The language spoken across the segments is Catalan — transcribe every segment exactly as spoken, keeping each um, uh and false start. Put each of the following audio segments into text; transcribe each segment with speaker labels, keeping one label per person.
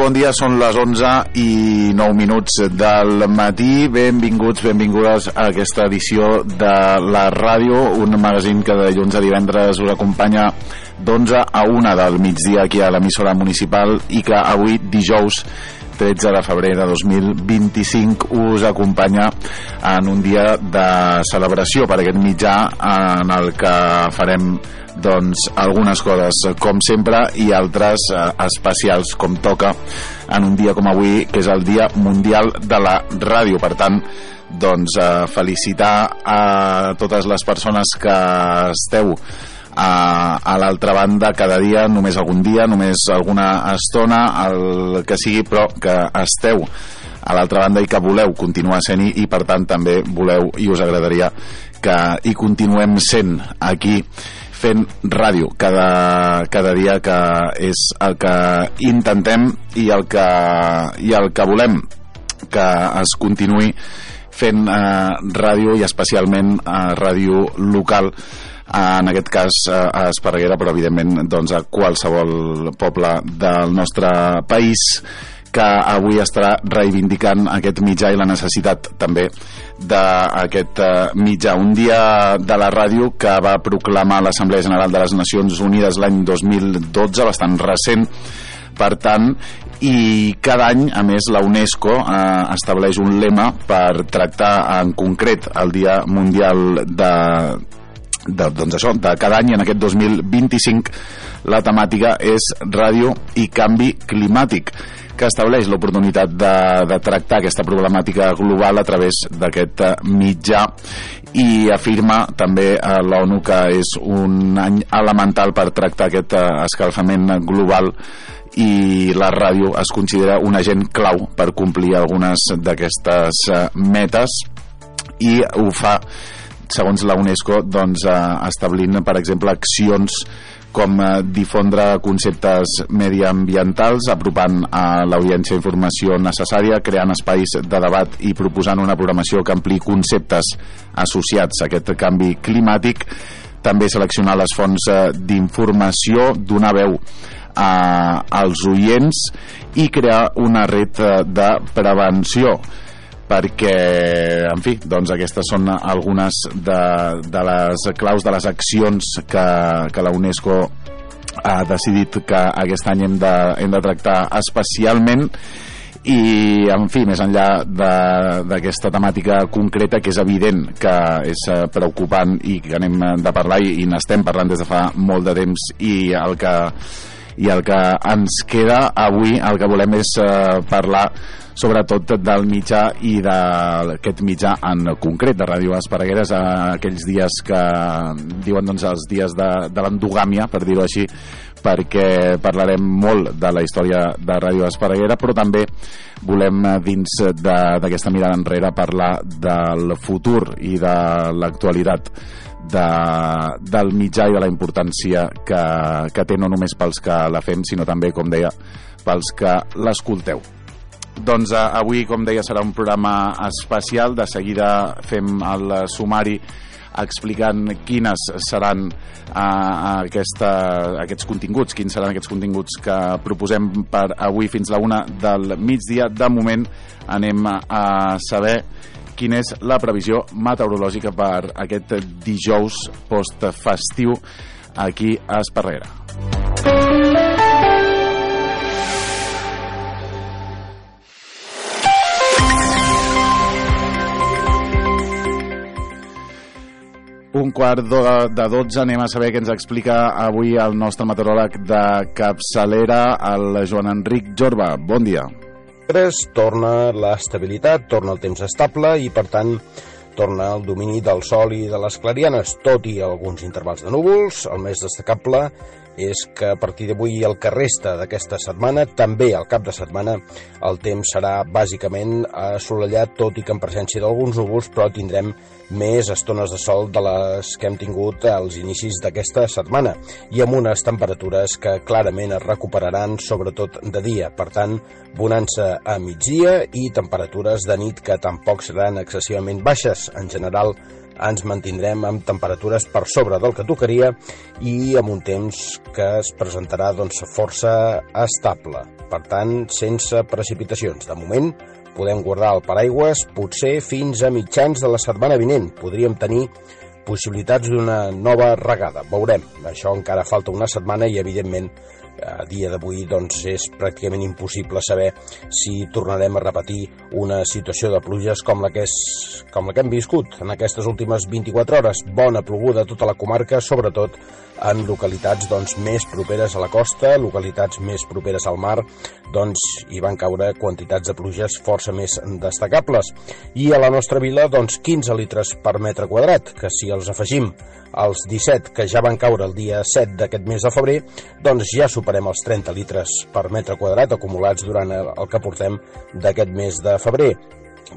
Speaker 1: bon dia, són les onze i nou minuts del matí. Benvinguts, benvingudes a aquesta edició de la ràdio, un magazín que de dilluns a divendres us acompanya d'onze a una del migdia aquí a l'emissora municipal i que avui, dijous tretze de febrer de dos mil vint-i-cinc, us acompanya en un dia de celebració per aquest mitjà en el que farem doncs algunes coses com sempre i altres eh, especials com toca en un dia com avui, que és el Dia Mundial de la Ràdio. Per tant, doncs eh, felicitar a totes les persones que esteu a, a l'altra banda cada dia, només algun dia, només alguna estona, el que sigui, però que esteu a l'altra banda i que voleu continuar sent-hi i per tant també voleu i us agradaria que hi continuem sent aquí fent ràdio cada, cada dia, que és el que intentem i el que, i el que volem, que es continuï fent eh, ràdio i especialment eh, ràdio local, en aquest cas eh, a Esparreguera, però evidentment doncs, a qualsevol poble del nostre país que avui estarà reivindicant aquest mitjà i la necessitat també d'aquest mitjà. Un dia de la ràdio que va proclamar l'Assemblea General de les Nacions Unides l'any dos mil dotze, bastant recent, per tant, i cada any, a més, la UNESCO eh, estableix un lema per tractar en concret el Dia Mundial de, de, doncs això, de cada any. En aquest dos mil vint-i-cinc la temàtica és ràdio i canvi climàtic, que estableix l'oportunitat de, de tractar aquesta problemàtica global a través d'aquest mitjà i afirma també a l'ONU que és un any elemental per tractar aquest escalfament global i la ràdio es considera un agent clau per complir algunes d'aquestes metes i ho fa, segons la UNESCO, doncs, establint, per exemple, accions com difondre conceptes mediambientals, apropant a l'audiència informació necessària, creant espais de debat i proposant una programació que ampliï conceptes associats a aquest canvi climàtic, també seleccionar les fonts d'informació, donar veu a, als oients i crear una red de prevenció, perquè, en fi, doncs aquestes són algunes de, de les claus de les accions que, que la UNESCO ha decidit que aquest any hem de, hem de tractar especialment i, en fi, més enllà d'aquesta temàtica concreta, que és evident que és preocupant i que anem de parlar i, i n'estem parlant des de fa molt de temps i el que, i el que ens queda avui, el que volem és eh, parlar sobretot del mitjà i d'aquest mitjà en concret de Ràdio Esparregueres, aquells dies que diuen doncs, els dies de, de l'endogàmia, per dir-ho així, perquè parlarem molt de la història de Ràdio Esparreguera, però també volem, dins d'aquesta mirada enrere, parlar del futur i de l'actualitat de, del mitjà i de la importància que, que té no només pels que la fem, sinó també, com deia, pels que l'escolteu. Doncs eh, avui, com deia, serà un programa especial. De seguida fem el sumari explicant quines seran eh, aquesta, aquests continguts, quins seran aquests continguts que proposem per avui fins la una del migdia. De moment anem a saber quina és la previsió meteorològica per aquest dijous postfestiu aquí a Esparreguera. Un quart de dotze, anem a saber què ens explica avui el nostre meteoròleg de capçalera, el Joan Enric Jorba. Bon dia.
Speaker 2: Torna l'estabilitat, torna el temps estable i, per tant, torna el domini del sol i de les clarianes, tot i alguns intervals de núvols. El més destacable és que a partir d'avui i el que resta d'aquesta setmana, també al cap de setmana, el temps serà bàsicament assolellat, tot i que en presència d'alguns núvols, però tindrem més estones de sol de les que hem tingut als inicis d'aquesta setmana i amb unes temperatures que clarament es recuperaran, sobretot de dia. Per tant, bonança a migdia i temperatures de nit que tampoc seran excessivament baixes. En general, ens mantindrem amb temperatures per sobre del que tocaria i amb un temps que es presentarà doncs, força estable. per tant, sense precipitacions. De moment, podem guardar el paraigües potser fins a mitjans de la setmana vinent. Podríem tenir possibilitats d'una nova regada. Veurem. Això encara falta una setmana i, evidentment, a dia d'avui doncs, és pràcticament impossible saber si tornarem a repetir una situació de pluges com la que, és, com la que hem viscut en aquestes últimes vint-i-quatre hores. Bona ploguda a tota la comarca, sobretot en localitats doncs, més properes a la costa, localitats més properes al mar, doncs hi van caure quantitats de pluges força més destacables. I a la nostra vila, doncs, quinze litres per metre quadrat, que si els afegim als disset que ja van caure el dia set d'aquest mes de febrer, doncs ja superem els trenta litres per metre quadrat acumulats durant el que portem d'aquest mes de febrer.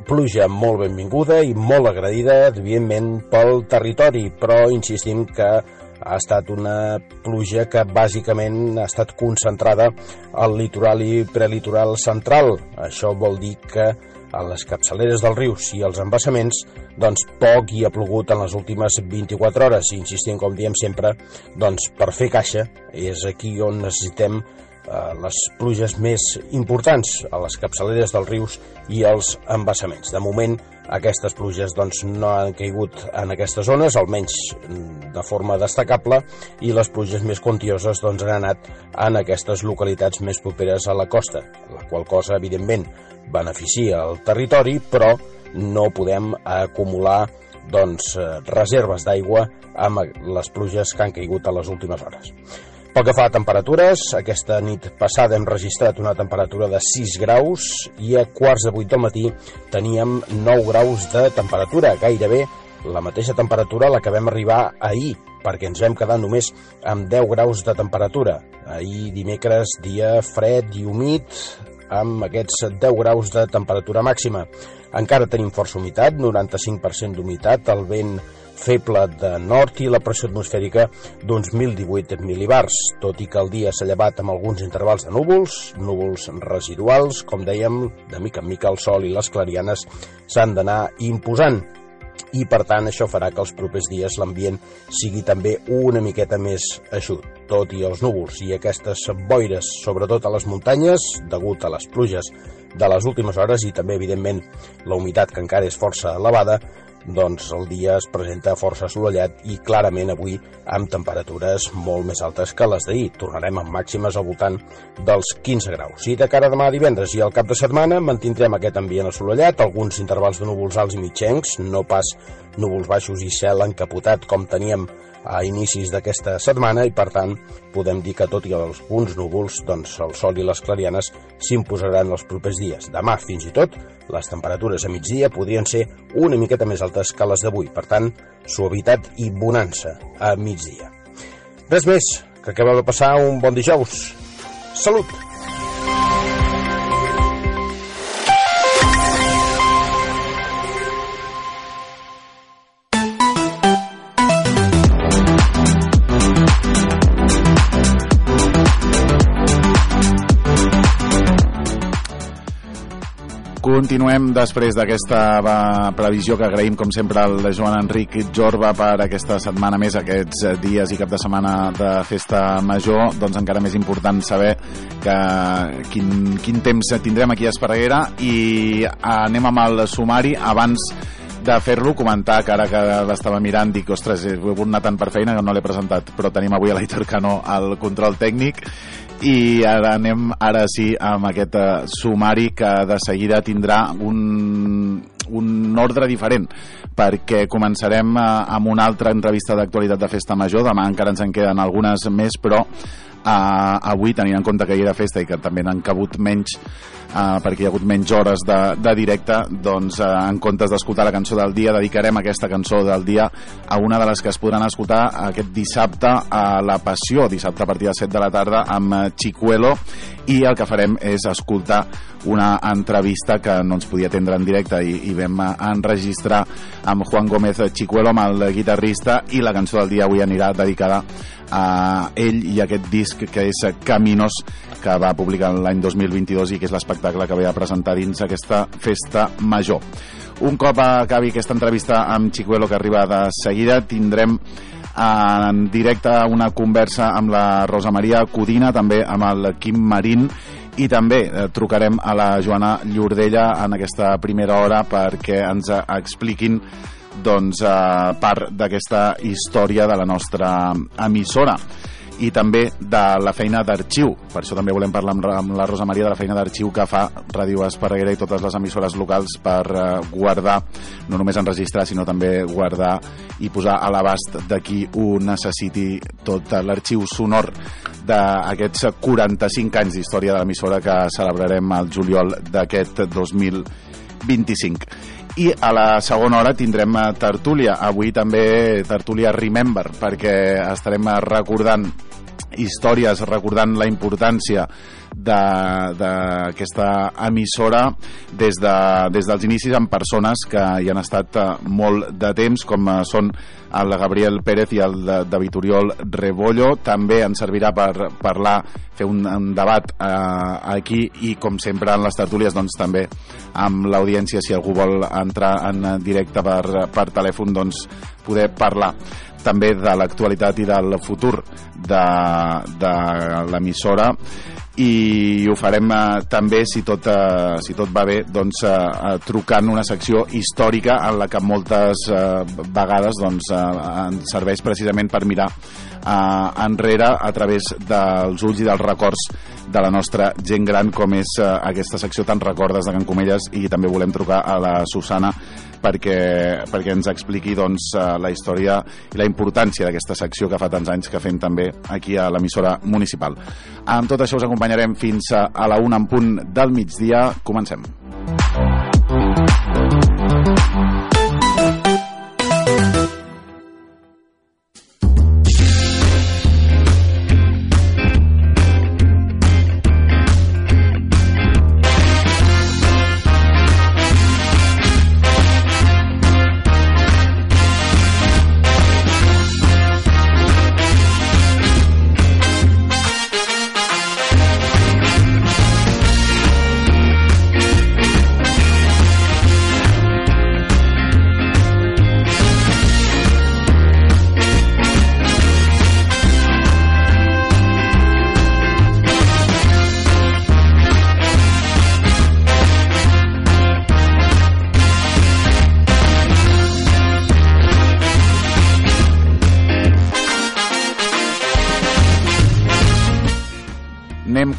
Speaker 2: Pluja molt benvinguda i molt agredida, evidentment, pel territori, però insistim que ha estat una pluja que bàsicament ha estat concentrada al litoral i prelitoral central. Això vol dir que a les capçaleres dels rius i els embassaments, doncs poc hi ha plogut en les últimes vint-i-quatre hores. I insistim, com diem sempre, doncs per fer caixa és aquí on necessitem eh, les pluges més importants, a les capçaleres dels rius i els embassaments. De moment, aquestes pluges doncs, no han caigut en aquestes zones, almenys de forma destacable, i les pluges més quantioses doncs, han anat en aquestes localitats més properes a la costa, la qual cosa, evidentment, beneficia el territori, però no podem acumular doncs, reserves d'aigua amb les pluges que han caigut a les últimes hores. Pel que fa a temperatures, aquesta nit passada hem registrat una temperatura de sis graus i a quarts de vuit del matí teníem nou graus de temperatura, gairebé la mateixa temperatura a la que vam arribar ahir, perquè ens vam quedar només amb deu graus de temperatura. Ahir dimecres, dia fred i humit, amb aquests deu graus de temperatura màxima. Encara tenim força humitat, noranta-cinc per cent d'humitat, el vent feble de nord i la pressió atmosfèrica d'uns mil divuit mil·libars, tot i que el dia s'ha llevat amb alguns intervals de núvols, núvols residuals, com dèiem, de mica en mica el sol i les clarianes s'han d'anar imposant. I, per tant, això farà que els propers dies l'ambient sigui també una miqueta més eixut. Tot i els núvols i aquestes boires, sobretot a les muntanyes, degut a les pluges de les últimes hores i també, evidentment, la humitat que encara és força elevada, doncs el dia es presenta força assolellat i clarament avui amb temperatures molt més altes que les d'ahir. Tornarem amb màximes al voltant dels quinze graus. I de cara a demà divendres i al cap de setmana mantindrem aquest ambient assolellat, alguns intervals de núvols alts i mitjencs, no pas núvols baixos i cel encapotat com teníem a inicis d'aquesta setmana, i per tant podem dir que tot i alguns núvols, doncs el sol i les clarianes s'imposaran els propers dies. Demà, fins i tot, les temperatures a migdia podrien ser una miqueta més altes que les d'avui. Per tant, suavitat i bonança a migdia. Res més, que acabeu de passar un bon dijous. Salut!
Speaker 1: Continuem després d'aquesta previsió que agraïm com sempre al Joan Enric Jorba per aquesta setmana més, aquests dies i cap de setmana de festa major. Doncs encara més important saber que quin, quin temps tindrem aquí a Esparreguera, i anem amb el sumari. Abans de fer-lo, comentar que ara que l'estava mirant dic, ostres, he volgut anar tant per feina que no l'he presentat, però tenim avui a l'Aitor Cano al control tècnic. I ara anem, ara sí, amb aquest uh, sumari que de seguida tindrà un, un ordre diferent, perquè començarem uh, amb una altra entrevista d'actualitat de Festa Major. Demà encara ens en queden algunes més, però uh, avui, tenint en compte que hi era festa i que també n'han cabut menys, uh, perquè hi ha hagut menys hores de, de directe, doncs uh, en comptes d'escoltar la cançó del dia, dedicarem aquesta cançó del dia a una de les que es podran escoltar aquest dissabte a La Passió, dissabte a partir de set de la tarda, amb Chicuelo, i el que farem és escoltar una entrevista que no ens podia atendre en directe i, i vam enregistrar amb Juan Gómez Chicuelo, amb el guitarrista, i la cançó del dia avui anirà dedicada a ell i aquest disc que és Caminos, que va publicar l'any dos mil vint-i-dos i que és l'espectacle que ve a presentar dins aquesta festa major. Un cop acabi aquesta entrevista amb Chicuelo, que arriba de seguida, tindrem en directe una conversa amb la Rosa Maria Codina, també amb el Quim Marín, i també eh, trucarem a la Joana Llordella en aquesta primera hora perquè ens expliquin doncs, eh, part d'aquesta història de la nostra emissora i també de la feina d'arxiu. Per això també volem parlar amb la Rosa Maria de la feina d'arxiu que fa Ràdio Esparreguera i totes les emissores locals per guardar, no només enregistrar, sinó també guardar i posar a l'abast de qui ho necessiti tot l'arxiu sonor d'aquests quaranta-cinc anys d'història de l'emissora que celebrarem al juliol d'aquest dos mil vint-i-cinc. I a la segona hora tindrem tertúlia, avui també tertúlia Remember, perquè estarem recordant històries, recordant la importància d'aquesta emissora des, de, des dels inicis amb persones que hi han estat molt de temps, com són el Gabriel Pérez i el David Oriol Rebollo. També ens servirà per parlar, fer un, un debat eh, aquí i, com sempre en les tertúlies, doncs també amb l'audiència, si algú vol entrar en directe per, per telèfon, doncs poder parlar també de l'actualitat i del futur de, de l'emissora, i ho farem eh, també, si tot, eh, si tot va bé, doncs, eh, trucant una secció històrica en la que moltes eh, vegades doncs, eh, ens serveix precisament per mirar eh, enrere a través dels ulls i dels records de la nostra gent gran, com és eh, aquesta secció Tan recordes de Can Comelles. I també volem trucar a la Susana perquè, perquè ens expliqui doncs, la història i la importància d'aquesta secció que fa tants anys que fem també aquí a l'emissora municipal. Amb tot això us acompanyarem fins a la una en punt del migdia. Comencem.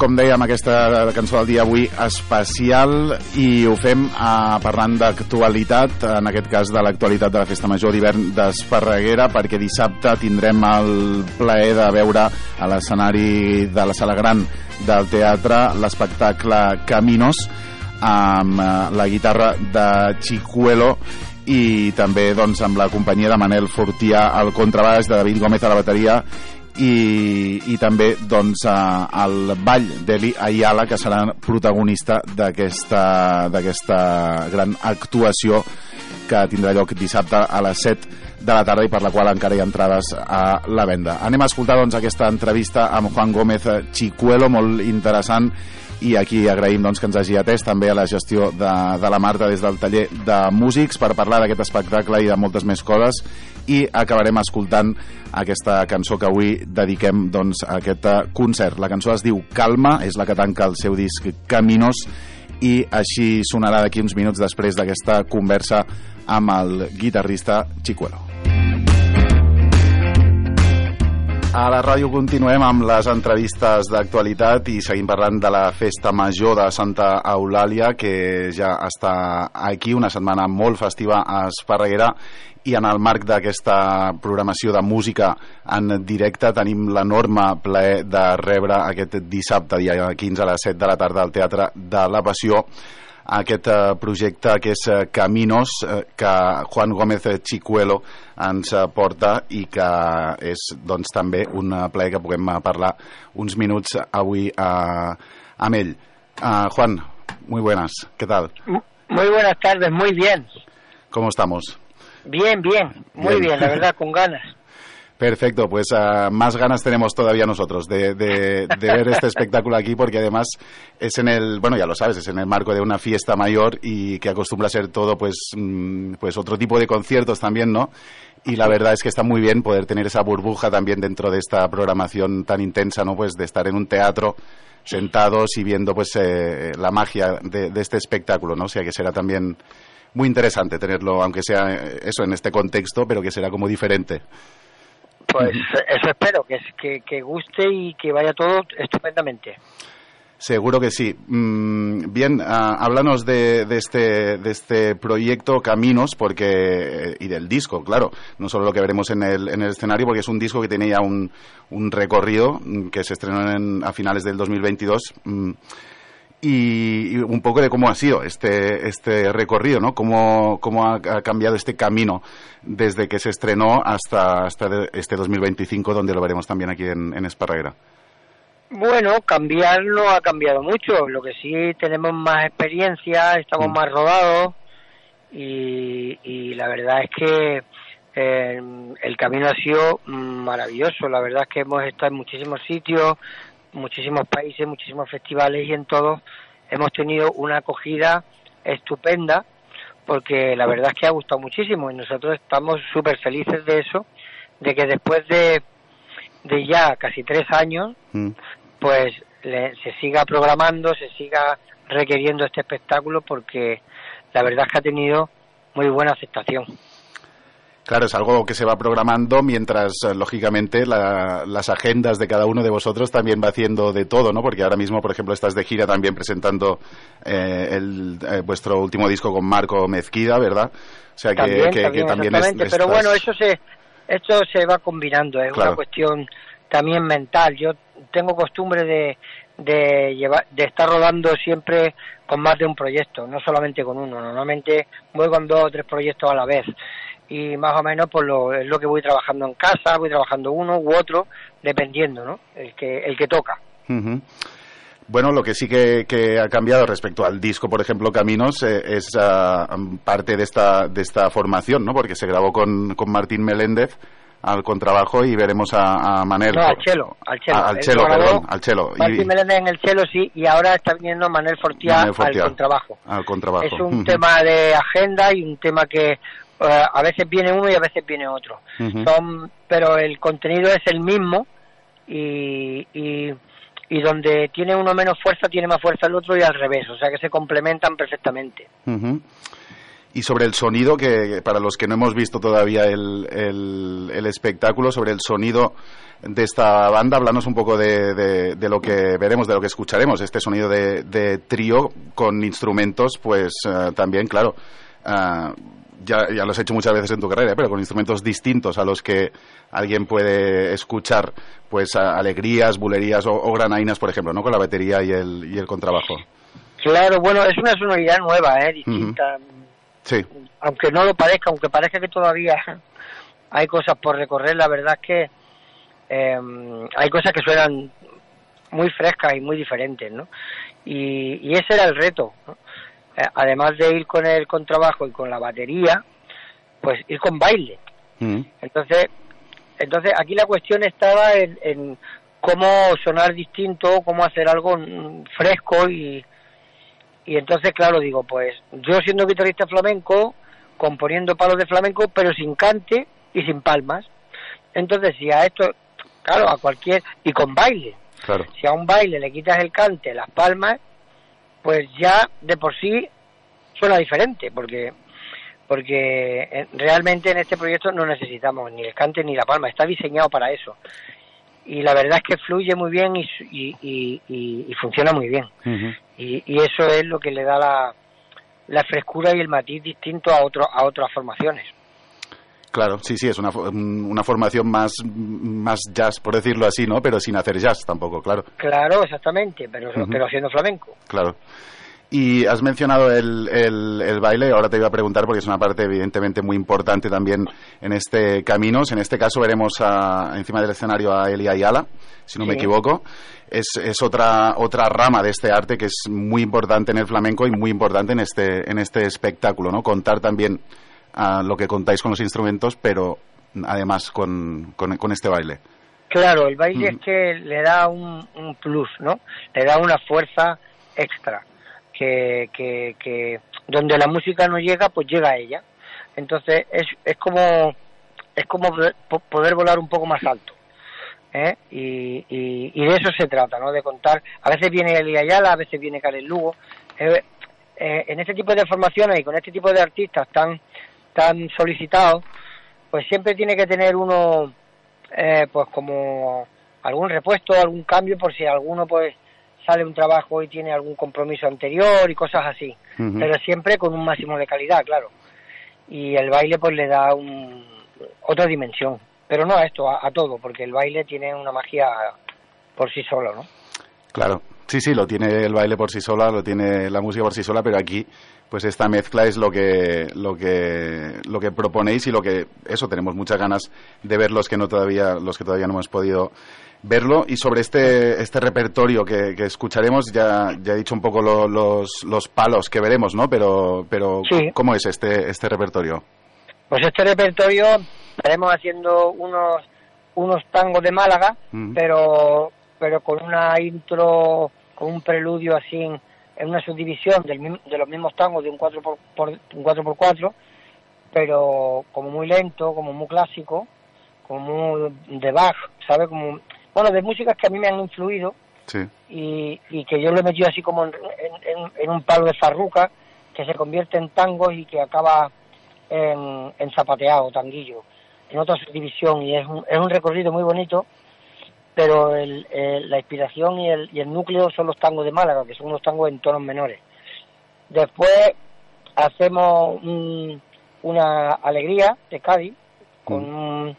Speaker 1: Com dèiem, aquesta cançó del dia avui especial, i ho fem eh, parlant d'actualitat, en aquest cas de l'actualitat de la Festa Major d'hivern d'Esparreguera, perquè dissabte tindrem el plaer de veure a l'escenari de la Sala Gran del teatre l'espectacle Caminos, amb eh, la guitarra de Chicuelo i també doncs, amb la companyia de Manel Fortià al contrabaix, de David Gómez a la bateria, i, i també doncs, el ball d'Eli Ayala, que serà protagonista d'aquesta d'aquesta gran actuació que tindrà lloc dissabte a les set de la tarda i per la qual encara hi ha entrades a la venda. Anem a escoltar doncs, aquesta entrevista amb Juan Gómez Chicuelo, molt interessant, i aquí agraïm doncs, que ens hagi atès també a la gestió de, de la Marta des del taller de músics per parlar d'aquest espectacle i de moltes més coses, i acabarem escoltant aquesta cançó que avui dediquem doncs, a aquest concert. La cançó es diu Calma, és la que tanca el seu disc Caminos, i així sonarà d'aquí uns minuts després d'aquesta conversa amb el guitarrista Chicuelo. A la ràdio continuem amb les entrevistes d'actualitat i seguim parlant de la Festa Major de Santa Eulàlia, que ja està aquí, una setmana molt festiva a Esparreguera, i en el marc d'aquesta programació de música en directe tenim l'enorme plaer de rebre aquest dissabte, dia quinze a les set de la tarda, al Teatre de la Passió, aquest projecte que és Caminos, que Juan Gómez Chicuelo ens porta i que és doncs, també un plaer que puguem parlar uns minuts avui uh, amb ell. Uh, Juan, muy buenas, ¿qué tal?
Speaker 3: Muy buenas tardes, muy bien.
Speaker 1: ¿Cómo estamos?
Speaker 3: Bien, bien, muy bien, bien la verdad, con ganas.
Speaker 1: Perfecto, pues uh, más ganas tenemos todavía nosotros de, de, de ver este espectáculo aquí, porque además es en el, bueno, ya lo sabes, es en el marco de una fiesta mayor y que acostumbra a ser todo, pues, mm, pues otro tipo de conciertos también, ¿no? Y la verdad es que está muy bien poder tener esa burbuja también dentro de esta programación tan intensa, ¿no? Pues de estar en un teatro sentados y viendo pues eh, la magia de, de este espectáculo, ¿no? O sea que será también muy interesante tenerlo, aunque sea eso en este contexto, pero que será como diferente.
Speaker 3: Pues eso espero, que, que, que guste y que vaya todo estupendamente.
Speaker 1: Seguro que sí. Bien, uh, háblanos de, de, este, de este proyecto Caminos, porque y del disco, claro, no solo lo que veremos en el, en el escenario, porque es un disco que tiene ya un, un recorrido que se estrenó en, a finales del dos mil veintidós, y, y un poco de cómo ha sido este, este recorrido, ¿no? Cómo, cómo ha, ha cambiado este camino desde que se estrenó hasta, hasta este dos mil veinticinco, donde lo veremos también aquí en, en Esparreguera.
Speaker 3: Bueno, cambiar no ha cambiado mucho, lo que sí tenemos más experiencia, estamos mm. más rodados y, y la verdad es que eh, el camino ha sido maravilloso, la verdad es que hemos estado en muchísimos sitios, muchísimos países, muchísimos festivales y en todos hemos tenido una acogida estupenda porque la verdad es que ha gustado muchísimo y nosotros estamos súper felices de eso, de que después de, de ya casi tres años mm. pues le, se siga programando, se siga requiriendo este espectáculo porque la verdad es que ha tenido muy buena aceptación.
Speaker 1: Claro, es algo que se va programando mientras, lógicamente, la, las agendas de cada uno de vosotros también va haciendo de todo, ¿no? Porque ahora mismo, por ejemplo, estás de gira también presentando eh, el, eh, vuestro último disco con Marco Mezquida, ¿verdad? O sea, que
Speaker 3: también,
Speaker 1: que,
Speaker 3: también,
Speaker 1: que también
Speaker 3: es,
Speaker 1: estás...
Speaker 3: Pero bueno, eso se, esto se va combinando, es claro. Una cuestión también mental. Yo tengo costumbre de, de, llevar, de estar rodando siempre con más de un proyecto, no solamente con uno. Normalmente voy con dos o tres proyectos a la vez. Y más o menos pues lo, es lo que voy trabajando en casa, voy trabajando uno u otro, dependiendo, ¿no? El que el que toca.
Speaker 1: Uh-huh. Bueno, lo que sí que, que ha cambiado respecto al disco, por ejemplo, Caminos, eh, es uh, parte de esta de esta formación, ¿no? Porque se grabó con, con Martín Meléndez al contrabajo y veremos a, a Manel.
Speaker 3: No, al cello, al cello.
Speaker 1: Ah, al cello, perdón, al cello.
Speaker 3: Martín y, Meléndez en el cello, sí, y ahora está viniendo Manel Fortià, Manel Fortià al contrabajo.
Speaker 1: Al contrabajo.
Speaker 3: Es un
Speaker 1: uh-huh.
Speaker 3: tema de agenda y un tema que uh, a veces viene uno y a veces viene otro. Uh-huh. Son, pero el contenido es el mismo y, y, y donde tiene uno menos fuerza, tiene más fuerza el otro y al revés, o sea que se complementan perfectamente.
Speaker 1: Uh-huh. Y sobre el sonido, que para los que no hemos visto todavía el, el, el espectáculo, sobre el sonido de esta banda, háblanos un poco de, de, de lo que veremos, de lo que escucharemos, este sonido de, de trío con instrumentos, pues uh, también, claro, uh, ya, ya lo has hecho muchas veces en tu carrera, pero con instrumentos distintos a los que alguien puede escuchar, pues uh, alegrías, bulerías o, o granainas, por ejemplo, ¿no? Con la batería y el, y el contrabajo.
Speaker 3: Claro, bueno, es una sonoridad nueva, ¿eh? Distinta. Uh-huh.
Speaker 1: Sí.
Speaker 3: Aunque no lo parezca, aunque parezca que todavía hay cosas por recorrer, la verdad es que eh, hay cosas que suenan muy frescas y muy diferentes, ¿no? Y, y ese era el reto, ¿no? Eh, además de ir con el contrabajo y con la batería, pues ir con baile. Mm. Entonces, entonces aquí la cuestión estaba en, en cómo sonar distinto, cómo hacer algo fresco y Y entonces, claro, digo, pues yo siendo guitarrista flamenco, componiendo palos de flamenco, pero sin cante y sin palmas. Entonces, si a esto, claro, a cualquier... Y con baile.
Speaker 1: Claro.
Speaker 3: Si a un baile le quitas el cante, las palmas, pues ya de por sí suena diferente, porque porque realmente en este proyecto no necesitamos ni el cante ni la palma, está diseñado para eso. Y la verdad es que fluye muy bien y, y, y, y, y funciona muy bien. Uh-huh. Y, y eso es lo que le da la, la frescura y el matiz distinto a otro, a otras formaciones.
Speaker 1: Claro, sí, sí, es una, una formación más, más jazz, por decirlo así, ¿no? Pero sin hacer jazz tampoco, claro.
Speaker 3: Claro, exactamente, pero, uh-huh. pero haciendo flamenco.
Speaker 1: Claro. Y has mencionado el, el, el baile, ahora te iba a preguntar porque es una parte evidentemente muy importante también en este Caminos. En este caso veremos a, encima del escenario a Elia Ayala, si no sí. me equivoco. Es, es otra otra rama de este arte que es muy importante en el flamenco y muy importante en este en este espectáculo, ¿no? Contar también uh, lo que contáis con los instrumentos, pero además con, con, con este baile.
Speaker 3: Claro, el baile mm. es que le da un, un plus, ¿no? Le da una fuerza extra. Que, que, que donde la música no llega, pues llega a ella. Entonces es, es como es como poder volar un poco más alto. ¿eh? Y, y, y de eso se trata, ¿no? De contar. A veces viene Eli Ayala, a veces viene Karen Lugo. Eh, eh, en este tipo de formaciones y con este tipo de artistas tan, tan solicitados, pues siempre tiene que tener uno, eh, pues como algún repuesto, algún cambio, por si alguno pues sale un trabajo y tiene algún compromiso anterior y cosas así. Uh-huh. Pero siempre con un máximo de calidad, claro. Y el baile pues le da un, otra dimensión. Pero no a esto, a, a todo, porque el baile tiene una magia por sí solo, ¿no?
Speaker 1: Claro, sí, sí, lo tiene el baile por sí sola, lo tiene la música por sí sola, pero aquí, pues esta mezcla es lo que, lo que, lo que proponéis y lo que, eso, tenemos muchas ganas de ver los que no todavía, los que todavía no hemos podido verlo. Y sobre este, este repertorio que, que escucharemos, ya, ya he dicho un poco lo, los, los palos que veremos, ¿no? Pero, pero
Speaker 3: sí.
Speaker 1: ¿Cómo es este, este repertorio?
Speaker 3: Pues este repertorio estaremos haciendo unos unos tangos de Málaga, uh-huh. pero pero con una intro, con un preludio así en, en una subdivisión del, de los mismos tangos de un cuatro por cuatro, pero como muy lento, como muy clásico, como muy de Bach, ¿sabes? Como, bueno, de músicas que a mí me han influido,
Speaker 1: sí.
Speaker 3: y, y que yo lo he metido así como en, en, en un palo de farruca, que se convierte en tangos y que acaba en, en zapateado, tanguillo, en otra subdivisión, y es un, es un recorrido muy bonito, pero el, el, la inspiración y el, y el núcleo son los tangos de Málaga, que son unos tangos en tonos menores. Después hacemos un, una alegría de Cádiz, con un,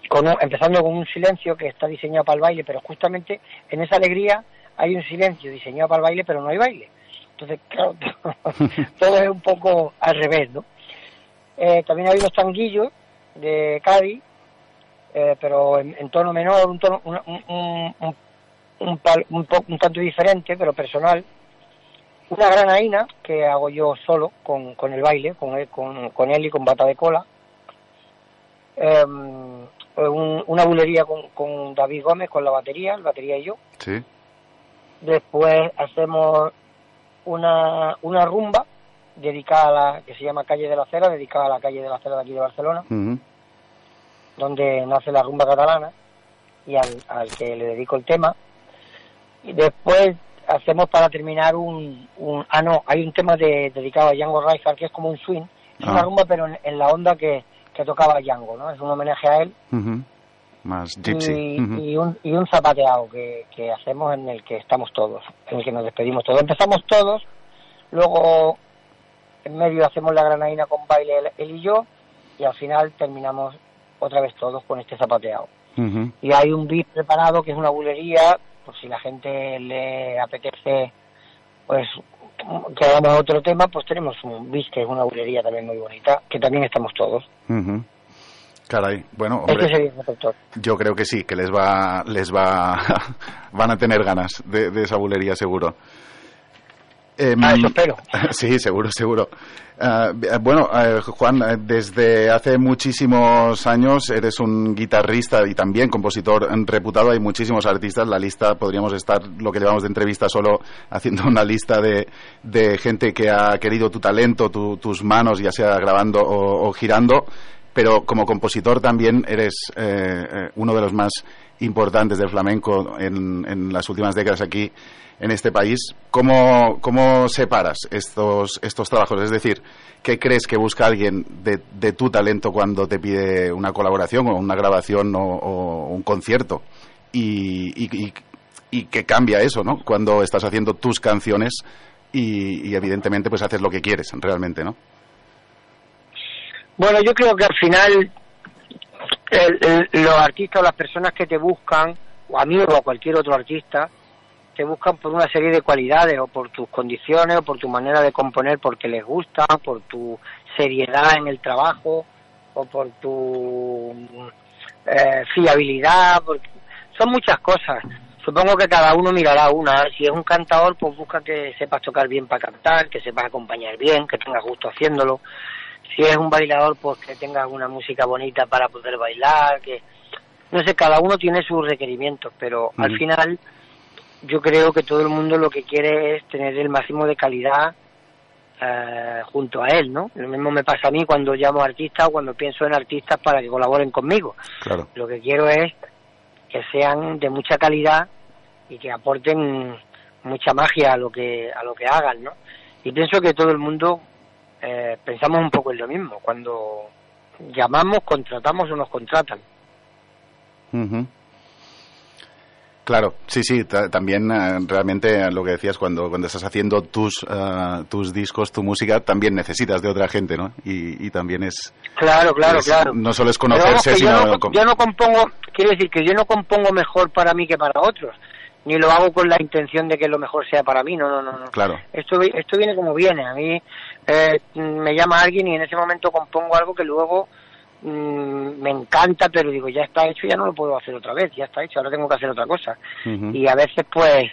Speaker 3: con un, empezando con un silencio que está diseñado para el baile, pero justamente en esa alegría hay un silencio diseñado para el baile, pero no hay baile. Entonces, claro, todo es un poco al revés, ¿no? Eh, también hay unos tanguillos de Cádiz, eh, pero en, en tono menor, un tono un, un, un, un, un, un, un tanto diferente, pero personal. Una granaína que hago yo solo con, con el baile, con él, con, con él y con bata de cola. Eh, un, una bulería con, con David Gómez, con la batería, el batería y yo.
Speaker 1: Sí.
Speaker 3: Después hacemos una, una rumba dedicada a la, que se llama Calle de la Cera, dedicada a la calle de la Cera de aquí de Barcelona, uh-huh. donde nace la rumba catalana y al, al que le dedico el tema. Y después hacemos, para terminar, un, un ah no, hay un tema de, dedicado a Django Reinhardt, que es como un swing, es ah. una rumba pero en, en la onda que, que tocaba Django, ¿no? Es un homenaje a él.
Speaker 1: Uh-huh. Más gypsy.
Speaker 3: Y,
Speaker 1: uh-huh.
Speaker 3: y, un, y un zapateado que, que hacemos, en el que estamos todos, en el que nos despedimos todos. Empezamos todos, luego en medio hacemos la granaína con baile él, él y yo, y al final terminamos otra vez todos con este zapateado.
Speaker 1: Uh-huh.
Speaker 3: Y hay un beat preparado que es una bulería, por si la gente le apetece, pues que hagamos otro tema, pues tenemos un beat que es una bulería también muy bonita, que también estamos todos.
Speaker 1: Uh-huh. Caray, bueno, hombre,
Speaker 3: este sería
Speaker 1: yo creo que sí, que les va, les va, van a tener ganas de, de esa bulería seguro.
Speaker 3: Eh, ah, eso espero.
Speaker 1: Sí, seguro, seguro. Uh, bueno, uh, Juan, desde hace muchísimos años eres un guitarrista y también compositor reputado. Hay muchísimos artistas. La lista, podríamos estar, lo que llevamos de entrevista, solo haciendo una lista de, de gente que ha querido tu talento, tu, tus manos, ya sea grabando o, o girando. Pero como compositor también eres eh, eh, uno de los más importantes del flamenco en, en las últimas décadas aquí en este país. ¿Cómo, cómo separas estos, estos trabajos? Es decir, ¿qué crees que busca alguien de, de tu talento cuando te pide una colaboración o una grabación o, o un concierto? Y, y, y, y qué cambia eso, ¿no? Cuando estás haciendo tus canciones y, y evidentemente pues haces lo que quieres realmente, ¿no?
Speaker 3: Bueno, yo creo que al final el, el, los artistas o las personas que te buscan, o a mí o a cualquier otro artista, te buscan por una serie de cualidades, o por tus condiciones, o por tu manera de componer, porque les gusta, por tu seriedad en el trabajo, o por tu eh, fiabilidad, porque son muchas cosas. Supongo que cada uno mirará una. Si es un cantador, pues busca que sepas tocar bien para cantar, que sepas acompañar bien, que tengas gusto haciéndolo. Si es un bailador, pues que tengas una música bonita para poder bailar, que no sé, cada uno tiene sus requerimientos, pero mm. al final yo creo que todo el mundo lo que quiere es tener el máximo de calidad eh, junto a él, ¿no? Lo mismo me pasa a mí cuando llamo a artistas o cuando pienso en artistas para que colaboren conmigo.
Speaker 1: Claro.
Speaker 3: Lo que quiero es que sean de mucha calidad y que aporten mucha magia a lo que a lo que hagan, ¿no? Y pienso que todo el mundo eh, pensamos un poco en lo mismo. Cuando llamamos, contratamos o nos contratan.
Speaker 1: Uh-huh. Claro, sí, sí, t- también uh, realmente lo que decías, cuando cuando estás haciendo tus uh, tus discos, tu música, también necesitas de otra gente, ¿no? Y, y también es...
Speaker 3: Claro, claro,
Speaker 1: es,
Speaker 3: claro.
Speaker 1: No solo es
Speaker 3: Pero
Speaker 1: conocerse,
Speaker 3: vamos,
Speaker 1: sino...
Speaker 3: Yo no, yo no compongo, quiero decir que yo no compongo mejor para mí que para otros, ni lo hago con la intención de que lo mejor sea para mí, no, no, no. no.
Speaker 1: Claro.
Speaker 3: Esto, esto viene como viene, a mí eh, me llama alguien y en ese momento compongo algo que luego mmm, me encanta, pero digo, ya está hecho, ya no lo puedo hacer otra vez, ya está hecho, ahora tengo que hacer otra cosa. Uh-huh. Y a veces pues,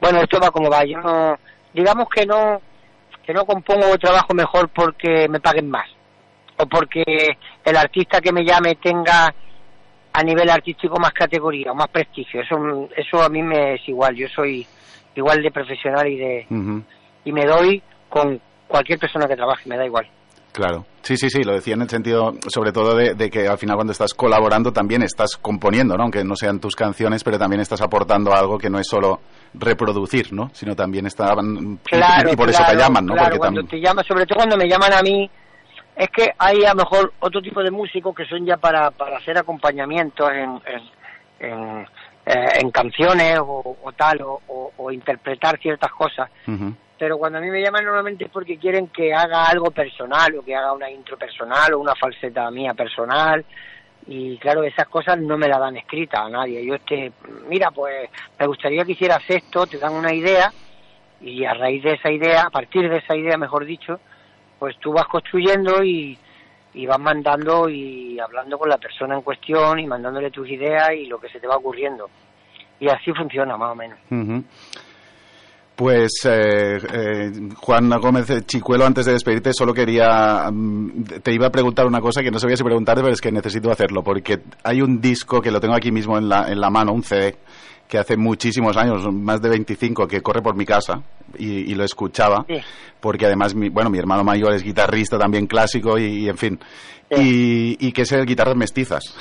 Speaker 3: bueno, esto va como va, yo no, digamos que no, que no compongo o trabajo mejor porque me paguen más, o porque el artista que me llame tenga a nivel artístico más categoría o más prestigio. Eso eso a mí me es igual, yo soy igual de profesional y de uh-huh. y me doy con cualquier persona que trabaje, me da igual.
Speaker 1: Claro, sí, sí, sí, lo decía en el sentido sobre todo de, de que al final cuando estás colaborando también estás componiendo, ¿no? Aunque no sean tus canciones, pero también estás aportando algo que no es solo reproducir, ¿no? Sino también estaban
Speaker 3: claro,
Speaker 1: y, y por
Speaker 3: claro,
Speaker 1: eso te llaman, ¿no?
Speaker 3: Claro,
Speaker 1: porque
Speaker 3: cuando
Speaker 1: tam...
Speaker 3: te llaman, sobre todo cuando me llaman a mí, es que hay a lo mejor otro tipo de músicos que son ya para, para hacer acompañamientos en, en, en, eh, en canciones o, o tal, o, o, o interpretar ciertas cosas. Uh-huh. Pero cuando a mí me llaman normalmente es porque quieren que haga algo personal, o que haga una intro personal, o una falseta mía personal. Y claro, esas cosas no me las dan escritas a nadie. Yo este, mira, pues me gustaría que hicieras esto, te dan una idea, y a raíz de esa idea, a partir de esa idea, mejor dicho, pues tú vas construyendo y, y vas mandando y hablando con la persona en cuestión y mandándole tus ideas y lo que se te va ocurriendo. Y así funciona, más o menos.
Speaker 1: Uh-huh. Pues eh, eh, Juan Gómez Chicuelo, antes de despedirte, solo quería, te iba a preguntar una cosa que no sabía si preguntarte, pero es que necesito hacerlo, porque hay un disco que lo tengo aquí mismo en la, en la mano, un C D, que hace muchísimos años, más de veinticinco, que corre por mi casa y, y lo escuchaba, sí. Porque además, mi, bueno, mi hermano mayor es guitarrista también clásico y, y en fin, sí. y, y que es el Guitarras Mestizas.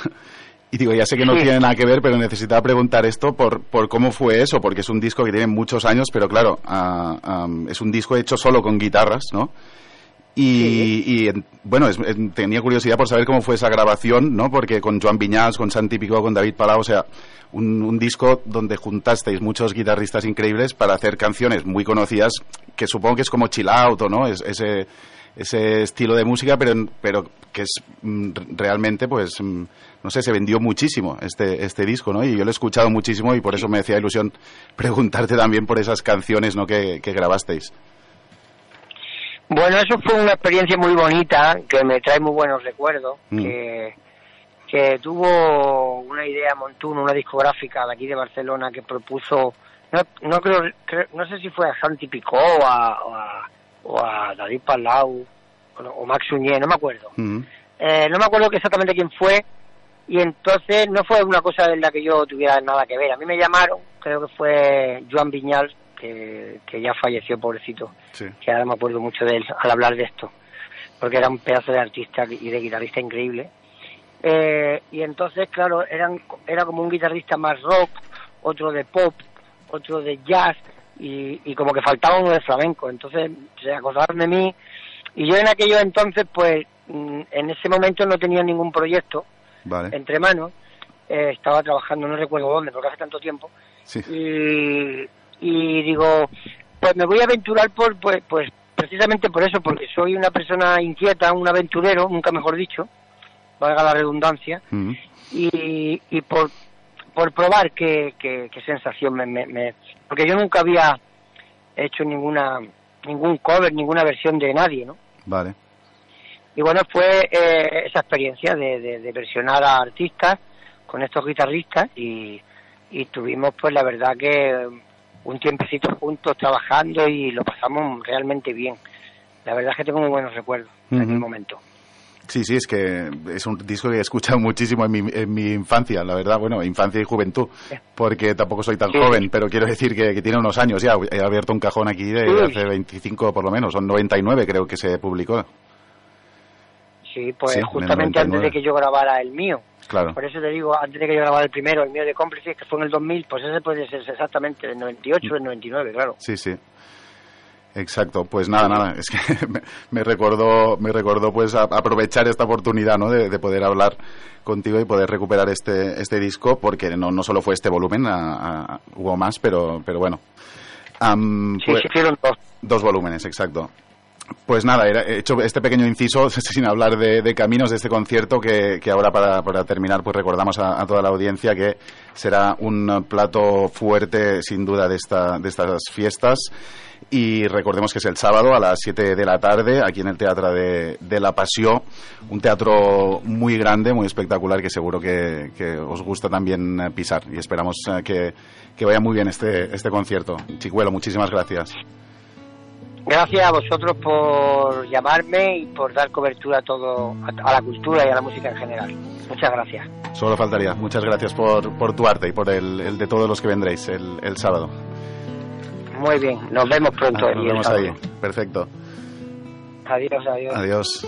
Speaker 1: Y digo, ya sé que no sí. tiene nada que ver, pero necesitaba preguntar esto por, por cómo fue eso, porque es un disco que tiene muchos años, pero claro, uh, um, es un disco hecho solo con guitarras, ¿no? Y, sí. y bueno, es, es, tenía curiosidad por saber cómo fue esa grabación, ¿no? Porque con Joan Viñals, con Santi Picó, con David Palau, o sea, un, un disco donde juntasteis muchos guitarristas increíbles para hacer canciones muy conocidas, que supongo que es como chill out, ¿no? Es, ese, ese estilo de música, pero, pero que es mm, realmente, pues, mm, no sé, se vendió muchísimo este, este disco, ¿no? Y yo lo he escuchado muchísimo y por eso me hacía ilusión preguntarte también por esas canciones, ¿no? que, que grabasteis.
Speaker 3: Bueno, eso fue una experiencia muy bonita, que me trae muy buenos recuerdos, mm. que, que tuvo una idea Montún, una discográfica de aquí de Barcelona, que propuso, no, no creo, creo no sé si fue a Santi Picó o a, o a, o a David Palau o, o Max Suñé, no me acuerdo. Mm. Eh, no me acuerdo exactamente quién fue, y entonces no fue una cosa en la que yo tuviera nada que ver. A mí me llamaron, creo que fue Joan Viñals, Que, que ya falleció, pobrecito, sí. Que ahora me acuerdo mucho de él al hablar de esto, porque era un pedazo de artista y de guitarrista increíble, eh, y entonces claro, eran era como un guitarrista más rock, otro de pop, otro de jazz, y, y como que faltaba uno de flamenco. Entonces se acordaron de mí, y yo en aquellos entonces pues en ese momento no tenía ningún proyecto vale. entre manos, eh, estaba trabajando, no recuerdo dónde porque hace tanto tiempo, sí. y y digo, pues me voy a aventurar por pues, pues precisamente por eso, porque soy una persona inquieta, un aventurero, nunca mejor dicho, valga la redundancia, uh-huh. y, y por por probar qué, qué, qué sensación me, me, me... Porque yo nunca había hecho ninguna ningún cover, ninguna versión de nadie, ¿no?
Speaker 1: Vale.
Speaker 3: Y bueno, fue eh, esa experiencia de, de, de versionar a artistas con estos guitarristas, y, y tuvimos pues la verdad que un tiempecito juntos trabajando y lo pasamos realmente bien. La verdad es que tengo muy buenos recuerdos uh-huh. en aquel momento.
Speaker 1: Sí, sí, es que es un disco que he escuchado muchísimo en mi, en mi infancia, la verdad, bueno, infancia y juventud, porque tampoco soy tan sí. joven, pero quiero decir que, que tiene unos años ya. He abierto un cajón aquí de sí. hace veinticinco por lo menos, son noventa y nueve creo que se publicó.
Speaker 3: Sí, pues sí, justamente antes de que yo grabara el mío.
Speaker 1: Claro.
Speaker 3: Por eso te digo, antes de que yo grabara el primero, el mío de Cómplices, que fue en el dos mil, pues ese puede ser exactamente del noventa y ocho, del noventa y nueve, claro.
Speaker 1: Sí, sí. Exacto, pues nada, nada, es que me, me recordó, me recordó pues a, aprovechar esta oportunidad, ¿no? De, de poder hablar contigo y poder recuperar este este disco, porque no no solo fue este volumen, a, a, hubo más, pero pero bueno. Um,
Speaker 3: sí,
Speaker 1: pues,
Speaker 3: se hicieron dos.
Speaker 1: Dos volúmenes, exacto. Pues nada, he hecho este pequeño inciso sin hablar de, de Caminos, de este concierto que, que ahora para, para terminar pues recordamos a, a toda la audiencia que será un plato fuerte sin duda de, esta, de estas fiestas. Y recordemos que es el sábado a las siete de la tarde aquí en el Teatre de, de la Passió, un teatro muy grande, muy espectacular, que seguro que, que os gusta también pisar, y esperamos que, que vaya muy bien este, este concierto. Chicuelo, muchísimas gracias.
Speaker 3: Gracias a vosotros por llamarme y por dar cobertura a todo, a la cultura y a la música en general. Muchas gracias.
Speaker 1: Solo faltaría. Muchas gracias por, por tu arte y por el, el de todos los que vendréis el, el sábado.
Speaker 3: Muy bien, nos vemos pronto.
Speaker 1: Ah, nos vemos ahí, perfecto.
Speaker 3: Adiós, adiós.
Speaker 1: Adiós.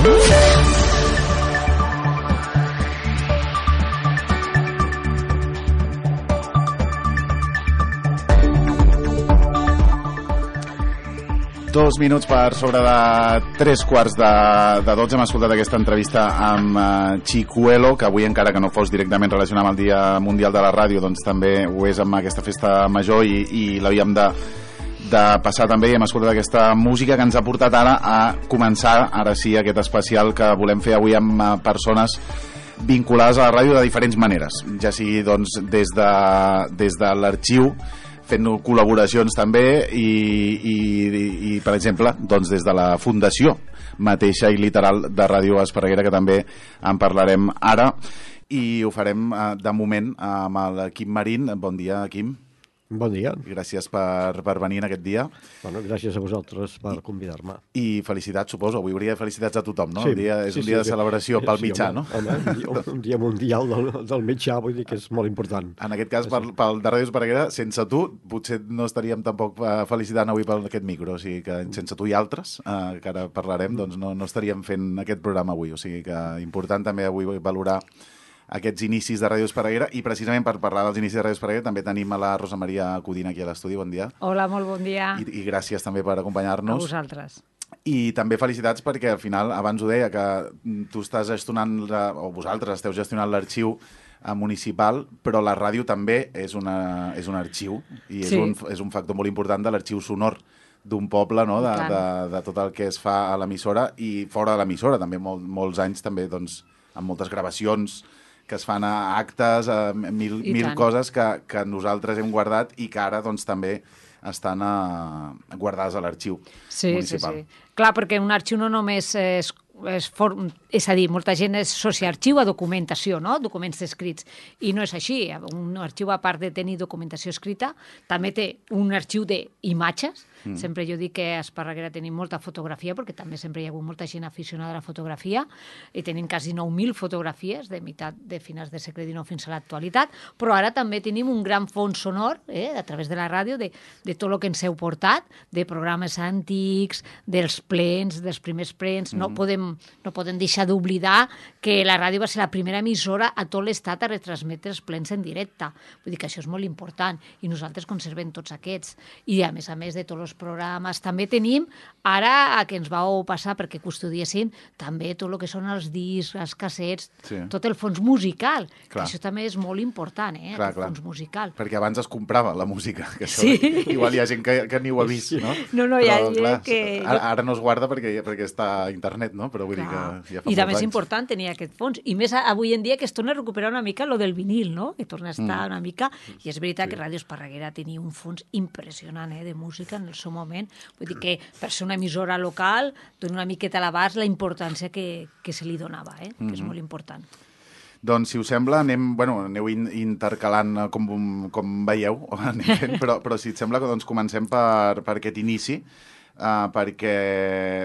Speaker 1: Dos minuts per sobre de tres quarts de, de dotze. Hem escoltat aquesta entrevista amb uh, Chicuelo, que avui, encara que no fos directament relacionat amb el Dia Mundial de la Ràdio, doncs també ho és amb aquesta festa major i, i l'havíem de, de passar també, i hem escoltat aquesta música que ens ha portat ara a començar, ara sí, aquest especial que volem fer avui amb uh, persones vinculades a la ràdio de diferents maneres, ja sigui doncs des de, des de l'arxiu, fent col·laboracions també i, i, i per exemple doncs des de la fundació mateixa i literal de Ràdio Esparreguera, que també en parlarem ara, i ho farem de moment amb el Quim Marín. Bon dia, Quim.
Speaker 4: Bon dia.
Speaker 1: Gràcies per, per venir en aquest dia.
Speaker 4: Bueno, gràcies a vosaltres per convidar-me.
Speaker 1: I felicitats, suposo. Avui hauria de felicitats a tothom, no?
Speaker 4: Sí,
Speaker 1: el dia, és
Speaker 4: sí,
Speaker 1: un dia
Speaker 4: sí,
Speaker 1: de celebració
Speaker 4: sí,
Speaker 1: pel
Speaker 4: sí,
Speaker 1: mitjà,
Speaker 4: home,
Speaker 1: no?
Speaker 4: Home, un, dia, un dia mundial del, del mitjà, vull dir que és molt important.
Speaker 1: En aquest cas, pel, pel de Ràdio Esparreguera, sense tu, potser no estaríem tampoc felicitant avui per aquest micro, o sigui que sense tu i altres, eh, que ara parlarem, doncs no, no estaríem fent aquest programa avui, o sigui que important també avui valorar aquests inicis de Ràdio Esparreguera, i precisament per parlar dels inicis de Ràdio Esparreguera també tenim a la Rosa Maria Codina aquí a l'estudi. Bon dia.
Speaker 5: Hola, molt bon dia.
Speaker 1: I, i gràcies també per acompanyar-nos.
Speaker 5: A vosaltres.
Speaker 1: I també felicitats perquè al final, abans ho deia, que tu estàs gestionant, la, o vosaltres esteu gestionant l'arxiu municipal, però la ràdio també és, una, és un arxiu i és, sí. un, és un factor molt important de l'arxiu sonor d'un poble, no? de, de, de tot el que es fa a l'emissora i fora de l'emissora, també mol, molts anys també doncs, amb moltes gravacions que es fan a actes, a mil, mil coses que, que nosaltres hem guardat i que ara doncs, també estan a, guardades a l'arxiu
Speaker 5: sí,
Speaker 1: municipal.
Speaker 5: Sí, sí. Clar, perquè un arxiu no només és, és, for... és a dir, molta gent és sociarxiu a documentació, no? Documents escrits, i no és així. Un arxiu, a part de tenir documentació escrita, també té un arxiu d'imatges. Mm. Sempre jo dic que a Esparreguera tenim molta fotografia, perquè també sempre hi ha hagut molta gent aficionada a la fotografia, i tenim quasi nou mil fotografies de meitat de finals del segle dinou fins a l'actualitat, però ara també tenim un gran fons sonor, eh, a través de la ràdio, de, de tot el que ens heu portat, de programes antics, dels plens, dels primers plens. Mm. No podem, no podem deixar d'oblidar que la ràdio va ser la primera emissora a tot l'estat a retransmetre els plens en directe. Vull dir que això és molt important, i nosaltres conservem tots aquests. I a més a més de tots els programes, també tenim, ara a que ens vau passar perquè custodiéssim també tot el que són els discs, els cassets, sí. Tot el fons musical, clar. Que això també és molt important, eh, clar, el clar. Fons musical.
Speaker 1: Perquè abans es comprava la música, que això
Speaker 5: sí.
Speaker 1: Igual hi ha gent que, que ni ho ha vist, no?
Speaker 5: No, no, hi ha gent
Speaker 1: clar,
Speaker 5: que...
Speaker 1: Ara, ara no es guarda perquè, perquè està a internet, no? Però vull clar. Dir que ja fa
Speaker 5: I també és
Speaker 1: anys.
Speaker 5: important tenir aquest fons. I més avui en dia que es torna a recuperar una mica lo del vinil, no? Que torna a estar mm. una mica... I és veritat sí. que Ràdio Esparreguera tenia un fons impressionant, eh, de música en el seu moment. Vull dir que per ser una emissora local dona una miqueta a l'abast la importància que, que se li donava, eh? Mm-hmm. Que és molt important.
Speaker 1: Doncs, si us sembla, anem, bueno, aneu in, intercalant com, com veieu, anem fent, però, però si et sembla, doncs comencem per, per aquest inici, uh, perquè,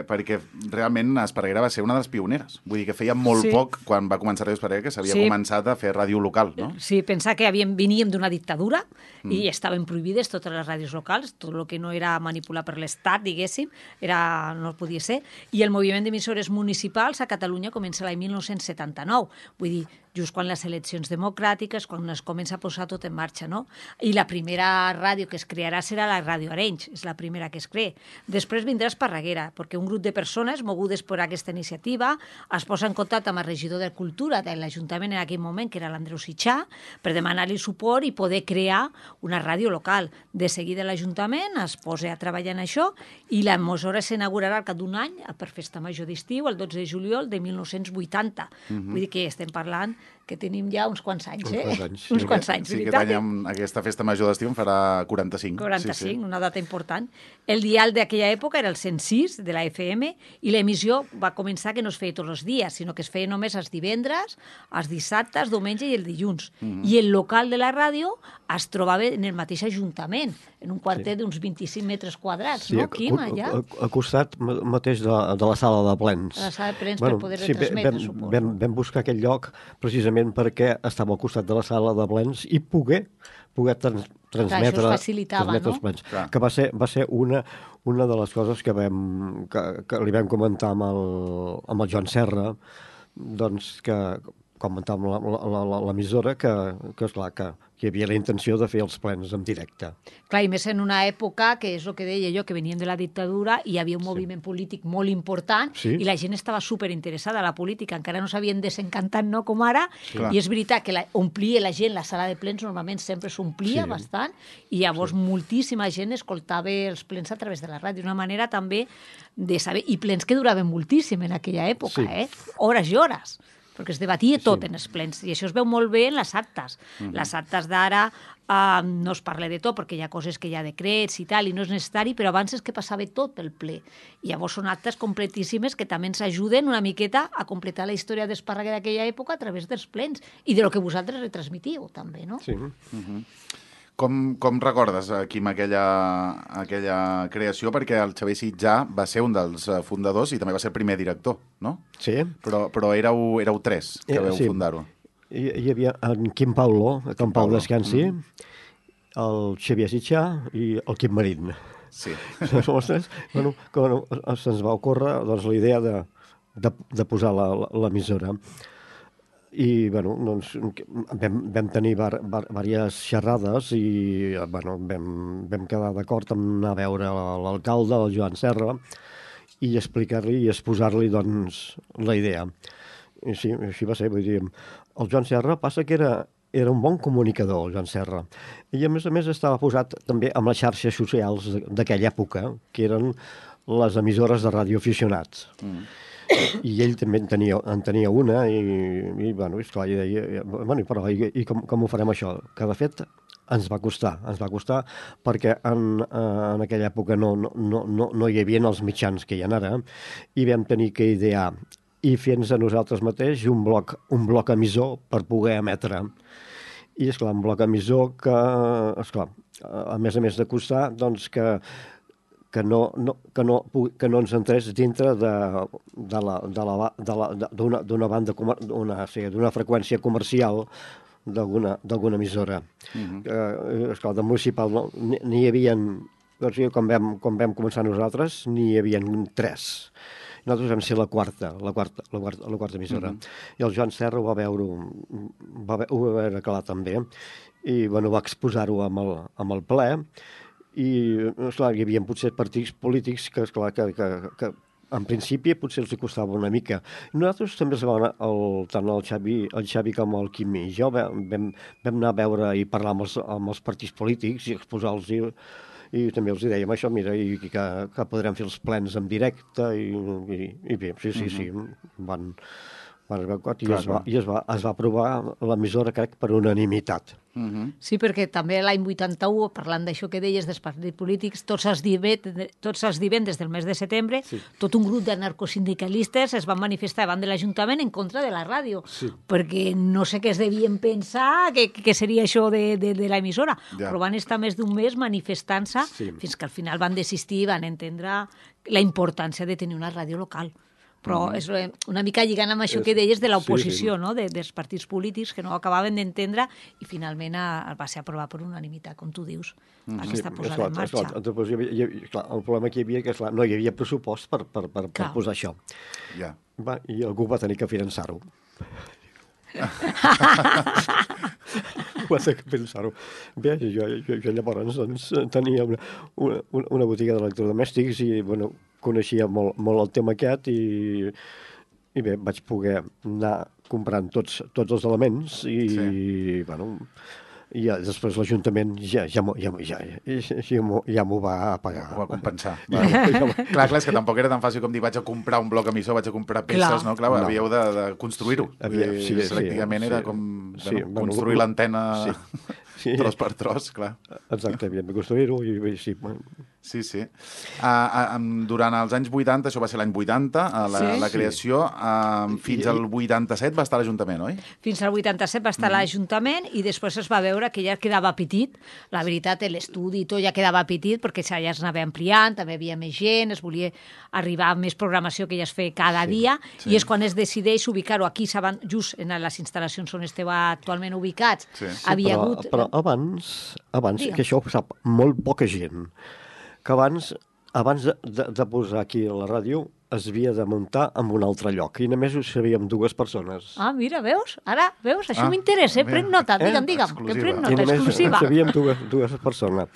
Speaker 1: perquè realment Esparreguera va ser una de les pioneres. Vull dir que feia molt sí. poc, quan va començar Ràdio Esparreguera, que s'havia sí. començat a fer ràdio local, no?
Speaker 5: Sí, pensar que havíem, veníem d'una dictadura mm. i estaven prohibides totes les ràdios locals, tot el que no era manipular per l'Estat, diguéssim, era, no podia ser, i el moviment d'emissores municipals a Catalunya comença l'any mil nou-cents setanta-nou, vull dir, just quan les eleccions democràtiques, quan es comença a posar tot en marxa, no? I la primera ràdio que es crearà serà la Ràdio Arenys, és la primera que es crea. Després vindrà Esparreguera, perquè un grup de persones mogudes per aquesta iniciativa es posa en contacte amb el regidor de Cultura de l'Ajuntament en aquell moment, que era l'Andreu Sitxà, per demanar-li suport i poder crear una ràdio local. De seguida l'Ajuntament es posa a treballar en això i l'emissora s'inaugurarà al cap d'un any, per Festa Major d'estiu, el dotze de juliol de mil nou-cents vuitanta. Mm-hmm. Vull dir que estem parlant que tenim ja uns quants anys, eh?
Speaker 4: Uns quants anys, sí.
Speaker 5: Uns quants anys,
Speaker 1: sí, aquest any amb aquesta festa major d'estiu en farà quaranta-cinc.
Speaker 5: quaranta-cinc,
Speaker 1: sí, sí.
Speaker 5: Una data important. El dial d'aquella època era el cent sis de la F M i l'emissió va començar que no es feia tots els dies, sinó que es feia només els divendres, els dissabtes, diumenge i el dilluns. Mm-hmm. I el local de la ràdio es trobava en el mateix ajuntament, en un quartet sí. d'uns vint-i-cinc metres quadrats, sí, no, Quim, allà?
Speaker 4: A, a, a costat mateix de, de la sala de plens.
Speaker 5: De la sala de plens, bueno, per poder
Speaker 4: sí,
Speaker 5: retransmetre,
Speaker 4: vam,
Speaker 5: suposo.
Speaker 4: Vam, vam buscar aquest lloc precisament perquè estava al costat de la sala de plens i poder, poder trans, transmetre,
Speaker 5: Clar, això es facilitava,
Speaker 4: transmetre
Speaker 5: no?
Speaker 4: els plens.
Speaker 1: Clar.
Speaker 4: Que va ser, va ser una, una de les coses que, vam, que, que li vam comentar amb el, amb el Joan Serra, doncs que comentàvem l'emissora que, que, esclar, que hi havia la intenció de fer els plens en directe.
Speaker 5: Clar, i més en una època, que és el que deia jo, que venien de la dictadura, i hi havia un sí. moviment polític molt important,
Speaker 4: sí.
Speaker 5: i la gent estava superinteressada a la política, encara no s'havien desencantat, no?, com ara,
Speaker 1: sí.
Speaker 5: i és veritat que la, omplia la gent, la sala de plens normalment sempre s'omplia sí. bastant, i llavors sí. moltíssima gent escoltava els plens a través de la ràdio, una manera també de saber, i plens que duraven moltíssim en aquella època,
Speaker 4: sí.
Speaker 5: eh? Hores i hores, perquè es debatia tot
Speaker 4: sí.
Speaker 5: en els plens, i això es veu molt bé en les actes. Mm-hmm. Les actes d'ara uh, no es parla de tot, perquè hi ha coses que hi ha decrets i tal, i no és necessari, però abans és que passava tot pel ple. I llavors són actes completíssimes que també ens ajuden una miqueta a completar la història d'Espàrraga d'aquella època a través dels plens, i de lo que vosaltres retransmitiu, també, no?
Speaker 4: Sí.
Speaker 1: Mm-hmm. Com, com recordes, Quim, aquella, aquella creació? Perquè el Xavier Sitjà va ser un dels fundadors i també va ser el primer director, no?
Speaker 4: Sí.
Speaker 1: Però, però éreu, éreu tres que veu sí. fundar-ho.
Speaker 4: Hi, hi havia en Quim Pauló, que en Pau descansi, mm. el Xavier Sitjà i el Quim Marín.
Speaker 1: Sí.
Speaker 4: bueno, bueno, se'ns va ocórrer doncs, la idea de, de, de posar l'emissora. I bueno, doncs, vam, vam tenir var, var, diverses xerrades i bueno, vam, vam quedar d'acord en anar a veure l'alcalde, el Joan Serra, i explicar-li i exposar-li doncs, la idea. I sí, així va ser. Vull dir, el Joan Serra passa que era, era un bon comunicador, el Joan Serra, i a més a més estava posat també amb les xarxes socials d'aquella època, que eren les emissores de radioaficionats. Mm. I ell també en tenia, en tenia una i, i bueno, esclar, i deia, bueno, però i, i com, com ho farem això? Que de fet ens va costar, ens va costar perquè en, en aquella època no, no, no, no hi havia els mitjans que hi ha ara i vam tenir que idear i fer-nos a nosaltres mateix un bloc, un bloc emissor per poder emetre. I esclar, un bloc emissor que, esclar, a més a més de costar, doncs que que no, no, que no, que no ens entrés dintre de, de la, de la, de la, d'una, d'una banda, d'una, sí, d'una freqüència comercial d'alguna, d'alguna emissora. Uh-huh. Eh, esclar, de municipal no, n'hi havia, doncs, com, vam, com vam començar nosaltres, n'hi havia tres. Nosaltres vam ser la quarta, la quarta, la quarta, la quarta emissora. Uh-huh. I el Joan Serra ho va veure, va, ho va veure clar també, i bueno, va exposar-ho amb el, amb el ple, i esclar, hi havia potser partits polítics que, esclar, que, que, que en principi potser els costava una mica. Nosaltres també vam anar, el, tant el Xavi, el Xavi com el Quim i jo vam, vam, vam anar a veure i parlar amb els, amb els partits polítics i exposar-los i, i també els dèiem això, mira, i que, que podrem fer els plens en directe i, i, i bé, sí, sí, uh-huh. sí, van... I, es va, i es, va, es va aprovar l'emissora, crec, per unanimitat.
Speaker 5: Uh-huh. Sí, perquè també l'any vuitanta-u, parlant d'això que deies dels partits polítics, tots els, divendres, tots els divendres del mes de setembre, sí. tot un grup d'anarcosindicalistes es van manifestar davant de l'Ajuntament en contra de la ràdio, sí. perquè no sé què es devien pensar que, que seria això de, de, de l'emissora, ja. però van estar més d'un mes manifestant-se sí. fins que al final van desistir i van entendre la importància de tenir una ràdio local. Però és una mica lligant amb això que deies de l'oposició, sí, sí. no? de, dels partits polítics que no acabaven d'entendre i finalment a, va ser aprovat per unanimitat, com tu dius, mm. aquesta sí, posada esclar, en marxa.
Speaker 4: Esclar, doncs, hi havia, hi havia, esclar, el problema que hi havia que esclar, no hi havia pressupost per, per, per, per posar això.
Speaker 1: Yeah.
Speaker 4: Va, i algú va tenir que finançar-ho. Va tenir que finançar-ho. Bé, jo, jo, jo llavors doncs, tenia una, una, una botiga d'electrodomèstics i, bueno, coneixia molt, molt el tema aquest i, i bé, vaig poder anar comprant tots, tots els elements i, sí. i bueno, i ja, després l'Ajuntament ja, ja, ja, ja, ja, ja, ja m'ho va pagar.
Speaker 1: Ho va compensar. Va, clar, clar, és que tampoc era tan fàcil com dir vaig a comprar un bloc emissor, vaig a comprar peces, clar. no? Clar, no. havíeu de, de construir-ho. Havia, sí, sí, pràcticament sí, era com sí, bueno, bueno, construir l'antena sí, sí. tros per tros, clar.
Speaker 4: Exacte, havíem de construir-ho i sí,
Speaker 1: Sí, sí. Uh, uh, durant els anys vuitanta, això va ser l'any vuitanta, uh, la,
Speaker 5: Sí.
Speaker 1: la creació, uh, fins
Speaker 4: I-
Speaker 1: al vuitanta-set va estar a l'Ajuntament, oi?
Speaker 5: Fins al vuitanta-set va estar a l'Ajuntament i després es va veure que ja quedava petit. La veritat, l'estudi i tot ja quedava petit perquè ja es anava ampliant, també hi havia més gent, es volia arribar a més programació que ja es feia cada sí, dia
Speaker 1: sí.
Speaker 5: i és quan es decideix ubicar-ho aquí, saben, just en les instal·lacions on esteu actualment ubicats.
Speaker 1: Sí.
Speaker 5: Sí, havia
Speaker 4: però,
Speaker 5: hagut...
Speaker 4: però abans, abans
Speaker 5: Digue'm.
Speaker 4: que això ho sap molt poca gent, que abans, abans de, de, de posar aquí a la ràdio es havia de muntar en un altre lloc i només ho sabíem dues persones.
Speaker 5: Ah, mira, veus? Ara, veus? Això
Speaker 1: Ah,
Speaker 5: m'interessa, eh?
Speaker 1: mira.
Speaker 5: Pren nota,
Speaker 4: Eh?
Speaker 5: digue'm, digue'm, que
Speaker 1: Exclusiva.
Speaker 5: pren
Speaker 4: I
Speaker 5: nota,
Speaker 4: només
Speaker 5: exclusiva.
Speaker 4: sabíem dues, dues persones.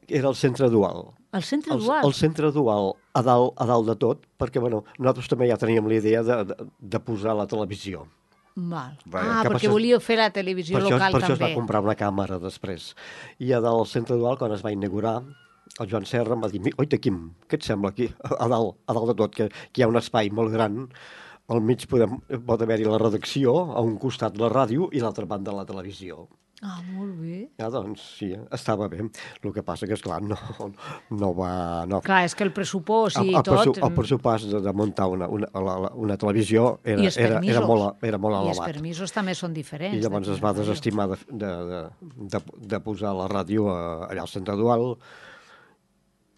Speaker 4: Era el centre dual.
Speaker 5: El centre
Speaker 4: El,
Speaker 5: dual.
Speaker 4: el centre dual a dalt, a dalt de tot, perquè bueno, nosaltres també ja teníem la idea de, de, de posar la televisió.
Speaker 5: Val.
Speaker 1: Vaja.
Speaker 5: Ah,
Speaker 4: Que
Speaker 5: perquè
Speaker 4: per això-
Speaker 5: volíeu fer la televisió
Speaker 4: Per això,
Speaker 5: local
Speaker 4: per això es va
Speaker 5: també.
Speaker 4: comprar una càmera després. I a dalt al centre dual, quan es va inaugurar, el Joan Serra em va dir, oita, Quim, què et sembla aquí, a dalt, a dalt de tot, que, que hi ha un espai molt gran, al mig podem, pot haver-hi la redacció, a un costat la ràdio i a l'altra banda la televisió.
Speaker 5: Ah, molt bé.
Speaker 4: Ja, doncs, sí, estava bé. El que passa que, esclar, no, no va... No.
Speaker 5: Clar, és que el pressupost i
Speaker 4: el, el, pressu-
Speaker 5: tot...
Speaker 4: el pressupost de, de muntar una, una, la, la, una televisió era,
Speaker 5: I els
Speaker 4: era,
Speaker 5: permisos.
Speaker 4: era, molt, era molt
Speaker 5: I els
Speaker 4: elevat.
Speaker 5: permisos també són diferents.
Speaker 4: I llavors
Speaker 5: d'aquí
Speaker 4: es va
Speaker 5: a la ràdio.
Speaker 4: desestimar de, de, de, de, de posar la ràdio a, allà al centre dual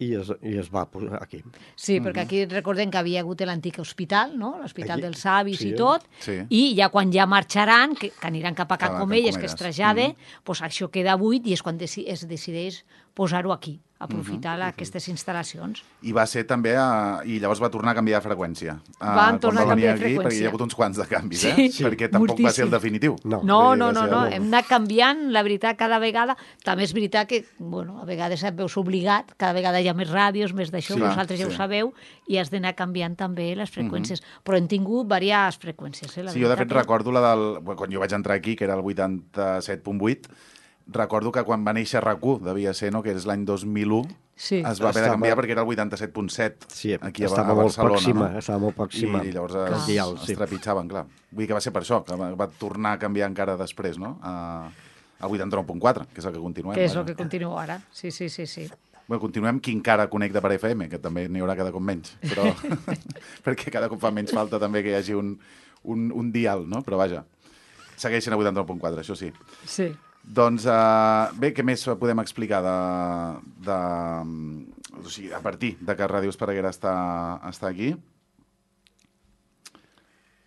Speaker 4: i es, i es va posar aquí.
Speaker 5: Sí, perquè aquí recordem que havia hagut l'antic hospital, no? L'Hospital
Speaker 4: Aquí,
Speaker 5: dels Avis
Speaker 4: sí.
Speaker 5: i tot,
Speaker 1: Sí.
Speaker 5: i ja quan ja marxaran, que, que aniran cap a Can
Speaker 1: Cap a Can
Speaker 5: Comelles, que es
Speaker 1: Comelles.
Speaker 5: trasllade, pues això queda buit i és quan deci es decideix posar-ho aquí, aprofitar
Speaker 1: Mhm.
Speaker 5: aquestes instal·lacions.
Speaker 1: I va ser també, a... i llavors va tornar a canviar de freqüència. Ah,
Speaker 5: Van
Speaker 1: quan
Speaker 5: tornar a
Speaker 1: va venir
Speaker 5: canviar de
Speaker 1: aquí, Perquè hi
Speaker 5: freqüència.
Speaker 1: ha hagut uns quants de canvis,
Speaker 5: Sí,
Speaker 1: eh?
Speaker 5: sí,
Speaker 1: Perquè tampoc va ser el
Speaker 5: moltíssim.
Speaker 1: definitiu.
Speaker 4: No.
Speaker 5: No,
Speaker 1: Vull dir,
Speaker 5: no,
Speaker 1: va
Speaker 5: no,
Speaker 1: ser
Speaker 5: no,
Speaker 1: el-
Speaker 5: hem anat canviant, la veritat, cada vegada. També és veritat que, bueno, a vegades et veus obligat, cada vegada hi ha més ràdios, més d'això,
Speaker 1: Sí,
Speaker 5: vosaltres ja
Speaker 1: sí.
Speaker 5: ho sabeu, i has d'anar canviant també les freqüències. Però hem tingut diverses freqüències, eh, la
Speaker 1: Sí, jo de fet
Speaker 5: veritat, eh?
Speaker 1: recordo la del... Quan jo vaig entrar aquí, que era el vuitanta-set punt vuit, recordo que quan va néixer R A C u, devia ser, no?, que és l'any dos mil u,
Speaker 5: Sí.
Speaker 1: es va haver de
Speaker 4: Estava-
Speaker 1: canviar perquè era el vuitanta-set punt set
Speaker 4: Sí,
Speaker 1: aquí a,
Speaker 4: estava
Speaker 1: a
Speaker 4: molt
Speaker 1: Barcelona.
Speaker 4: pròxima,
Speaker 1: no?
Speaker 4: estava molt pròxima.
Speaker 1: I llavors
Speaker 5: Clar.
Speaker 1: es,
Speaker 4: Dial,
Speaker 1: es
Speaker 4: sí.
Speaker 1: trepitjaven, clar. Vull dir que va ser per això, que va, va tornar a canviar encara després, no?, a, a vuitanta-nou punt quatre, que és el que continuem.
Speaker 5: Que és
Speaker 1: vaja.
Speaker 5: el que continua ara. Sí, sí, sí, sí.
Speaker 1: Bueno, continuem qui encara connecta per F M, que també n'hi haurà cada cop menys, però perquè cada cop fa menys falta també que hi hagi un, un, un dial, no? Però vaja, segueixen a vuitanta-nou punt quatre, això sí.
Speaker 5: Sí.
Speaker 1: Doncs uh, bé, què més podem explicar de, de, o sigui, a partir de que Ràdio Esparreguera està, està aquí?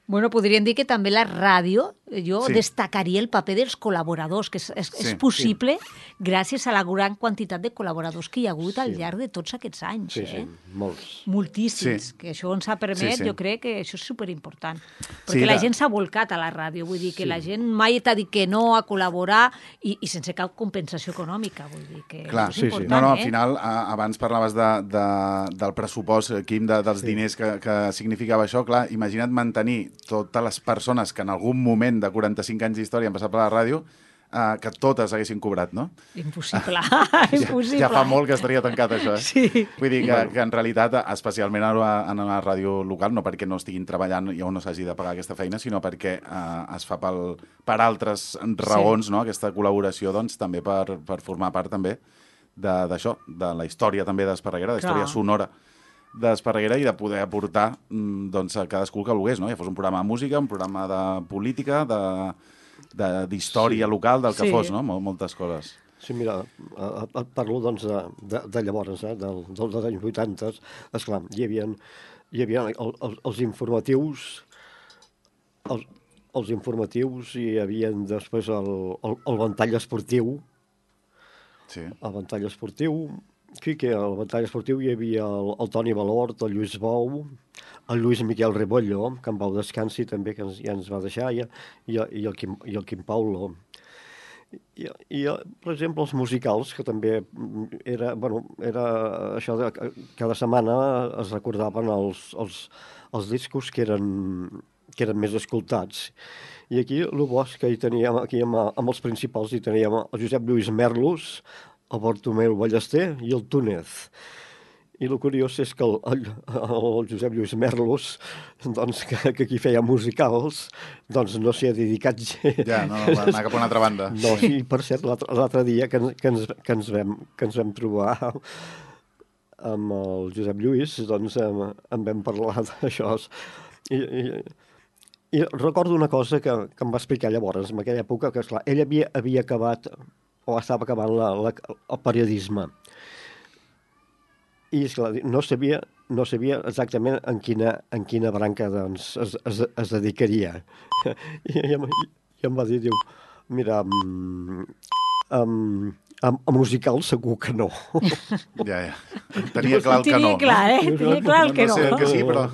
Speaker 5: Bueno, podríem dir que també la ràdio, jo
Speaker 1: Sí.
Speaker 5: destacaria el paper dels col·laboradors, que és, és,
Speaker 1: Sí,
Speaker 5: és possible gràcies a la gran quantitat de col·laboradors que hi ha hagut al llarg de tots aquests anys.
Speaker 4: Sí,
Speaker 5: eh?
Speaker 4: sí, molts.
Speaker 5: Moltíssims,
Speaker 1: Sí.
Speaker 5: que això ens ha permès,
Speaker 1: Sí, sí.
Speaker 5: jo crec que això és superimportant. Perquè
Speaker 1: Sí,
Speaker 5: la
Speaker 1: la-
Speaker 5: gent s'ha volcat a la ràdio, vull dir que la gent mai t'ha dit que no a col·laborar i, i sense cap compensació econòmica, vull dir que
Speaker 1: Clar,
Speaker 5: això és
Speaker 4: sí, sí.
Speaker 5: important,
Speaker 1: no, no, al
Speaker 5: eh?
Speaker 1: final, a, abans parlaves de, de, del pressupost, Quim, de, dels sí. diners que, que significava això. Clar, imagina't mantenir totes les persones que en algun moment de quaranta-cinc anys d'història han passat per la ràdio, eh, que totes haguessin cobrat, no?
Speaker 5: Impossible,
Speaker 1: Ja,
Speaker 5: impossible.
Speaker 1: ja fa molt que estaria tancat, això, eh?
Speaker 5: Sí.
Speaker 1: Vull dir que, que en realitat, especialment ara en la ràdio local, no perquè no estiguin treballant i on no s'hagi de pagar aquesta feina, sinó perquè eh, es fa pel, per altres raons, sí. no?, aquesta col·laboració, doncs, també per, per formar part també de- d'això, de, de la història també d'Esparreguera, de la història
Speaker 5: Clar.
Speaker 1: sonora d'Esparreguera i de poder aportar mm, doncs, a cadascú el que volgués, no? Ja fos un programa de música, un programa de política, de d'història sí. local, del que
Speaker 5: Sí.
Speaker 1: fos, no? Mol, moltes coses.
Speaker 4: Sí, mira, eh, et parlo doncs, de, de, de llavors, eh, del, del, dels anys vuitanta. Esclar, hi havia, hi havia el, el, els informatius, els, els informatius, hi havia després el, el, el ventall esportiu,
Speaker 1: Sí.
Speaker 4: el ventall esportiu, sí que al ventall esportiu hi havia el, el Toni Valort, el Lluís Bou, el Lluís Miquel Rebollo, que en Pau descansi també, que ens, ja ens va deixar, i, i, i, el, Quim, i el Quim Paulo. I, i, per exemple, els musicals, que també era, bueno, era això de que cada setmana es recordaven els, els, els discos que eren, que eren més escoltats. I aquí, el bo és que hi teníem, aquí amb, amb els principals, hi teníem el Josep Lluís Merlos, el Bartomeu Ballester i el Túnez. I el curiós és que el, el, el Josep Lluís Merlos, doncs, que, que aquí feia musicals, doncs no s'hi ha dedicat gens.
Speaker 1: Ja, no, no, va anar cap a una altra banda.
Speaker 4: No, sí, per cert, l'altre dia que, que, ens, que, ens vam, que ens vam trobar amb el Josep Lluís, doncs en, en vam parlar d'això. I, i, I recordo una cosa que, que em va explicar llavors, en aquella època, que esclar, ell havia, havia acabat, o estava acabant la, la, el periodisme. I esclar, no sabia, no sabia exactament en quina, en quina branca doncs, es, es, es dedicaria. I, i, i em va dir, diu, mira, um, um, a, a musical segur que no.
Speaker 1: Ja, ja. Tenia clar el que no.
Speaker 5: Tenia clar, eh? Tenia clar el que no.
Speaker 1: No sé el que sí, però...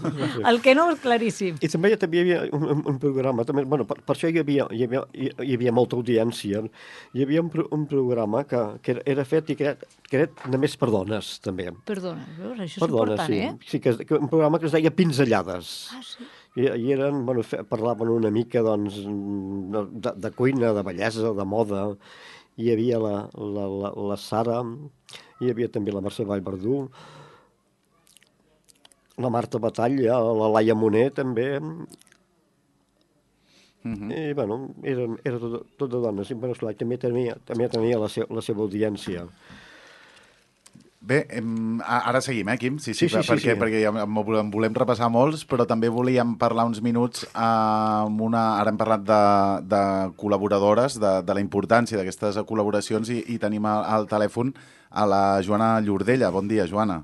Speaker 5: El que no és claríssim.
Speaker 4: I també, també hi havia un, un programa, també, bueno, per, per això hi havia, hi, havia, hi havia molta audiència. Hi havia un, un programa que, que era fet i que era, que era només per dones, també.
Speaker 5: Perdona, veus? Això és
Speaker 4: per dones,
Speaker 5: important,
Speaker 4: sí.
Speaker 5: eh?
Speaker 4: Sí, que, que un programa que es deia Pinzellades.
Speaker 5: Ah, sí.
Speaker 4: I, i eren, bueno, fe, parlaven una mica, doncs, de, de cuina, de bellesa, de moda. Hi havia la, la, la, la Sara, hi havia també la Mercè Vallverdú, la Marta Batalla, la Laia Moner, també. Mm-hmm. I, bueno, era, era tot, tot de dones. I, bueno, esclar, també tenia, també tenia la, se, la seva audiència.
Speaker 1: Bé, hem, ara seguim, eh, Quim? Sí, sí,
Speaker 4: sí, sí,
Speaker 1: perquè,
Speaker 4: sí, sí.
Speaker 1: perquè ja en volem repassar molts, però també volíem parlar uns minuts amb una... Ara hem parlat de, de col·laboradores, de, de la importància d'aquestes col·laboracions i, i tenim al, al telèfon a la Joana Llordella. Bon dia, Joana.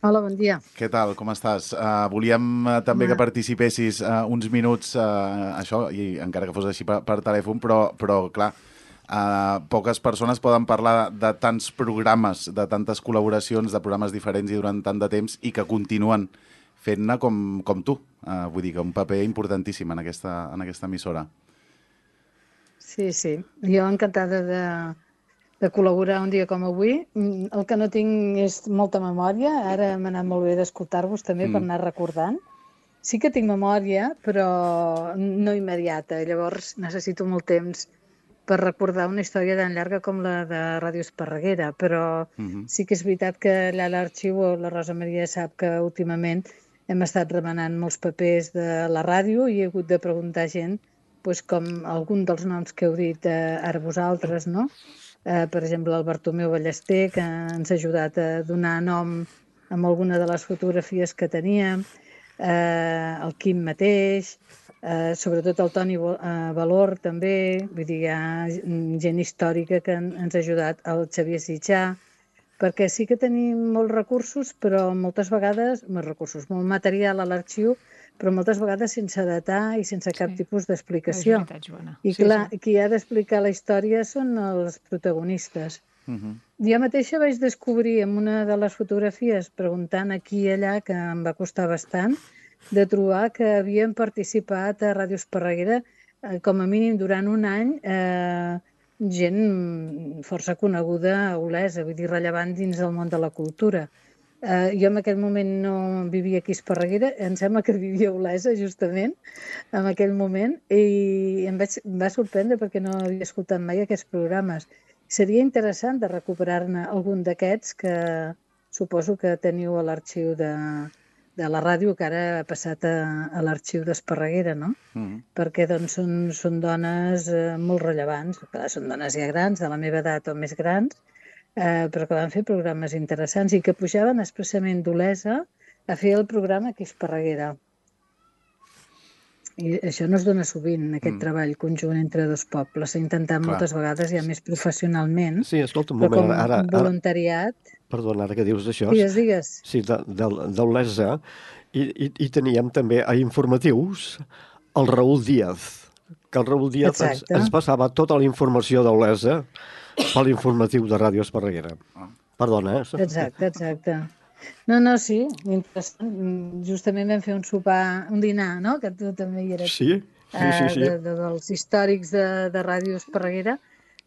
Speaker 6: Hola, bon dia.
Speaker 1: Què tal, com estàs? Uh, volíem uh, també que participessis uh, uns minuts, uh, això, i encara que fos així per, per telèfon, però, però clar, Uh, poques persones poden parlar de, de tants programes, de tantes col·laboracions, de programes diferents i durant tant de temps i que continuen fent-ne com, com tu. Uh, vull dir que un paper importantíssim en aquesta, en aquesta emissora.
Speaker 6: Sí, sí. Jo encantada de, de col·laborar un dia com avui. El que no tinc és molta memòria. Ara m'ha anat molt bé d'escoltar-vos també mm. per anar recordant. Sí que tinc memòria, però no immediata. Llavors necessito molt temps per recordar una història tan llarga com la de Ràdio Esparreguera, però uh-huh. sí que és veritat que allà a l'arxiu, la Rosa Maria sap que últimament hem estat remenant molts papers de la ràdio i he hagut de preguntar gent doncs, com algun dels noms que heu dit eh, ara vosaltres, no? Eh, per exemple, el Bartomeu Ballester, que ens ha ajudat a donar nom amb alguna de les fotografies que teníem, eh, el Quim mateix, Uh, sobretot el Toni uh, Valor també, vull dir, hi ha gent històrica que en, ens ha ajudat, el Xavier Sitjà, perquè sí que tenim molts recursos, però moltes vegades, molts recursos, molt material a l'arxiu, però moltes vegades sense datar i sense cap sí. tipus d'explicació. I clar, sí, sí. qui ha d'explicar la història són els protagonistes. Uh-huh. Jo mateixa vaig descobrir en una de les fotografies, preguntant aquí i allà, que em va costar bastant, de trobar que havien participat a Ràdio Esparreguera eh, com a mínim durant un any eh, gent força coneguda a Olesa, vull dir, rellevant dins del món de la cultura. Eh, jo en aquell moment no vivia aquí a Esparreguera, em sembla que vivia a Olesa justament en aquell moment i em, vaig, em va sorprendre perquè no havia escoltat mai aquests programes. Seria interessant de recuperar-ne algun d'aquests que suposo que teniu a l'arxiu de... de la ràdio que ara ha passat a, a l'arxiu d'Esparreguera, no? Mm. Perquè doncs, són, són dones eh, molt rellevants, clar, són dones ja grans, de la meva edat o més grans, eh, però que van fer programes interessants i que pujaven expressament d'Olesa a fer el programa aquí a Esparreguera. I això no es dona sovint, aquest mm. treball conjunt entre dos pobles. S'ha intentat clar. moltes vegades ja més professionalment,
Speaker 4: sí, escolta, un
Speaker 6: però
Speaker 4: moment,
Speaker 6: com
Speaker 4: ara,
Speaker 6: un voluntariat...
Speaker 4: Ara... Perdona, ara que dius d'això.
Speaker 6: Digues, digues.
Speaker 4: Sí, d'Olesa. I, i, I teníem també a informatius el Raül Díaz, que el Raül Díaz ens, ens passava tota la informació d'Olesa per l'informatiu de Ràdio Esparreguera. Perdona, eh?
Speaker 6: Exacte, exacte. No, no, sí, interessant. Justament vam fer un sopar, un dinar, no?, que tu també hi eres.
Speaker 4: Sí, sí, sí. sí.
Speaker 6: De, de, dels històrics de, de Ràdio Esparreguera,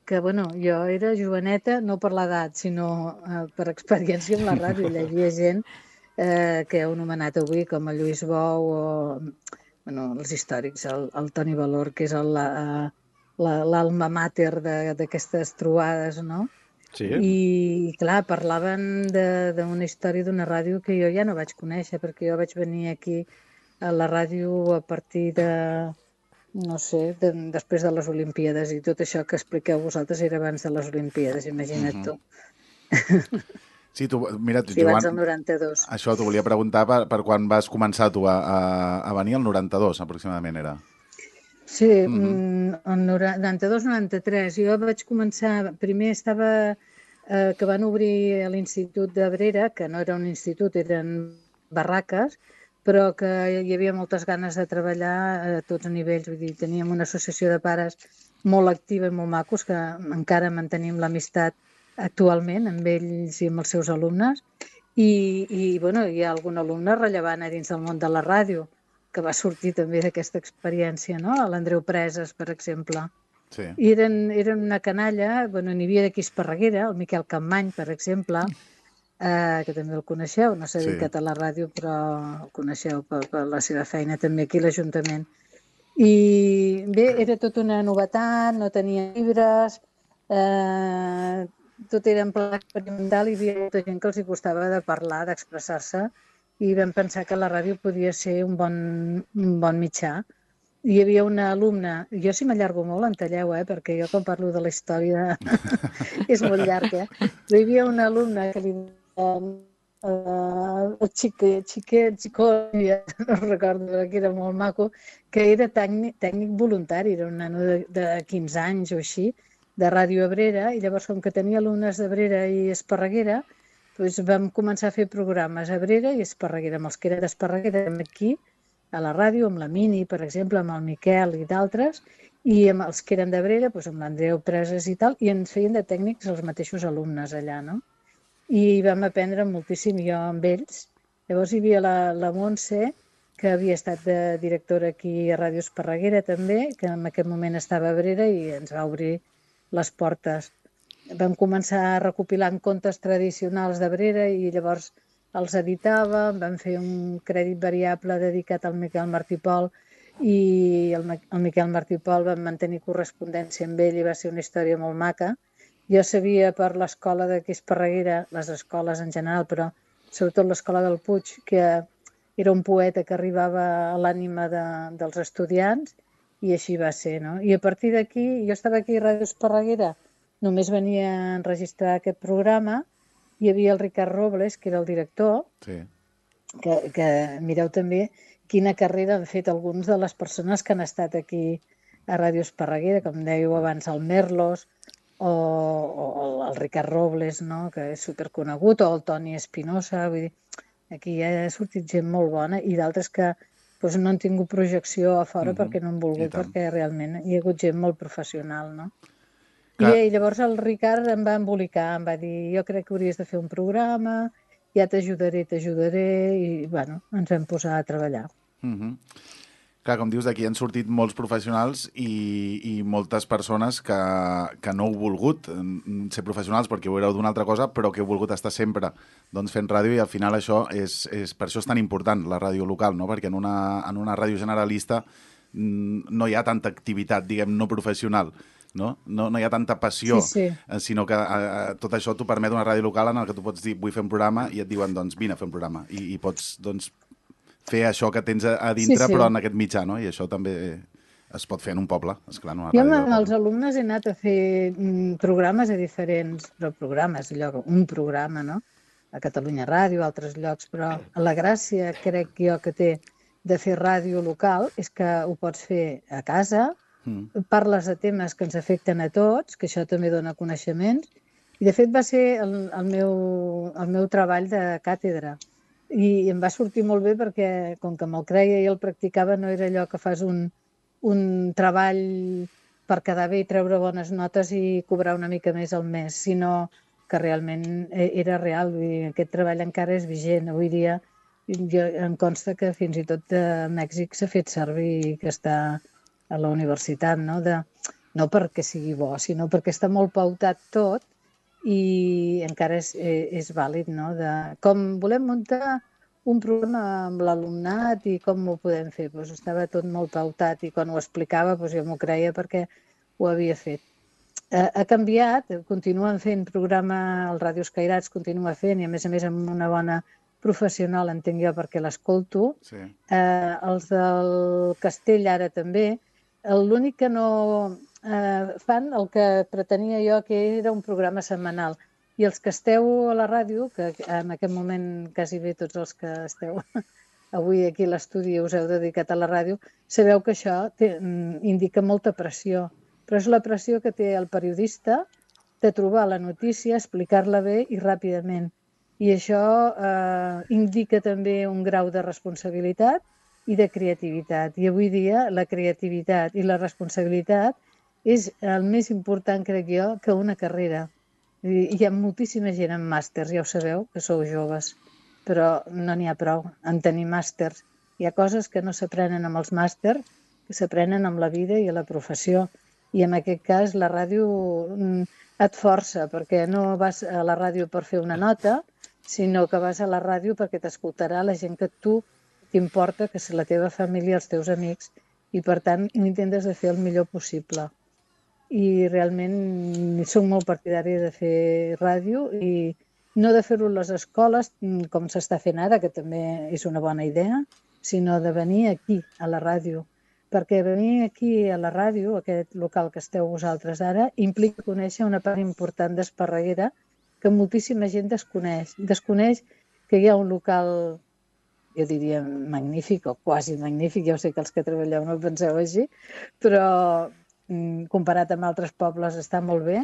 Speaker 6: que, bueno, jo era joveneta, no per l'edat, sinó eh, per experiència amb la ràdio. Hi havia gent eh, que heu anomenat avui, com el Lluís Bou o bueno, els històrics, el, el Toni Valor, que és l'alma mater d'aquestes trobades, no?
Speaker 4: Sí.
Speaker 6: I, clar, parlaven d'una història d'una ràdio que jo ja no vaig conèixer, perquè jo vaig venir aquí a la ràdio a partir de, no sé, de, després de les Olimpíades, i tot això que expliqueu vosaltres era abans de les Olimpíades, imagina't tu.
Speaker 1: Sí, tu, mira, tu,
Speaker 6: Sí, abans
Speaker 1: Joan,
Speaker 6: del noranta-dos.
Speaker 1: això t'ho volia preguntar per, per quan vas començar tu a, a, a venir, el noranta-dos aproximadament era.
Speaker 6: Sí, mm-hmm. el noranta-dos noranta-tres. Jo vaig començar, primer estava, eh, que van obrir a l'Institut d'Abrera, que no era un institut, eren barraques, però que hi havia moltes ganes de treballar a tots nivells. Vull dir, teníem una associació de pares molt activa i molt macos, que encara mantenim l'amistat actualment amb ells i amb els seus alumnes. I, i bueno, hi ha algun alumne rellevant a dins del món de la ràdio, que va sortir també d'aquesta experiència, no? L'Andreu Preses, per exemple.
Speaker 1: Sí.
Speaker 6: I eren, eren una canalla, bueno, n'hi havia d'aquí Esparreguera, el Miquel Campmany, per exemple, eh, que també el coneixeu, no s'ha dedicat sí. a la ràdio, però el coneixeu per, per la seva feina també aquí a l'Ajuntament. I bé, era tota una novetat, no tenia llibres, eh, tot era en pla experimental, i hi havia molta gent que els hi costava de parlar, d'expressar-se, i vam pensar que la ràdio podia ser un bon, un bon mitjà. Hi havia una alumna, jo si m'allargo molt en talleu, eh, perquè jo quan parlo de la història és molt llarg, eh? Però hi havia una alumna que li deien uh, el xiquet, xiquet, xicó, no recordo, que era molt maco, que era tècnic, tècnic voluntari, era un nano de, de quinze anys o així, de Ràdio Abrera, i llavors com que tenia alumnes d'Abrera i Esparreguera, doncs vam començar a fer programes a Abrera i Esparreguera, amb els que eren d'Esparreguera aquí, a la ràdio, amb la Mini, per exemple, amb el Miquel i d'altres, i amb els que eren d'Abrera, doncs amb l'Andreu Preses i tal, i ens feien de tècnics els mateixos alumnes allà, no? I vam aprendre moltíssim jo amb ells. Llavors hi havia la, la Montse, que havia estat de directora aquí a Ràdio Esparreguera també, que en aquest moment estava a Abrera i ens va obrir les portes. Vam començar recopilant contes tradicionals d'Abrera i llavors els editàvem, vam fer un crèdit variable dedicat al Miquel Martí Pol, i el, el Miquel Martí Pol vam mantenir correspondència amb ell i va ser una història molt maca. Jo sabia per l'escola d'aquí Esparreguera, les escoles en general, però sobretot l'escola del Puig, que era un poeta que arribava a l'ànima de, dels estudiants, i així va ser, no? I a partir d'aquí, jo estava aquí a Ràdio Esparreguera, només venia a enregistrar aquest programa, hi havia el Ricard Robles, que era el director, sí. que, que mireu també quina carrera han fet alguns de les persones que han estat aquí a Ràdio Esparreguera, com dèieu abans, el Merlos, o, o el Ricard Robles, no? Que és superconegut, o el Toni Espinosa, vull dir, aquí ja ha sortit gent molt bona, i d'altres que doncs, no han tingut projecció a fora mm-hmm. perquè no han volgut, perquè realment hi ha hagut gent molt professional, no? I, I llavors el Ricard em va embolicar, em va dir, jo crec que hauries de fer un programa, ja t'ajudaré, t'ajudaré, i bueno, ens vam posar a treballar.
Speaker 1: Mm-hmm. Clar, com dius, d'aquí han sortit molts professionals i, i moltes persones que, que no heu volgut ser professionals perquè ho éreu d'una altra cosa, però que heu volgut estar sempre doncs, fent ràdio, i al final això és, és, per això és tan important la ràdio local, no? Perquè en una, en una ràdio generalista no hi ha tanta activitat, diguem, no professional. No? No, no hi ha tanta passió, sí, sí. sinó que eh, tot això t'ho permet una ràdio local en què tu pots dir vull fer un programa i et diuen doncs vine a fer un programa i, i pots doncs, fer això que tens a, a dintre sí, sí. però en aquest mitjà, no? I això també es pot fer en un poble, esclar. No?
Speaker 6: Jo amb els alumnes he anat a fer programes a diferents, però programes, allò, un programa, no? A Catalunya Ràdio, a altres llocs, però la gràcia, crec jo, que té de fer ràdio local és que ho pots fer a casa, Mm. parles de temes que ens afecten a tots, que això també dona coneixements, i de fet va ser el, el, meu, el meu treball de càtedra, i em va sortir molt bé perquè com que me'l creia i el practicava, no era allò que fas un, un treball per quedar bé i treure bones notes i cobrar una mica més al mes, sinó que realment era real. Vull dir, aquest treball encara és vigent avui dia. Jo, em consta que fins i tot a Mèxic s'ha fet servir i que està a la universitat, no? De, no perquè sigui bo, sinó perquè està molt pautat tot i encara és, és vàlid, no? De, com volem muntar un programa amb l'alumnat i com ho podem fer, doncs estava tot molt pautat i quan ho explicava doncs jo m'ho creia perquè ho havia fet. eh, ha canviat, continuen fent programa, el Ràdio Escairats continua fent, i a més a més amb una bona professional, entenc jo, perquè l'escolto.
Speaker 1: Sí.
Speaker 6: Eh, els del Castell ara també. L'únic que no eh, fan, el que pretenia jo, que era un programa setmanal. I els que esteu a la ràdio, que en aquest moment quasi bé tots els que esteu avui aquí a l'estudi us heu dedicat a la ràdio, sabeu que això té, indica molta pressió. Però és la pressió que té el periodista de trobar la notícia, explicar-la bé i ràpidament. I això eh, indica també un grau de responsabilitat i de creativitat. I avui dia la creativitat i la responsabilitat és el més important, crec jo, que una carrera. Hi ha moltíssima gent amb màsters, ja ho sabeu, que sou joves, però no n'hi ha prou en tenir màsters. Hi ha coses que no s'aprenen amb els màsters, que s'aprenen amb la vida i a la professió. I en aquest cas la ràdio et força, perquè no vas a la ràdio per fer una nota, sinó que vas a la ràdio perquè t'escoltarà la gent que tu t'importa, que és la teva família, els teus amics, i per tant intentes de fer el millor possible. I realment soc molt partidària de fer ràdio i no de fer-ho a les escoles, com s'està fent ara, que també és una bona idea, sinó de venir aquí, a la ràdio. Perquè venir aquí a la ràdio, aquest local que esteu vosaltres ara, implica conèixer una part important d'Esparreguera que moltíssima gent desconeix. Desconeix que hi ha un local, jo diria magnífic o quasi magnífic, ja ho sé que els que treballeu no penseu així, però comparat amb altres pobles està molt bé,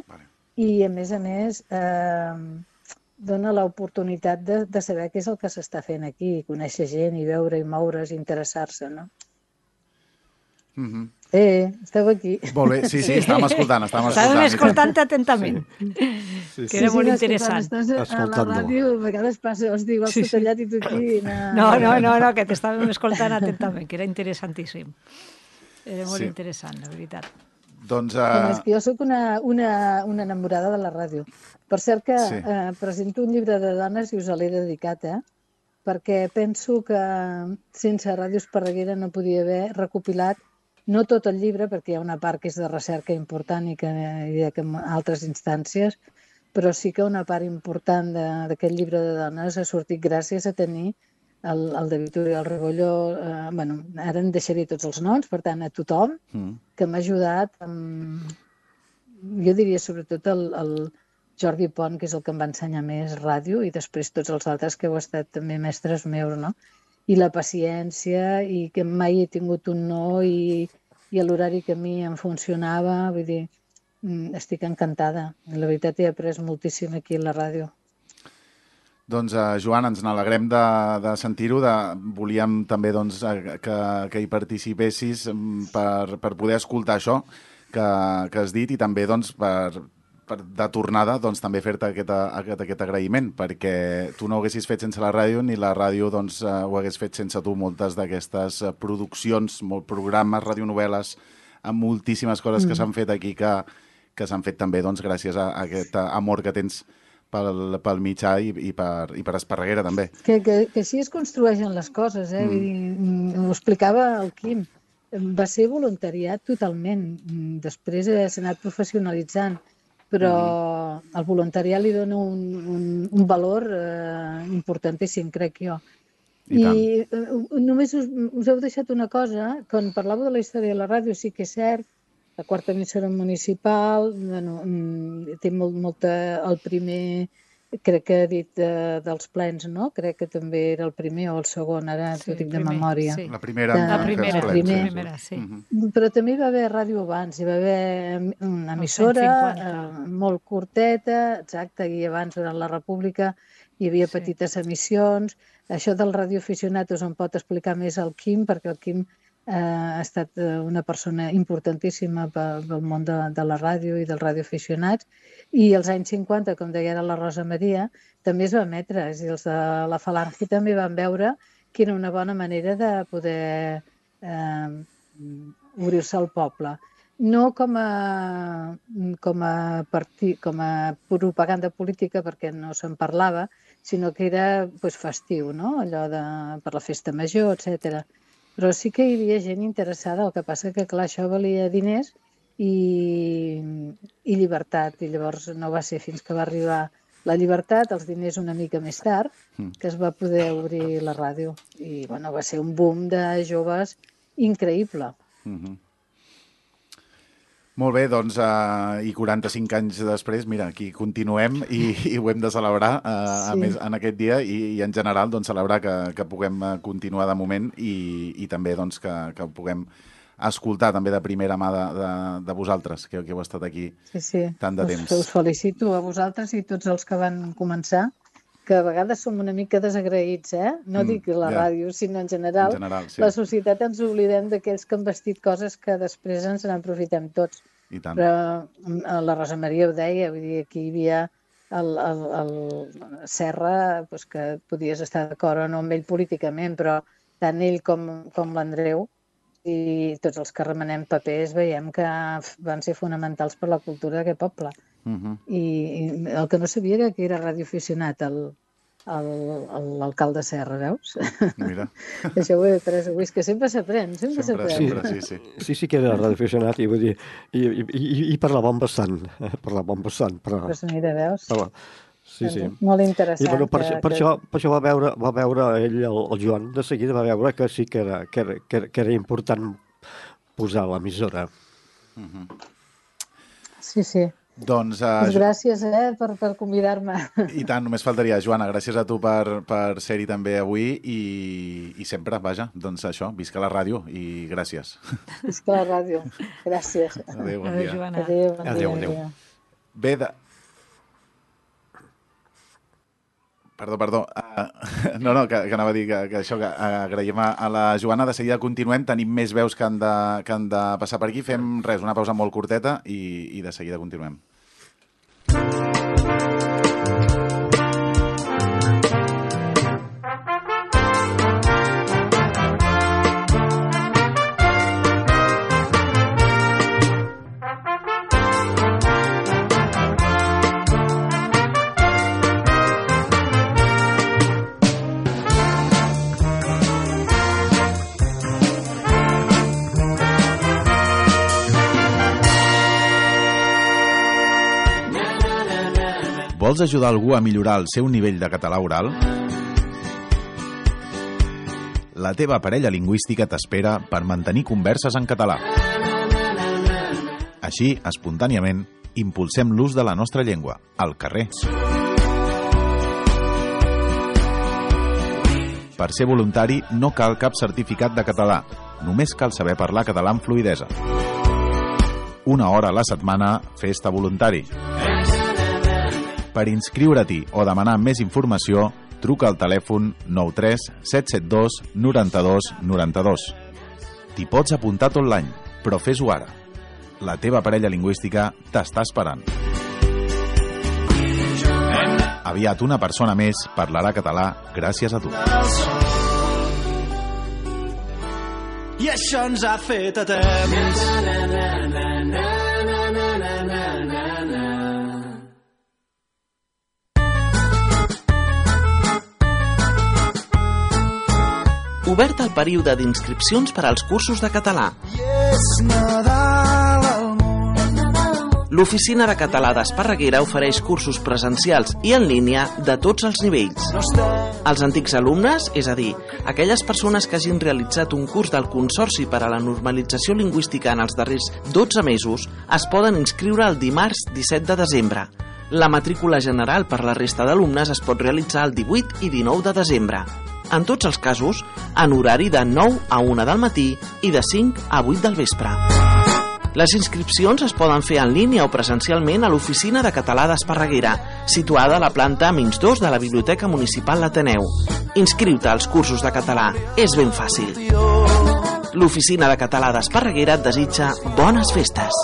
Speaker 6: i a més a més eh, dona l'oportunitat de, de saber què és el que s'està fent aquí, conèixer gent i veure i moure's i interessar-se, no?
Speaker 1: Mm-hmm.
Speaker 6: Eh, esteu aquí.
Speaker 1: Molt bé, sí, sí, estàvem escoltant, estàvem escoltant.
Speaker 5: Estàvem escoltant atentament,
Speaker 4: sí. Sí,
Speaker 5: que era
Speaker 6: sí,
Speaker 5: molt
Speaker 6: sí,
Speaker 5: interessant.
Speaker 6: Estàs a la ràdio, a vegades passa, els diu, has tot tallat i tu aquí...
Speaker 5: No, no, no, no, que t'estàvem escoltant atentament, que era interessantíssim. Era molt
Speaker 1: Sí.
Speaker 5: interessant, la veritat.
Speaker 1: Doncs...
Speaker 6: Uh...
Speaker 1: Uh...
Speaker 6: És que jo sóc una, una, una enamorada de la ràdio. Per cert que
Speaker 1: Sí.
Speaker 6: eh, presento un llibre de dones i us l'he dedicat, eh? Perquè penso que sense Ràdio Esparreguera no podia haver recopilat, no tot el llibre, perquè hi ha una part que és de recerca important i que hi ha en altres instàncies, però sí que una part important d'aquest llibre de dones ha sortit gràcies a tenir el, el David Oriol Regolló, eh, bueno, ara en deixaré tots els noms, per tant, a tothom
Speaker 1: Mm.
Speaker 6: que m'ha ajudat, amb, jo diria sobretot el, el Jordi Pont, que és el que em va ensenyar més ràdio, i després tots els altres que heu estat també mestres meus, no? I la paciència, i que mai he tingut un no, i, i a l'horari que a mi em funcionava, vull dir, estic encantada. La veritat, he après moltíssim aquí a la ràdio.
Speaker 1: Doncs, uh, Joan, ens n'alegrem de, de sentir-ho. De... Volíem també doncs, que, que hi participessis per, per poder escoltar això que, que has dit i també doncs, per, per, de tornada doncs, també fer-te aquest, aquest, aquest agraïment, perquè tu no ho haguessis fet sense la ràdio ni la ràdio doncs, uh, ho hagués fet sense tu. Moltes d'aquestes uh, produccions, molt programes, radionovel·les, amb moltíssimes coses mm. que s'han fet aquí que, que s'han fet també doncs, gràcies a, a aquest amor que tens pel, pel mitjà i, i, per, i per Esparreguera, també.
Speaker 6: Que, que, que així es construeixen les coses, eh? Mm. Vull dir, ho explicava el Quim. Va ser voluntariat totalment. Després s'ha anat professionalitzant, però mm. al voluntariat li dona un, un, un valor eh, importantíssim, crec jo. I, I eh, només us, us heu deixat una cosa, quan parlàveu de la història de la ràdio, sí que és cert, la quarta emissora municipal, bueno, té molt, molta... El primer, crec que he dit eh, dels plens, no? Crec que també era el primer o el segon, ara
Speaker 5: Sí,
Speaker 6: t'ho dic de
Speaker 5: primer,
Speaker 6: memòria.
Speaker 5: sí.
Speaker 1: La primera,
Speaker 6: De-
Speaker 5: La
Speaker 1: que
Speaker 5: primera,
Speaker 1: es
Speaker 5: la
Speaker 1: plens,
Speaker 6: primer.
Speaker 5: primera, sí.
Speaker 1: Mhm.
Speaker 6: Però també hi va haver ràdio abans, hi va haver una emissora
Speaker 5: cent
Speaker 6: eh,
Speaker 5: cinquanta.
Speaker 6: molt curteta, exacte, i abans durant la República hi havia
Speaker 5: Sí.
Speaker 6: petites emissions. Això del radioaficionat us en pot explicar més el Quim, perquè el Quim eh, ha estat eh, una persona importantíssima pel, pel món de, de la ràdio i dels radioaficionats. I als anys cinquanta, com deia ara la Rosa Maria, també es va emetre, és a dir, els de la Falange també van veure que era una bona manera de poder eh, obrir-se al poble. No com a, com, a partit, com a propaganda política, perquè no se'n parlava, sinó que era pues, festiu, no? Allò de, per la festa major, etcètera. Però sí que hi havia gent interessada, el que passa que, clar, això valia diners i, i llibertat. I llavors no va ser fins que va arribar la llibertat, els diners una mica més tard, que es va poder obrir la ràdio. I bueno, va ser un boom de joves increïble.
Speaker 1: Uh-huh. Molt bé, doncs, uh, i quaranta-cinc anys després, mira, aquí continuem i, i ho hem de celebrar uh, sí. a més, en aquest dia i, i en general doncs, celebrar que, que puguem continuar de moment i, i també doncs, que, que puguem escoltar també de primera mà de, de, de vosaltres, que, que heu estat aquí
Speaker 6: sí, sí.
Speaker 1: tant de
Speaker 6: us,
Speaker 1: temps.
Speaker 6: Us felicito a vosaltres i tots els que van començar, que a vegades som una mica desagraïts, eh? No mm, dic la yeah. ràdio, sinó en general.
Speaker 1: En general sí.
Speaker 6: La societat ens oblidem d'aquells que han vestit coses que després ens n'aprofitem tots.
Speaker 1: I tant.
Speaker 6: Però la Rosa Maria ho deia, vull dir, aquí hi havia el, el, el Serra, doncs que podies estar d'acord o no amb ell políticament, però tant ell com, com l'Andreu i tots els que remenem papers veiem que van ser fonamentals per la cultura d'aquest poble. Uh-huh. I, I el que no sabia era que era radioaficionat, l'alcalde Serra, veus?
Speaker 1: Mira.
Speaker 6: Això ho he après avui, és que sempre s'aprèn, sempre s'aprèn.
Speaker 1: Sempre, sí, sí.
Speaker 4: Sí, sí que era radioaficionat i vull dir, i, i, i, i parlava bastant, parlava bastant. Però
Speaker 6: pues mira, veus?
Speaker 4: Parlava. Sí, sí.
Speaker 6: Molt interessant.
Speaker 4: I, bueno, per,
Speaker 6: que,
Speaker 4: per,
Speaker 6: que...
Speaker 4: això, per això va veure, va veure ell, el, el Joan, de seguida va veure que sí que era, que era, que era important posar l'emissora.
Speaker 1: Uh-huh.
Speaker 6: Sí, sí.
Speaker 1: Doncs, uh,
Speaker 6: pues gràcies eh, per, per convidar-me.
Speaker 1: I tant, només faltaria. Joana, gràcies a tu per, per ser-hi també avui i, i sempre, vaja, doncs això, visca la ràdio i gràcies.
Speaker 6: Visca la ràdio, gràcies.
Speaker 1: Adéu, bon dia.
Speaker 5: Adéu, Joana.
Speaker 6: Adéu, bon
Speaker 4: adéu,
Speaker 6: dia.
Speaker 4: adéu.
Speaker 1: Bé, de... Perdó, perdó. Uh, no, no, que, que anava a dir que, que això, que agraïm a, a la Joana. De seguida continuem, tenim més veus que han, de, que han de passar per aquí. Fem res, una pausa molt curteta i, i de seguida continuem. Vols ajudar algú a millorar el seu nivell de català oral? La teva parella lingüística t'espera per mantenir converses en català. Així, espontàniament, impulsem l'ús de la nostra llengua, al carrer. Per ser voluntari no cal cap certificat de català, només cal saber parlar català amb fluïdesa. Una hora a la setmana, fes-te voluntari. Per inscriure-t'hi o demanar més informació, truca al telèfon nou tres set set dos nou dos nou dos. T'hi pots apuntar tot l'any, però fes-ho ara. La teva parella lingüística t'està esperant. Aviat una persona més parlarà català gràcies a tu.
Speaker 7: I això ens ha fet a temps.
Speaker 8: Obert el període d'inscripcions per als cursos de català. L'Oficina de Català d'Esparreguera ofereix cursos presencials i en línia de tots els nivells. Els antics alumnes, és a dir, aquelles persones que hagin realitzat un curs del Consorci per a la Normalització Lingüística en els darrers dotze mesos, es poden inscriure el dimarts disset de desembre. La matrícula general per la resta d'alumnes es pot realitzar el divuit i dinou de desembre. En tots els casos, en horari de nou a una del matí i de cinc a vuit del vespre. Les inscripcions es poden fer en línia o presencialment a l'Oficina de Català d'Esparreguera, situada a la planta menys dos de la Biblioteca Municipal l'Ateneu. Inscriu-te als cursos de català, és ben fàcil. L'Oficina de Català d'Esparreguera et desitja bones festes.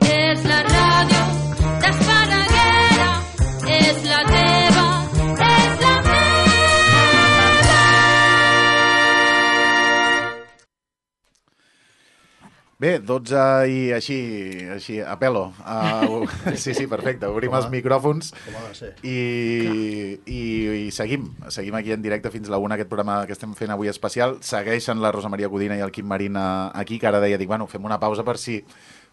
Speaker 9: És la ràdio d'Esparreguera.
Speaker 1: Bé, dotze i així, així a pelo. Uh, sí, sí, perfecte. Obrim els micròfons i, i, i seguim. Seguim aquí en directe fins a la una, aquest programa que estem fent avui especial. Segueixen la Rosa Maria Codina i el Quim Marín aquí, que ara deia, dic, bueno, fem una pausa per si...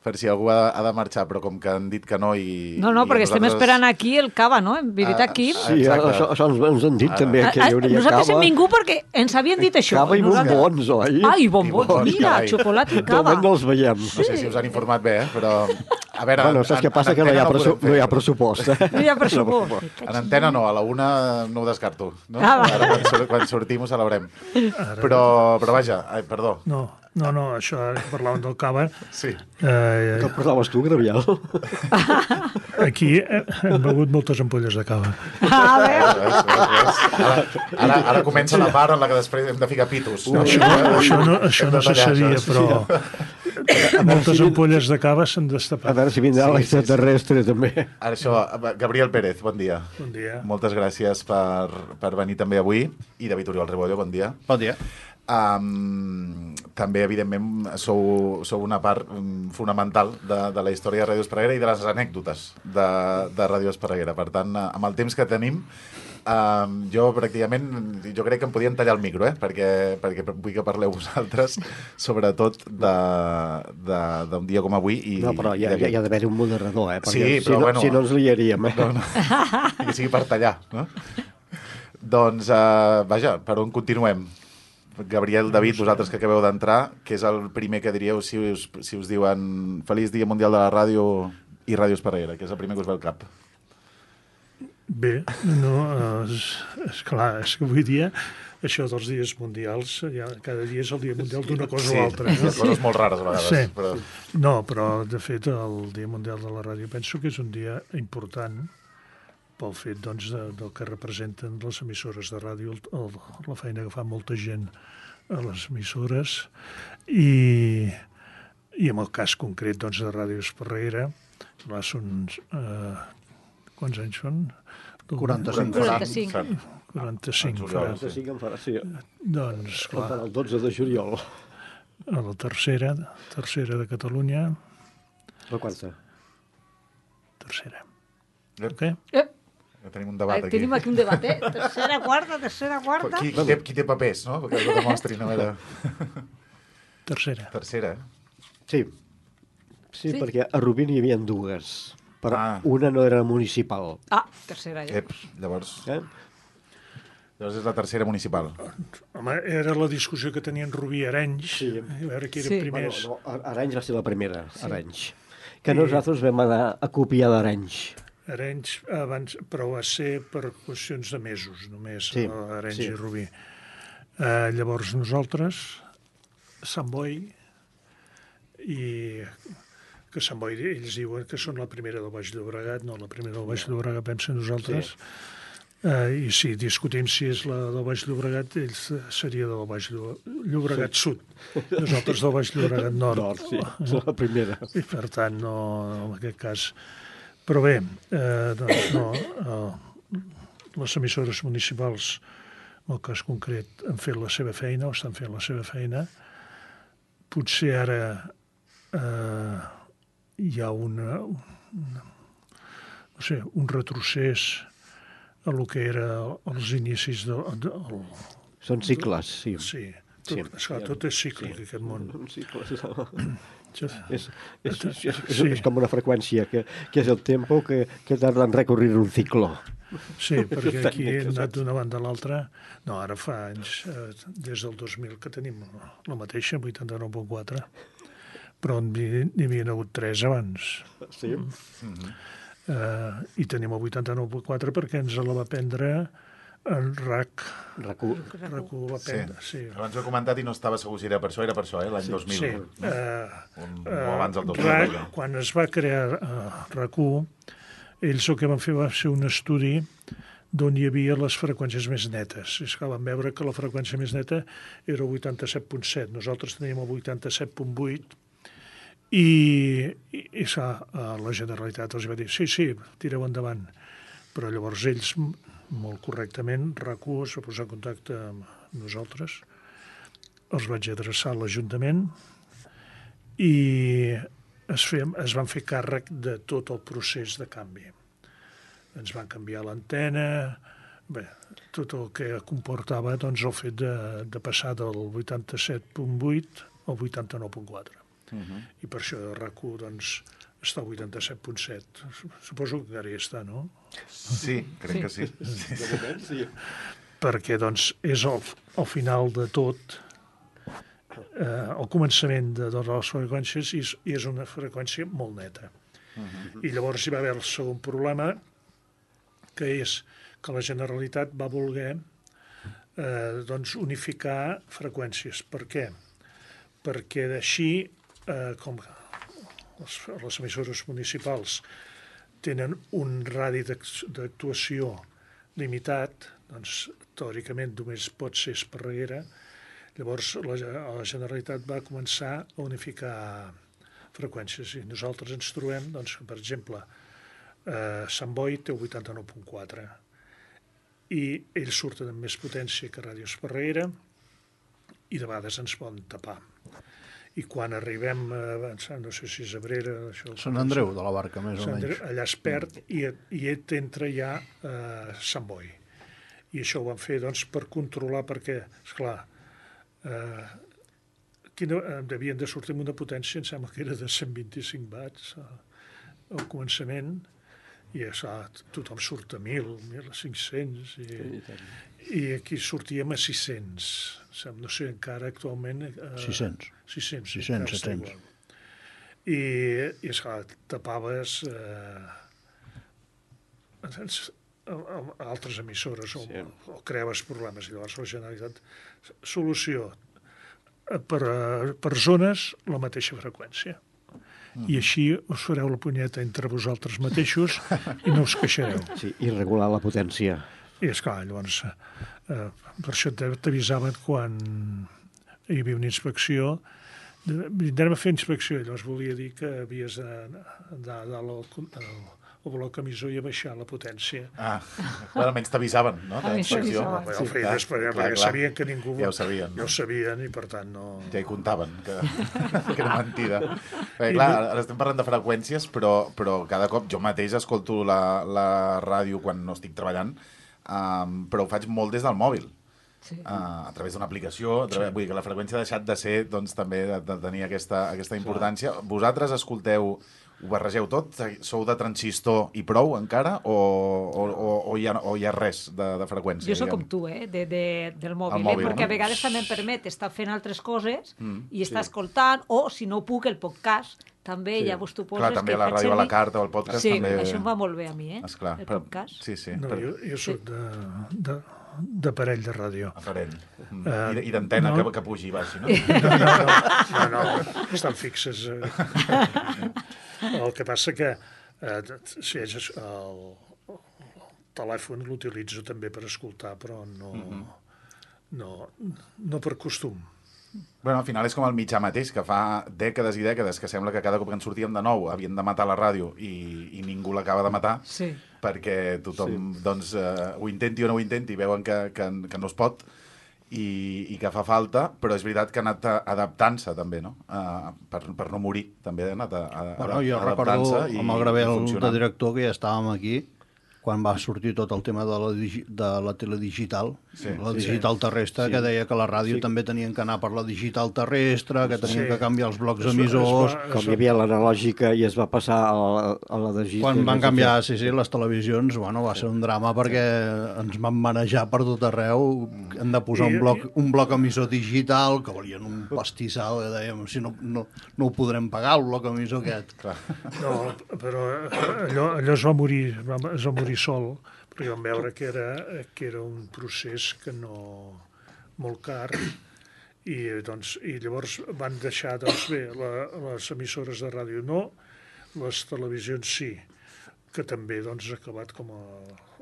Speaker 1: per si algú ha, ha de marxar, però com que han dit que no i...
Speaker 5: No, no,
Speaker 1: i
Speaker 5: perquè estem
Speaker 1: nosaltres...
Speaker 5: esperant aquí el cava, no? En veritat, Quim?
Speaker 4: Sí, això, això ens, ens han dit
Speaker 1: Ara.
Speaker 4: també, que hi hauria
Speaker 5: Nosaltres
Speaker 4: cava.
Speaker 5: hem vingut perquè ens havien dit això.
Speaker 4: Cava i
Speaker 5: Nosaltres...
Speaker 4: bombons, oi?
Speaker 5: Ah, i bombons,
Speaker 1: I bombons,
Speaker 5: mira,
Speaker 1: carai.
Speaker 5: xocolata i
Speaker 4: De
Speaker 5: cava.
Speaker 4: moment no els veiem.
Speaker 1: No sé si us han informat bé, eh? Però... A veure,
Speaker 4: Bueno, saps què passa? Que no hi ha, pressu no hi ha pressupost. Eh?
Speaker 5: No hi ha pressupost.
Speaker 1: En antena no, a la una no ho descarto. No?
Speaker 5: Ah, va.
Speaker 1: Ara quan, sur quan sortim ho celebrem. Però, però vaja, ai, perdó.
Speaker 9: No, no, no, això ara que parlàvem del cava...
Speaker 1: Sí.
Speaker 9: Eh,
Speaker 4: Que parlaves tu, Gravial?
Speaker 9: aquí hem begut moltes ampolles de cava.
Speaker 5: A veure,
Speaker 1: Ves, ves, ves. Ara, ara, ara comença la part en la que després hem de ficar pitos.
Speaker 9: No, això, això no, això no se sabia, però moltes ampolles de cava s'han
Speaker 4: A
Speaker 9: destapat.
Speaker 4: veure si vindrà
Speaker 1: Sí,
Speaker 4: l'extraterrestre, també.
Speaker 1: Ara això, Gabriel Pérez, bon dia.
Speaker 9: Bon dia.
Speaker 1: Moltes gràcies per, per venir també avui. I David Oriol Rebollo, bon dia.
Speaker 10: Bon dia.
Speaker 1: Um, també, evidentment, sou, sou una part um, fonamental de, de la història de Ràdio Esparreguera i de les anècdotes de, de Ràdio Esparreguera. Per tant, uh, amb el temps que tenim, um, jo pràcticament, jo crec que em podien tallar el micro, eh? perquè, perquè vull que parleu vosaltres, sobretot d'un dia com avui. I,
Speaker 4: No, però hi ha, hi ha d'haver un moderador, eh? Perquè
Speaker 1: Sí,
Speaker 4: si,
Speaker 1: però
Speaker 4: no,
Speaker 1: bueno.
Speaker 4: si no ens liaríem, eh?
Speaker 1: No, no. Que sigui per tallar, no? Doncs, uh, vaja, per on continuem? Gabriel, David, vosaltres que acabeu d'entrar, què és el primer que diríeu si us, si us diuen Feliç Dia Mundial de la Ràdio i Ràdio Esparreguera? Què és el primer que us ve al cap?
Speaker 9: Bé, no, és, és clar, és que avui dia això dels dies mundials, ja, cada dia és el dia mundial d'una cosa
Speaker 1: Sí,
Speaker 9: o altra.
Speaker 1: hi ha coses molt rares a vegades.
Speaker 9: Sí.
Speaker 1: Però...
Speaker 9: No, però de fet el Dia Mundial de la Ràdio penso que és un dia important pel fet doncs, de, del que representen les emissores de ràdio, el, el, la feina que fa molta gent a les emissores i, i en el cas concret doncs, de Ràdio Esparreguera, clar, són... Eh, quants anys són?
Speaker 10: quaranta-cinc.
Speaker 5: quaranta-cinc.
Speaker 9: quaranta-cinc.
Speaker 1: En
Speaker 9: Farà.
Speaker 1: juliol,
Speaker 4: Sí que em farà, sí.
Speaker 9: Doncs, clar,
Speaker 4: El dotze de juliol.
Speaker 9: a la tercera, tercera de Catalunya,
Speaker 4: La quarta.
Speaker 9: tercera.
Speaker 1: Ep,
Speaker 9: Okay?
Speaker 5: Eh,
Speaker 1: ja tenim un debat aquí.
Speaker 5: tenim aquí un debat, eh? Tercera, quarta, tercera, quarta...
Speaker 1: Qui, qui, té, qui té papers, no? Perquè ho demostrin, a veure...
Speaker 9: Tercera.
Speaker 1: Tercera, eh?
Speaker 4: Sí. sí. Sí, perquè a Rubí n'hi havia dues. Però
Speaker 1: Ah.
Speaker 4: una no era municipal.
Speaker 5: Ah, tercera, ja.
Speaker 1: Ep, llavors...
Speaker 4: Eh?
Speaker 1: Llavors és la tercera municipal.
Speaker 9: Home, era la discussió que tenien Rubí i Arenys,
Speaker 4: Sí.
Speaker 9: a veure qui era
Speaker 5: Sí.
Speaker 9: primers.
Speaker 4: Bueno, no, Arenys va ser la primera, sí. Arenys. Que nosaltres vam anar a copiar d'Arenys.
Speaker 9: Arenys abans, però va ser per qüestions de mesos, només,
Speaker 4: Sí,
Speaker 9: sí, Arenys
Speaker 4: sí.
Speaker 9: sí. i Rubí. Eh, llavors nosaltres, Sant Boi, i que Sant Boi, ells diuen que són la primera del Baix Llobregat, no, la primera del Baix Llobregat vam ser nosaltres, sí. eh, i si discutim si és la del Baix Llobregat, ells seria del Baix Llobregat sí. Sud, nosaltres del Baix Llobregat Nord.
Speaker 4: Nord, sí, és la primera.
Speaker 9: I per tant, no, en aquest cas... Però bé, eh, doncs no, eh, les emissores municipals, en el cas concret, han fet la seva feina, o estan fent la seva feina. Potser ara eh, hi ha una, una, no sé, un retrocés a lo que era els inicis del... De, el,
Speaker 4: Són cicles, sí.
Speaker 9: sí, tot,
Speaker 4: Sí.
Speaker 9: esclar, tot és cíclic, sí. Aquest món.
Speaker 4: Cicles.
Speaker 9: Sí.
Speaker 4: És, és, és, és,
Speaker 9: Sí.
Speaker 4: és com una freqüència, que, que és el tempo que, que tarda en recorrir un ciclo.
Speaker 9: Sí, perquè
Speaker 4: Estan
Speaker 9: aquí
Speaker 4: molt
Speaker 9: hem anat
Speaker 4: casats.
Speaker 9: d'una banda a l'altra. No, ara fa anys, eh, des del dos mil, que tenim la mateixa, vuitanta-nou coma quatre, però n'hi n'hi havia hagut tres abans.
Speaker 4: Sí.
Speaker 9: Mm-hmm. Eh, I tenim el vuitanta-nou coma quatre perquè ens la va prendre en R A C.
Speaker 4: Recu...
Speaker 9: R A C ho va prendre, sí.
Speaker 1: Abans ho he comentat i no estava segur si era per això, era per això, eh? L'any dos mil.
Speaker 9: Sí.
Speaker 1: No?
Speaker 9: Eh,
Speaker 1: Un, o abans del dos mil.
Speaker 9: R A C,
Speaker 1: ja.
Speaker 9: quan es va crear uh, R A C u, ells el que van fer va ser un estudi d'on hi havia les freqüències més netes. És que van veure que la freqüència més neta era el vuitanta-set coma set. Nosaltres teníem el vuitanta-set coma vuit i, i, i sa, la Generalitat els va dir sí, sí, tireu endavant. Però llavors ells, molt correctament, R A C u es va posar en contacte amb nosaltres, els vaig adreçar a l'Ajuntament i es, fe, es van fer càrrec de tot el procés de canvi. Ens van canviar l'antena, bé, tot el que comportava doncs, el fet de, de passar del vuitanta-set punt vuit al vuitanta-nou punt quatre. Uh-huh. I per això RAC u doncs, està al vuitanta-set punt set. Suposo que encara hi està, no?
Speaker 1: Sí, crec sí. que sí. sí.
Speaker 9: sí. Perquè doncs, és el, el final de tot, eh, el començament de totes les freqüències, i és, i és una freqüència molt neta. Uh-huh. I llavors hi va haver el segon problema, que és que la Generalitat va voler eh, doncs unificar freqüències. Per què? Perquè d'així, eh, com les, les emissores municipals tenen un radi d'actuació limitat, doncs teòricament només pot ser Esparreguera, llavors la, la Generalitat va començar a unificar freqüències i nosaltres ens trobem, doncs, per exemple, eh, Sant Boi té el vuitanta-nou punt quatre i ells surten amb més potència que Ràdio Esparreguera i de vegades ens poden tapar. I quan arribem a, no sé si és Abrera... Això,
Speaker 10: Sant Andreu de la Barca, més o menys.
Speaker 9: Andreu, allà es perd i, i et entra ja a Sant Boi. I això ho van fer doncs, per controlar, perquè, esclar, eh, quina, devien de sortir amb una potència, em sembla que era de cent vint-i-cinc watts al començament, i esclar, tothom surt a mil, mil cinc-cents, i, i aquí sortíem a sis-cents. No sé, encara actualment... Eh,
Speaker 10: sis-cents.
Speaker 9: sis-cents,
Speaker 10: sis-cents, set-cents.
Speaker 9: I, i esclar, tapaves eh, altres emissores o, sí. o creaves problemes. I llavors la Generalitat... Solució. Per, per zones, la mateixa freqüència. Mm. I així us fareu la punyeta entre vosaltres mateixos i no us queixareu.
Speaker 4: Sí, i regular la potència.
Speaker 9: I esclar, llavors, eh, per això t'avisaven quan hi havia una inspecció, vindrem a fer inspecció, i llavors volia dir que havies d'anar al, al bloc emissor i a baixar la potència.
Speaker 1: Ah, bueno, almenys t'avisaven, no?
Speaker 9: Almenys t'avisaven. Ho feia després, perquè sabien que ningú...
Speaker 1: Ja ho sabien.
Speaker 9: Ja ho sabien i, per tant, no...
Speaker 1: Ja hi comptaven, que, que era mentida. Perquè, clar, ara estem parlant de freqüències, però, però cada cop jo mateix escolto la, la ràdio quan no estic treballant, um, però ho faig molt des del mòbil. Sí. Uh, a través d'una aplicació, través, sí. Vull dir que la freqüència ha deixat de ser, doncs, també de, de tenir aquesta, aquesta importància. Sí. Vosaltres escolteu... Ho barregeu tot? Sou de transistor i prou encara? O, o, o, o, hi, ha, o hi ha res de, de freqüència?
Speaker 5: Jo soc com tu, eh? De, de, del mòbil, el mòbil eh? Perquè no? A vegades també em permet estar fent altres coses mm, i estar sí. escoltant, o si no puc, el podcast també, sí. Llavors tu poses...
Speaker 1: Clar, també la ràdio a la carta o el podcast
Speaker 5: sí,
Speaker 1: també...
Speaker 5: Sí, això em va molt bé a mi, eh?
Speaker 1: Esclar,
Speaker 5: el
Speaker 1: però...
Speaker 5: podcast.
Speaker 1: Sí, sí.
Speaker 9: No,
Speaker 1: però...
Speaker 9: jo, jo soc sí. de... de... d'aparell de ràdio.
Speaker 1: Aparell. Mm. Uh, I, I d'antena no. que, que pugi i baixi, no?
Speaker 9: No, no, no, no, no, estan fixes. El que passa que eh, si és el, el telèfon l'utilitzo també per escoltar, però no, mm-hmm. no, no per costum.
Speaker 1: Bueno, al final és com el mitjà mateix, que fa dècades i dècades que sembla que cada cop que en sortíem de nou havien de matar la ràdio i, i ningú l'acaba de matar,
Speaker 5: sí.
Speaker 1: perquè tothom sí. doncs, eh, ho intenti o no ho intenti, veuen que, que, que no es pot i, i que fa falta, però és veritat que ha anat adaptant-se també, no? Uh, per, per no morir, també ha anat a, a,
Speaker 10: bueno, jo recordo amb el Gravel de director que ja estàvem aquí, quan va sortir tot el tema de la, digi de la teledigital, sí, la digital sí, terrestre, sí. que deia que la ràdio sí. també tenien que anar per la digital terrestre, que tenien sí. que canviar els blocs es emissors...
Speaker 4: Va, com hi havia l'analògica i es va passar a la, a la digital...
Speaker 10: Quan van canviar, sí, sí, les televisions, bueno, va ser un drama perquè ens van manejar per tot arreu, hem de posar I, un, bloc, un bloc emissor digital, que volien un pastissal, que dèiem, si no, no, no ho podrem pagar, el bloc emissor aquest. Clar.
Speaker 9: No, però allò, allò es va morir, es va morir sol, perquè vam veure que era, que era un procés que no... molt car, i, doncs, i llavors van deixar, doncs bé, la, les emissores de ràdio no, les televisions sí, que també doncs, ha acabat com a,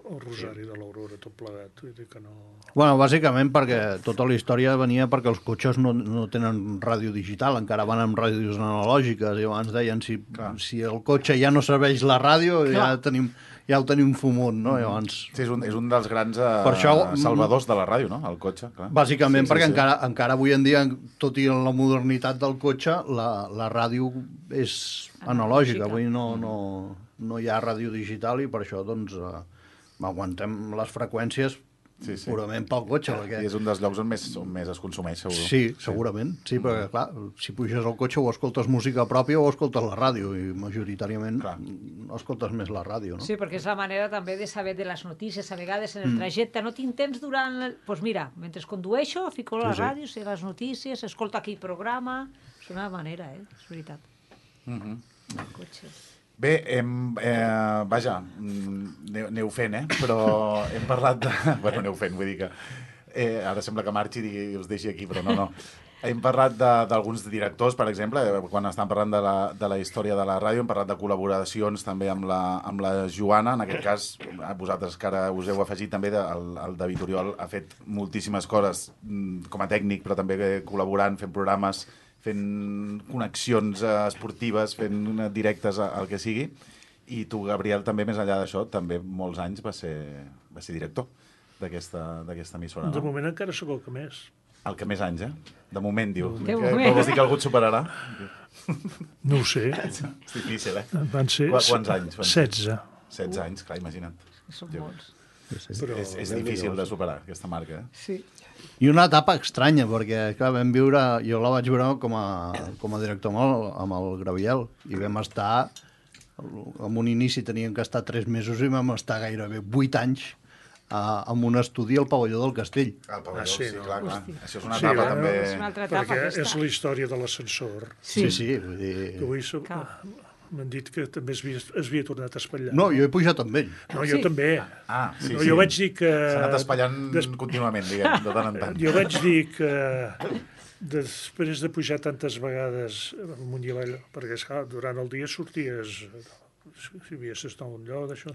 Speaker 9: el Rosari de l'Aurora, tot plegat. Vull dir que no...
Speaker 10: Bueno, bàsicament perquè tota la història venia perquè els cotxes no, no tenen ràdio digital, encara van amb ràdios analògiques, i abans deien si, si el cotxe ja no serveix la ràdio, ja, tenim, ja el tenim fumut, no? Mm. Llavors...
Speaker 1: Sí, és un, és un dels grans uh, això, salvadors de la ràdio, no?, el cotxe. Clar.
Speaker 10: Bàsicament
Speaker 1: sí,
Speaker 10: perquè
Speaker 1: sí,
Speaker 10: encara, sí. encara avui en dia, tot i la modernitat del cotxe, la, la ràdio és analògica, avui no, no, no hi ha ràdio digital i per això, doncs... Uh, aguantem les freqüències sí, sí. purament pel cotxe. Perquè...
Speaker 1: I és un dels llocs on més, on més es consumeix, segur.
Speaker 10: Sí, segurament. Sí, sí perquè, clar, si puges al cotxe o escoltes música pròpia o escoltes la ràdio, i majoritàriament clar. escoltes més la ràdio, no?
Speaker 5: Sí, perquè és la manera també de saber de les notícies. A vegades en el trajecte no tinc temps durant... Doncs pues mira, mentre condueixo, fico la sí, ràdio, sé les notícies, escolto aquell programa... És una manera, eh? És veritat.
Speaker 1: Mm-hmm.
Speaker 5: El cotxe...
Speaker 1: Bé, hem, eh, vaja, aneu fent, eh? Però hem parlat de... Bueno, aneu fent, vull dir que... Eh, ara sembla que marxi i us deixi aquí, però no, no. Hem parlat d'alguns directors, per exemple, quan estan parlant de la, de la història de la ràdio, hem parlat de col·laboracions també amb la, amb la Joana. En aquest cas, vosaltres que ara us heu afegit també, de, el, el David Oriol ha fet moltíssimes coses com a tècnic, però també col·laborant, fent programes, fent connexions esportives, fent directes al que sigui. I tu, Gabriel, també, més enllà d'això, també molts anys va ser, va ser director d'aquesta emissora, no?
Speaker 9: De moment encara sóc el que més.
Speaker 1: El que més anys, eh? De moment, diu.
Speaker 5: De
Speaker 1: moment. Que vols dir que algú et superarà?
Speaker 9: No ho sé.
Speaker 1: És difícil, eh?
Speaker 9: Van ser...
Speaker 1: Qu Quants anys?
Speaker 9: setze.
Speaker 1: setze anys, clar, imagina't.
Speaker 5: Són molts.
Speaker 1: Però... És, és difícil de superar, aquesta marca, eh?
Speaker 5: Sí.
Speaker 10: I una etapa estranya, perquè clar, vam viure, jo la vaig veure com a, com a director amb el, amb el Graviel, i vam estar, en un inici teníem que estar tres mesos i vam estar gairebé vuit anys a, en un estudi al pavelló del Castell.
Speaker 1: Al pavelló, ah, sí, sí, no? clar, clar.
Speaker 5: Hosti.
Speaker 1: Això és una etapa, sí, també...
Speaker 5: És una altra etapa,
Speaker 9: perquè
Speaker 5: aquesta.
Speaker 9: És la història de l'ascensor.
Speaker 10: Sí, sí, sí, vull dir...
Speaker 9: Que avui so... m'han dit que també es havia, es havia tornat a espatllar.
Speaker 10: No, jo he pujat amb ell.
Speaker 9: No, jo sí. també.
Speaker 1: Ah, sí,
Speaker 9: no,
Speaker 1: sí.
Speaker 9: Jo vaig dir que...
Speaker 1: S'ha anat espatllant des... contínuament, diguem, de tant en tant.
Speaker 9: Jo vaig dir que després de pujar tantes vegades amunt i avall, perquè esclar, durant el dia sorties, si havies d'estar a un lloc, d'això,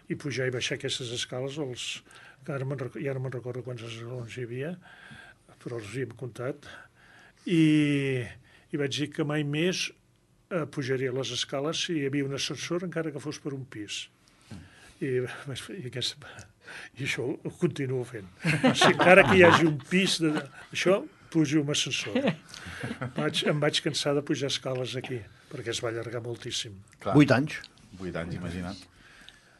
Speaker 9: i pujar i baixar aquestes escales, els... ara ja no me'n recordo quants escalons hi havia, però els hi hem comptat, i, i vaig dir que mai més eh, pujaria les escales si hi havia un ascensor, encara que fos per un pis. I, i, aquesta, i això ho continuo fent. Si encara que hi hagi un pis de, això, pujo amb ascensor. Vaig, em vaig cansar de pujar escales aquí, perquè es va allargar moltíssim.
Speaker 1: Clar.
Speaker 10: Vuit anys.
Speaker 1: Vuit anys, imagina't.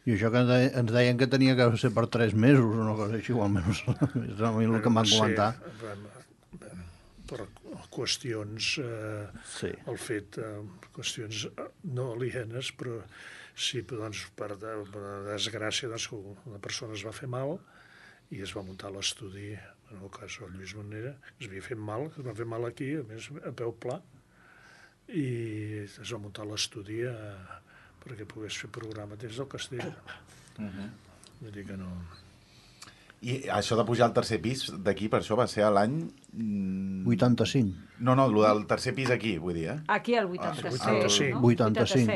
Speaker 10: I això que ens deien que tenia que ser per tres mesos o una cosa així, o almenys és el que em van comentar.
Speaker 9: Per qüestions, eh, sí. el fet, eh, qüestions no alienes, però sí, doncs, per, de, per desgràcia, doncs, una persona es va fer mal i es va muntar l'estudi, en el cas del Lluís Manera, es havia fet mal, es va fer mal aquí, a més, a peu pla, i es va muntar l'estudi a, perquè pogués fer programa des del castell. Uh-huh. Vull dir que no...
Speaker 1: I això de pujar al tercer pis d'aquí, per això va ser a l'any...
Speaker 10: vuitanta-cinc.
Speaker 1: No, no, el del tercer pis aquí, vull dir, eh?
Speaker 5: Aquí al vuitanta-set,
Speaker 9: ah, vuitanta-cinc.
Speaker 5: no?
Speaker 10: vuitanta-cinc.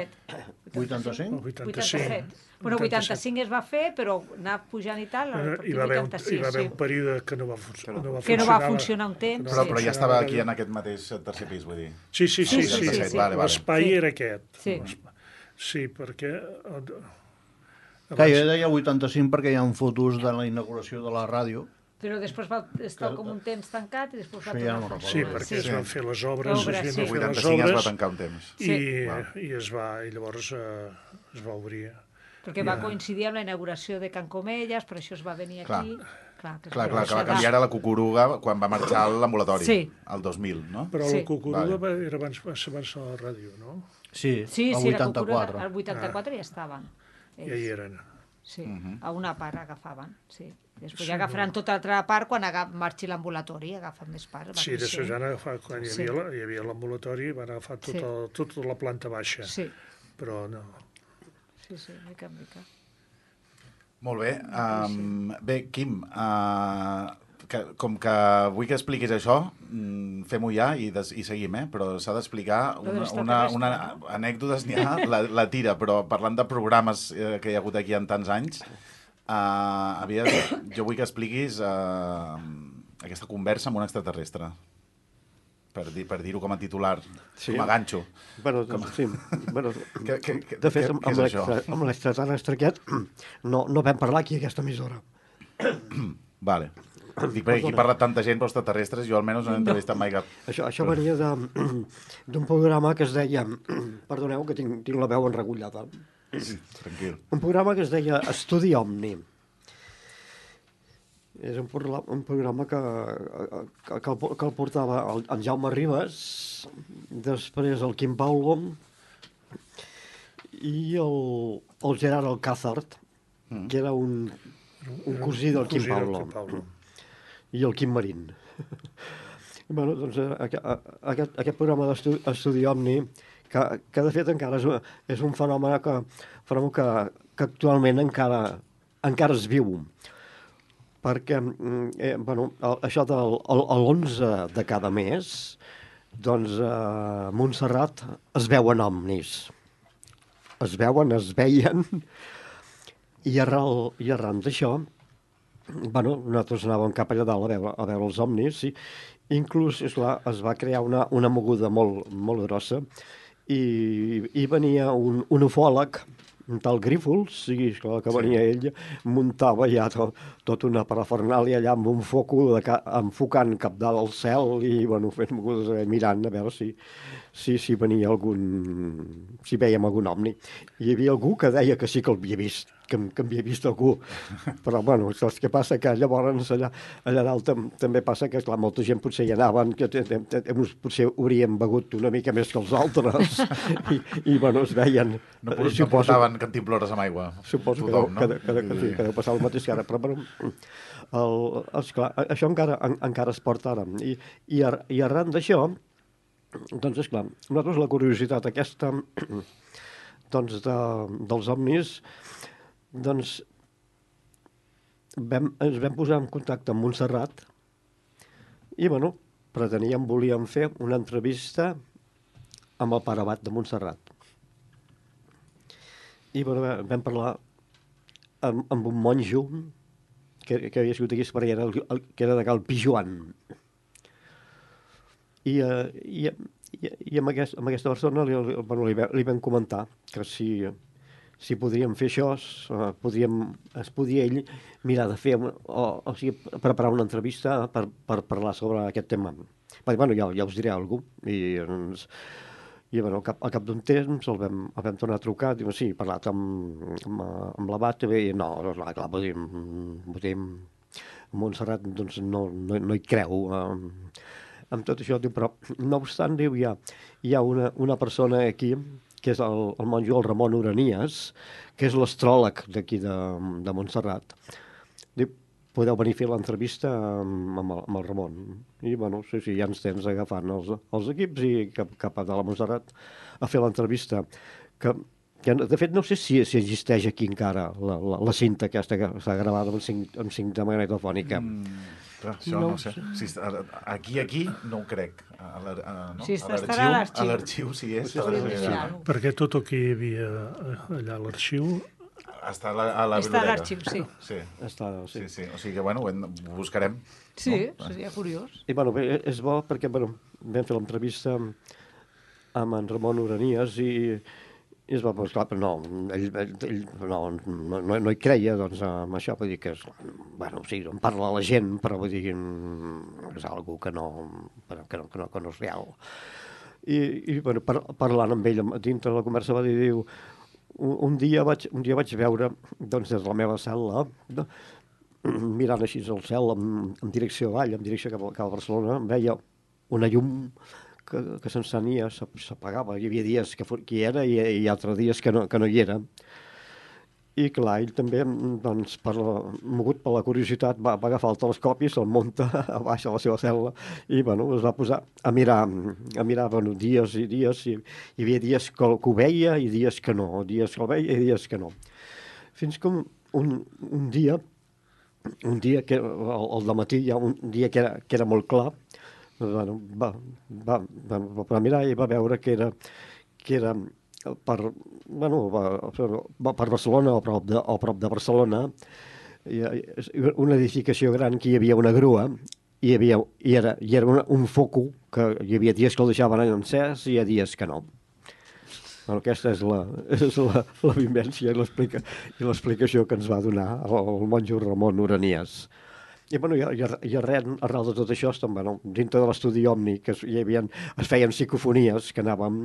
Speaker 5: vuitanta-cinc?
Speaker 10: vuitanta-cinc?
Speaker 5: Bueno, vuitanta-cinc es va fer, però anar pujant i tal, a partir
Speaker 9: de
Speaker 5: vuitanta-sis,
Speaker 9: hi va haver un període que no va, fun no va
Speaker 5: que no va funcionar un temps.
Speaker 1: Però, però ja estava aquí en aquest mateix tercer pis, vull dir.
Speaker 9: Sí, sí, sí. sí, sí, sí.
Speaker 1: Vale, vale.
Speaker 9: L'espai
Speaker 5: sí.
Speaker 9: era aquest.
Speaker 5: Sí,
Speaker 9: sí perquè...
Speaker 10: Clar, jo deia vuitanta-cinc perquè hi ha fotos de la inauguració de la ràdio.
Speaker 5: Però després va estar com un temps tancat i després va
Speaker 10: sí,
Speaker 5: tornar.
Speaker 9: Ja sí, perquè sí. es van fer les obres,
Speaker 5: obres,
Speaker 9: es
Speaker 5: sí.
Speaker 9: van fer les
Speaker 1: obres,
Speaker 9: es
Speaker 1: va tancar un temps.
Speaker 9: I, sí. i, es va, i llavors eh, es va obrir.
Speaker 5: Perquè va coincidir amb la inauguració de Can Comelles, per això es va venir
Speaker 1: clar.
Speaker 5: aquí. Clar, que,
Speaker 1: clar, clar, que va canviar a la Cucuruga quan va marxar a l'ambulatori,
Speaker 5: sí.
Speaker 1: el dos mil, no?
Speaker 9: Però
Speaker 5: sí.
Speaker 9: la Cucuruga vale. era abans, va ser abans de la ràdio, no?
Speaker 10: Sí,
Speaker 5: sí,
Speaker 10: el
Speaker 5: sí,
Speaker 10: vuitanta-quatre.
Speaker 5: El vuitanta-quatre ah. ja estaven.
Speaker 9: Ja hi eren.
Speaker 5: Sí, uh -huh. a una part agafaven, sí. Després sí, ja agafaran no. tota l'altra part quan agaf, marxi l'ambulatori, agafen més part.
Speaker 9: Sí, després ja han agafat, quan hi havia, sí. hi havia l'ambulatori, van agafar tota, sí. tota la planta baixa.
Speaker 5: Sí.
Speaker 9: Però no.
Speaker 5: Sí, sí, mica en mica.
Speaker 1: Molt bé. Um, bé, Quim, uh, que, com que vull que expliquis això, fem-ho ja i, des, i seguim, eh? Però s'ha d'explicar una, una, una anècdotes, n'hi ha, la, la tira, però parlant de programes eh, que hi ha hagut aquí en tants anys, Uh, avies, jo vull que expliquis uh, aquesta conversa amb un extraterrestre. Per, dir, per dir-ho com a titular, sí. com a ganxo.
Speaker 4: Bueno,
Speaker 1: com...
Speaker 4: sí. Bueno,
Speaker 1: que, que, que,
Speaker 4: de fet,
Speaker 1: què,
Speaker 4: amb, amb l'extraterrestre aquest no, no vam parlar aquí a aquesta emissora.
Speaker 1: Vale. Dic, perquè aquí parla tanta gent pels extraterrestres, jo almenys no he entrevistat mai cap.
Speaker 4: Això, això venia d'un programa que es deia... Perdoneu, que tinc, tinc la veu enregullada.
Speaker 1: Sí, tranquil.
Speaker 4: Un programa que es deia Estudi Omni. És un, un programa que, que, que, el, que el portava el, en Jaume Ribas, després el Quim Paulo i el, el Gerard Alcázar, mm. que era un, un cosí del Quim Paulo, Paulo, i el Quim Marín. Bueno, doncs, aquest, aquest programa d'Estudi Omni, que, que de fet encara és, és un fenomen que, fenomen que, que actualment encara, encara es viu. Perquè, eh, bueno, el, això del l'onze de cada mes, doncs a Montserrat es veuen omnis. Es veuen, es veien, i arran, i arran d'això, bueno, nosaltres anàvem cap allà dalt a veure, a veure els omnis, i inclús, esclar, es va crear una, una moguda molt, molt grossa, i, i venia un, un ufòleg, un tal Grífols, sí, esclar, que venia sí. ell, muntava ja tot, tot una parafernàlia allà amb un foco de ca, enfocant cap dalt al cel i, bueno, fent mogudes, mirant a veure si, si, si venia algun... si vèiem algun omni. Hi havia algú que deia que sí que el havia vist, que, que havia vist algú. Però, bueno, saps què passa? Que llavors allà, allà dalt tam, també passa que, clar, molta gent potser hi anaven, que potser hauríem begut una mica més que els altres, i, i bueno, es veien...
Speaker 1: No, no suposo, portaven cantimplores amb aigua.
Speaker 4: Suposo tothom, que, no? que, que, que, sí, que deu passar el mateix que ara, però, bueno, el, esclar, això encara, en, encara es porta ara. I, i, ar, i arran d'això, doncs, esclar, nosaltres la curiositat aquesta doncs de, dels omnis, doncs vam, ens vam posar en contacte amb Montserrat i, bueno, preteníem, volíem fer una entrevista amb el pare abat de Montserrat. I, bueno, vam parlar amb, amb un monjo que, que havia sigut aquí, perquè era, el, el, que era de Cal Pijuan. I, uh, i, i, i amb, aquest, amb aquesta persona li, li, bueno, li, li vam comentar que si... si podríem fer això, uh, podríem, es podia ell mirar de fer, o, o sigui, preparar una entrevista per, per parlar sobre aquest tema. Va dir, bueno, ja, ja us diré alguna cosa. I, doncs, i bueno, cap, al cap d'un temps el vam, el vam tornar a trucar, diu, sí, he parlat amb, amb, amb l'abat, i no, clar, clar, vull dir, vull dir, Montserrat doncs, no, no, no hi creu eh, amb tot això, diu, però no obstant, diu, hi ha, hi ha una, una persona aquí, que és el, el monjo, el Ramon Uranies, que és l'astròleg d'aquí de, de Montserrat. Diu, podeu venir a fer l'entrevista amb, amb, el, amb el Ramon. I, bueno, sí, sí, ja ens tens agafant els, els equips i cap, cap a la Montserrat a fer l'entrevista. Que, que, de fet, no sé si, si existeix aquí encara la, la, la cinta aquesta que està gravada amb cinc, amb cinta magnetofònica. Mm.
Speaker 1: Clar, això no, no sé. Si, aquí, aquí, no ho crec. A no?
Speaker 5: Sí, estarà
Speaker 1: a l'arxiu, sí és.
Speaker 5: Sí, sí,
Speaker 9: perquè tot el que hi havia allà a l'arxiu...
Speaker 1: Està a la, a la
Speaker 5: està a l'arxiu, sí.
Speaker 1: Sí.
Speaker 4: Està, sí.
Speaker 1: Sí, sí. O sigui que, bueno, ho buscarem.
Speaker 5: Sí,
Speaker 1: no?
Speaker 5: seria curiós.
Speaker 4: I, bueno, és bo perquè, bueno, vam fer l'entrevista amb en Ramon Uranies i... I es va posar, però no, ell, ell no, no, no hi creia, doncs, amb això, vull dir que és, bueno, sí, en parla la gent, però vull dir que és algo que no, que no, que no, que no és real. I, i bueno, par, parlant amb ell, dintre de la conversa va dir, diu, un, un, dia vaig, un dia vaig veure, doncs, des de la meva cel·la, no, mirant així al cel, en, en direcció avall, en direcció cap a, cap a Barcelona, veia una llum que, que s'encenia, s'apagava. Hi havia dies que, que hi era i, i altres dies que no, que no hi era. I clar, ell també, doncs, per la, mogut per la curiositat, va, va agafar el telescopi, se'l munta a baix a la seva cel·la i, bueno, es va posar a mirar, a mirar, bueno, dies i dies. I, hi havia dies que, que ho veia i dies que no, dies que el veia i dies que no. Fins que un, un, un dia, un dia que, el, el dematí, hi ha un dia que era, que era molt clar, bueno, va, va, va, va mirar i va veure que era, que era per, bueno, va, per Barcelona, o prop de, o prop de Barcelona, una edificació gran que hi havia una grua i, hi havia, i era, i era un, un foco que hi havia dies que el deixaven encès i hi ha dies que no. Bueno, aquesta és la, és la, la vivència i l'explicació que ens va donar el, el monjo Ramon Uranias. I, bueno, i, i, i arrel, arrel de tot això, estem, bueno, dintre de l'estudi Omni, que es, hi havia, es feien psicofonies, que anàvem,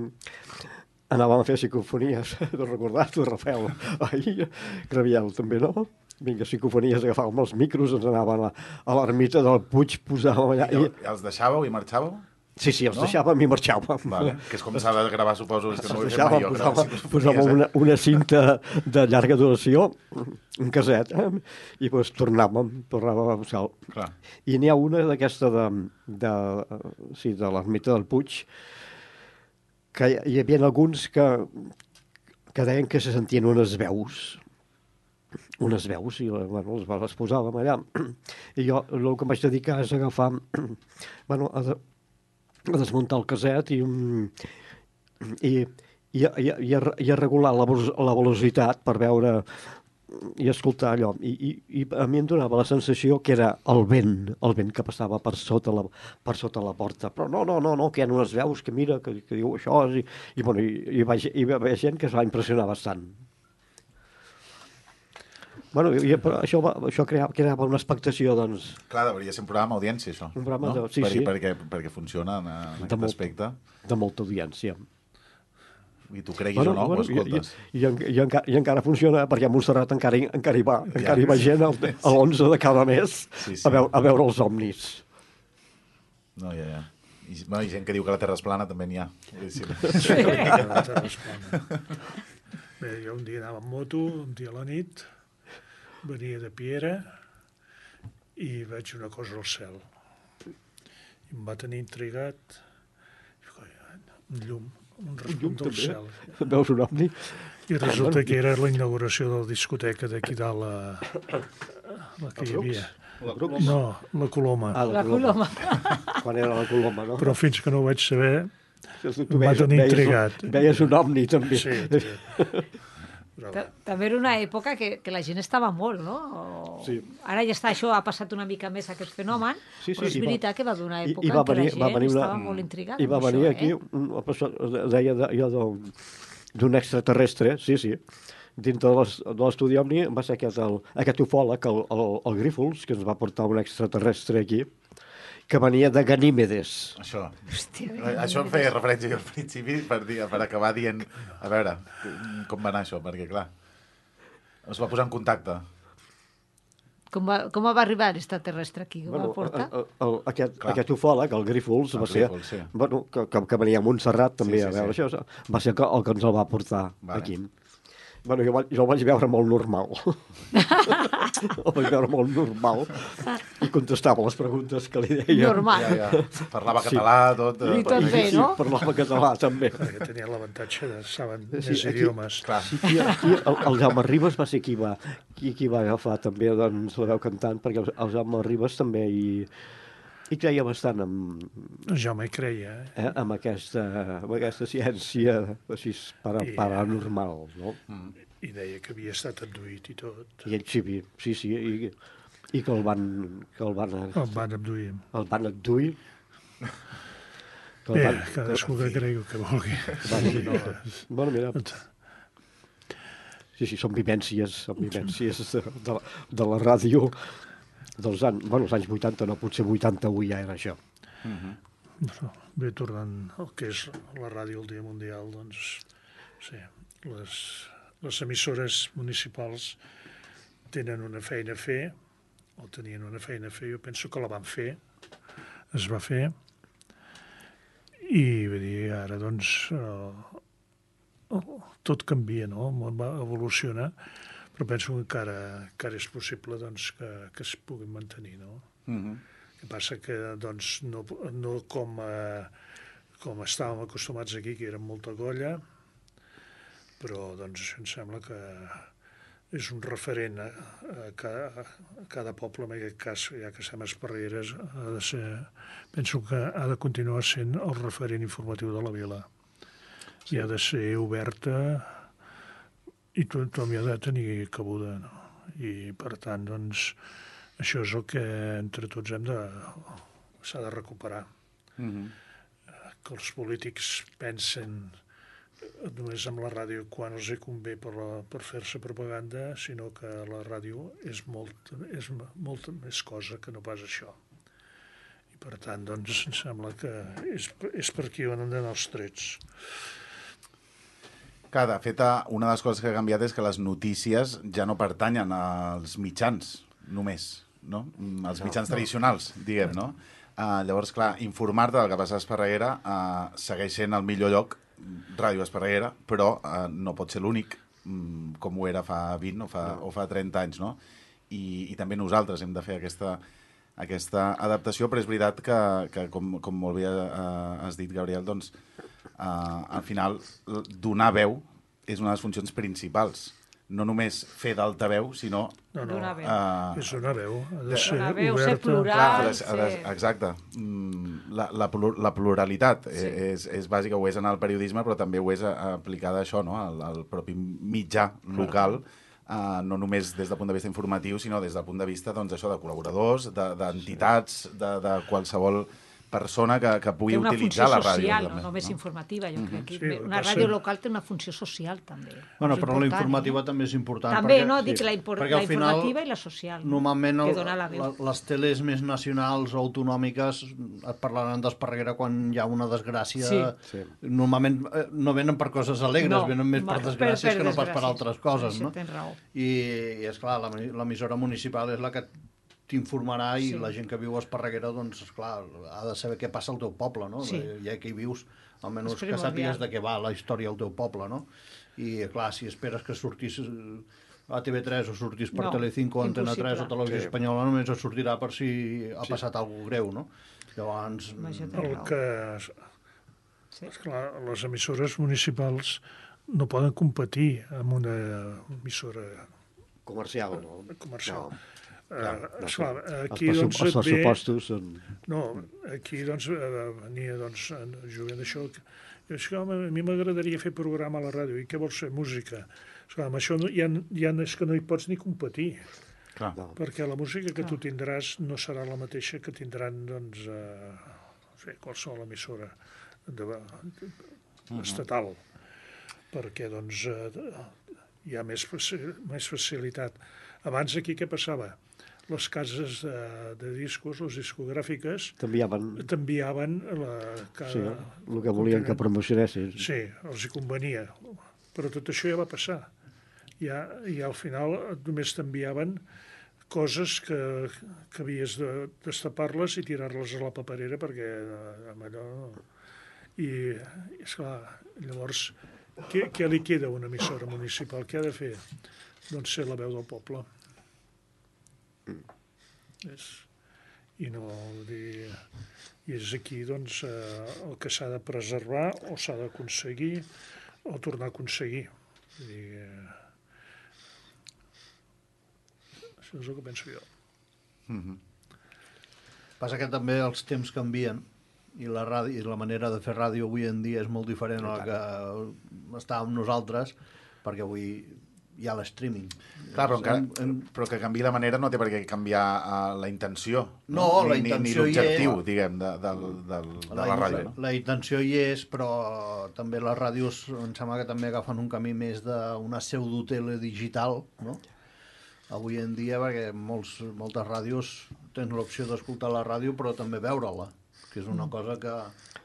Speaker 4: anàvem a fer psicofonies, de recordar-t'ho, Rafael, ai, Graviel també, no? Vinga, psicofonies, agafàvem els micros, ens anàvem a, a l'ermita del Puig, posàvem allà...
Speaker 1: I, i els deixàveu i marxàveu?
Speaker 4: Sí, sí, els no? deixàvem i marxàvem.
Speaker 1: Vale. Que és com s'ha de gravar, suposo. És que no ho he fet
Speaker 4: mai jo, posàvem, posàvem una, una cinta de llarga duració, un caset, eh? I doncs tornàvem, tornàvem a buscar. Clar. I n'hi ha una d'aquesta de, de, sí, de l'ermita del Puig, que hi havia alguns que, que deien que se sentien unes veus, unes veus, i bueno, les, les posàvem allà. I jo el que em vaig dedicar és agafar, bueno, a, de, a desmuntar el caset i, i, i, i, i, a, i a regular la, la velocitat per veure i escoltar allò. I, i, I a mi em donava la sensació que era el vent, el vent que passava per sota la, per sota la porta. Però no, no, no, no, que hi ha unes veus que mira, que, que diu això, i, i, bueno, i, i, va, i va haver gent que es va impressionar bastant. Bueno, i, però això, va, això creava, creava una expectació, doncs...
Speaker 1: Clar, hauria ser un programa d'audiència, això.
Speaker 4: Un programa
Speaker 1: no?
Speaker 4: de... Sí,
Speaker 1: per,
Speaker 4: sí.
Speaker 1: Perquè, perquè funciona en, en aquest molt, aspecte.
Speaker 4: De molta audiència.
Speaker 1: I tu creguis bueno, o no, bueno, ho escoltes. I, i, i, i, encara, I encara funciona, perquè a Montserrat encara, encara, hi, va, ja. encara hi va gent el, a l'onze de cada mes sí, sí. A, veure, a veure els omnis. No, ja, ja. I, bueno, i gent que diu que la Terra és plana també n'hi ha. Sí.
Speaker 9: Sí. La Terra és plana. Bé, jo un dia anava amb moto, un dia a la nit... Venia de Piera i veig una cosa al cel. I em va tenir intrigat. Un llum, un respon del cel.
Speaker 4: Veus un ovni?
Speaker 9: I resulta que era la inauguració de la discoteca d'aquí dalt, la, la que hi havia.
Speaker 4: La
Speaker 9: no, la Coloma.
Speaker 5: Ah, la Coloma.
Speaker 4: Quan era la Coloma, no?
Speaker 9: Però fins que no ho vaig saber, em va tenir intrigat.
Speaker 4: Veies un ovni, també.
Speaker 9: Sí, sí.
Speaker 5: Però... També era una època que, que la gent estava molt, no? O...
Speaker 4: Sí.
Speaker 5: Ara ja està, això ha passat una mica més aquest fenomen, sí, sí, però és veritat va... que va donar època I, i va venir, en què la gent una... estava molt intrigada.
Speaker 4: I va venir això, aquí, eh? un, deia de, jo d'un extraterrestre, sí, sí, dintre de l'estudi Omni va ser aquest, el, aquest ufòleg, el, el, el Grífols, que ens va portar un extraterrestre aquí, que venia de Ganímedes.
Speaker 1: Això.
Speaker 5: Hòstia,
Speaker 1: això em feia referència jo al principi per, dir, per acabar dient, a veure, com va anar això, perquè clar, es va posar en contacte.
Speaker 5: Com va, com va arribar l'extraterrestre aquí? Com
Speaker 4: bueno,
Speaker 5: va portar?
Speaker 4: El, el, aquest, aquest ufòleg, el Grífols, el va Grífols, ser, sí. bueno, que, que, que venia a Montserrat també sí, sí, a veure sí. això, va ser el que ens el va portar vale. Aquí. Bueno, jo, jo el vaig veure molt normal. El vaig veure molt normal i contestava les preguntes que li deia.
Speaker 5: Normal.
Speaker 1: Ja, ja. Parlava català, sí. tot.
Speaker 5: I tot bé, no?
Speaker 4: Sí, parlava català, també.
Speaker 9: Perquè tenia l'avantatge de saben sí, més
Speaker 4: aquí,
Speaker 9: idiomes.
Speaker 4: Clar. Sí, aquí, aquí el, el Jaume Ribes va ser qui va, qui, qui va agafar també doncs, la veu cantant, perquè el, el Jaume Ribes també hi, hi creia bastant amb...
Speaker 9: El Jaume hi creia. Eh?
Speaker 4: Eh, amb, aquesta, amb aquesta ciència així para, I, paranormal, no?
Speaker 9: Mm. I deia que havia estat abduït i tot.
Speaker 4: I ell sí, sí, sí, i, i que el van... Que el van,
Speaker 9: el van abduir.
Speaker 4: El van abduir.
Speaker 9: Bé, van, cadascú que, que cregui que vulgui.
Speaker 4: Van, sí, no, bueno, mira... Sí, sí, són vivències, són vivències de, de, de la ràdio dels anys, bueno, els anys vuitanta, no, potser vuitanta-u ja era això.
Speaker 9: Uh-huh. Bueno, bé, tornant al que és la ràdio el Dia Mundial, doncs, sí, les... les emissores municipals tenen una feina a fer, o tenien una feina a fer, jo penso que la van fer, es va fer, i vull dir, ara doncs eh, tot canvia, no? El món va evolucionar, però penso que encara, encara és possible doncs, que, que es puguin mantenir, no? Uh-huh. El que passa que doncs, no, no com, eh, com estàvem acostumats aquí, que era molta golla, però doncs em sembla que és un referent a, a, cada, a cada poble, en aquest cas, ja que estem a Esparregueres, ha de ser, penso que ha de continuar sent el referent informatiu de la vila. Sí. I ha de ser oberta i tothom hi ha de tenir cabuda, no? I, per tant, doncs, això és el que entre tots hem de... s'ha de recuperar. Mm-hmm. Que els polítics pensen només amb la ràdio quan els hi convé per, la, per fer-se propaganda, sinó que la ràdio és molt, és molta més cosa que no pas això. I per tant, doncs, em sembla que és, és per aquí on han d'anar els trets.
Speaker 1: Que, de fet, una de les coses que ha canviat és que les notícies ja no pertanyen als mitjans, només, no? Els mitjans no, tradicionals, no. diguem, no? Uh, llavors, clar, informar-te del que passa a Esparreguera uh, segueix sent el millor lloc, Ràdio Esparreguera, però uh, no pot ser l'únic, um, com ho era fa vint o fa, no. o fa trenta anys, no? I, i també nosaltres hem de fer aquesta, aquesta adaptació, però és veritat que, que com, com molt bé uh, has dit, Gabriel, doncs, uh, al final, donar veu és una de les funcions principals. No només fer d'altaveu, sinó...
Speaker 9: No, no,
Speaker 5: donar veu.
Speaker 9: Uh, és donar veu. Ha de ser
Speaker 5: donar veu,
Speaker 9: oberta.
Speaker 5: ser plural.
Speaker 1: Clar,
Speaker 5: ser...
Speaker 1: Exacte. La, la, la pluralitat sí. és, és bàsica, ho és en el periodisme, però també ho és aplicada a això, no? al, al propi mitjà local, uh, no només des del punt de vista informatiu, sinó des del punt de vista doncs, això de col·laboradors, d'entitats, de, de qualsevol persona que, que pugui utilitzar la ràdio.
Speaker 5: Té una funció social,
Speaker 1: també,
Speaker 5: no només
Speaker 1: no?
Speaker 5: informativa. Jo crec que
Speaker 9: sí,
Speaker 5: una ràdio local té una funció social, també.
Speaker 10: Bueno, però la informativa eh? també és important.
Speaker 5: També,
Speaker 10: perquè,
Speaker 5: no? Dic
Speaker 10: sí,
Speaker 5: la, impor la
Speaker 10: final,
Speaker 5: informativa i la social.
Speaker 10: Normalment
Speaker 5: no?
Speaker 10: el, la, les teles més nacionals o autonòmiques et parlaran d'Esparreguera quan hi ha una desgràcia. Sí. Sí. Normalment eh, no venen per coses alegres, no, venen més per desgràcies per, per que no pas per altres coses. No? I, i esclar, l'emissora municipal és la que t'informarà i sí. la gent que viu a Esparreguera, doncs, esclar, ha de saber què passa al teu poble, no? Sí. Ja que hi vius, almenys que sàpigues de què va la història al teu poble, no? I, clar, si esperes que sortís a T V tres o sortís per no, Telecinco o Antena tres o Televisió sí. Espanyola, només es sortirà per si ha passat sí. alguna greu, no? Llavors...
Speaker 9: El que... Sí. Esclar, les emissores municipals no poden competir amb una emissora...
Speaker 4: Comercial, no?
Speaker 9: Comercial.
Speaker 4: No.
Speaker 9: Clar, uh, esclar, aquí,
Speaker 4: els,
Speaker 9: doncs,
Speaker 4: els pressupostos són...
Speaker 9: No, aquí doncs venia doncs, jugant d'això. A mi m'agradaria fer programa a la ràdio. I què vols fer? Música. Esclar, amb això no, ja, ja és que no hi pots ni competir. Clar. Perquè la música que Clar. tu tindràs no serà la mateixa que tindran doncs, uh, fer qualsevol emissora de, de, de, estatal. Uh-huh. Perquè doncs, uh, hi ha més, més facilitat. Abans aquí què passava? Les cases de, de discos, les discogràfiques...
Speaker 4: T'enviaven...
Speaker 9: T'enviaven la... Cada...
Speaker 4: Sí, el que volien que promocionessin.
Speaker 9: Sí, els hi convenia. Però tot això ja va passar. Ja, ja al final només t'enviaven coses que, que havies de destapar-les i tirar-les a la paperera perquè amb allò... I, esclar, llavors, què, què li queda a una emissora municipal? Què ha de fer? Doncs ser la veu del poble. Mm. És, i no dir... I és aquí, doncs, eh, el que s'ha de preservar o s'ha d'aconseguir o tornar a aconseguir. Vull dir, eh, això és el que penso jo.
Speaker 10: Mm-hmm. Passa que també els temps canvien i la, ràdio, i la manera de fer ràdio avui en dia és molt diferent a la que estàvem nosaltres, perquè avui hi ha l'streaming.
Speaker 1: Clar, però, encara, en... però que canviï la manera no té per què canviar uh, la intenció.
Speaker 10: No, no ni, la intenció
Speaker 1: ni l'objectiu, diguem, de, de, de, de la, la ràdio. No?
Speaker 10: La intenció hi és, però també les ràdios em sembla que també agafen un camí més d'una pseudotele digital, no? Avui en dia, perquè molts, moltes ràdios tens l'opció d'escoltar la ràdio, però també veure-la, que és una cosa que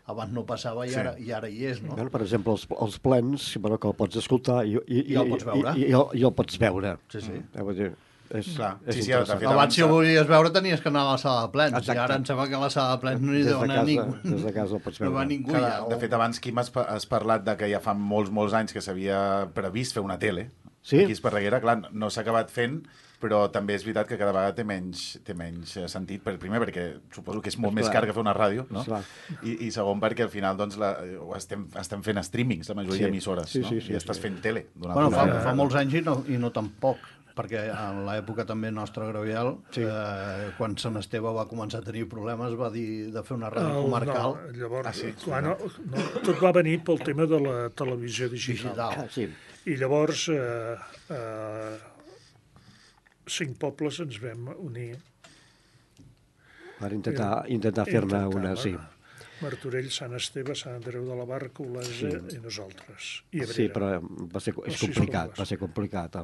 Speaker 10: abans no passava i ara, sí. i ara hi és, no?
Speaker 4: Bueno, per exemple, els, els plens, bueno, que el pots escoltar i, i,
Speaker 10: I el pots veure.
Speaker 4: I, i, i, el, i el pots veure.
Speaker 10: Sí, sí.
Speaker 4: Eh, vull dir, és,
Speaker 1: Clar.
Speaker 4: és
Speaker 1: sí, sí,
Speaker 10: abans, si ho volies veure, tenies que anar a la sala de plens. Exacte. I ara em sembla que a la sala de plens no hi deu anar ningú.
Speaker 4: Des de casa el pots veure.
Speaker 10: No va ningú
Speaker 1: Clar,
Speaker 10: ja.
Speaker 1: De fet, abans, Quim, has, has parlat de que ja fa molts, molts anys que s'havia previst fer una tele.
Speaker 4: Sí?
Speaker 1: Aquí a Esparreguera, clar, no s'ha acabat fent, però també és veritat que cada vegada té menys, té menys sentit, per, primer perquè suposo que és molt és més car que fer una ràdio, no? I, i segon perquè al final doncs, la, estem, estem fent streamings, la majoria sí. d'emissores,
Speaker 4: sí,
Speaker 1: no?
Speaker 4: sí, sí,
Speaker 1: i estàs
Speaker 4: sí.
Speaker 1: fent tele.
Speaker 10: Bueno, fa, fa molts anys i no, i no tampoc, perquè en l'època també nostra, Graviel, sí. eh, quan Sant Esteve va començar a tenir problemes, va dir de fer una ràdio oh, comarcal.
Speaker 9: No, llavors, ah, sí, clar, no, no, tot va venir pel tema de la televisió digital.
Speaker 10: digital.
Speaker 4: Ah, sí.
Speaker 9: I llavors... Eh, eh, cinc pobles ens vam unir.
Speaker 4: Per intentar, intentar fer-ne una, sí.
Speaker 9: Martorell, Sant Esteve, Sant Andreu de la Barca, Olesa sí. i nosaltres. I
Speaker 4: sí, però va ser, és complicat, va ser complicat.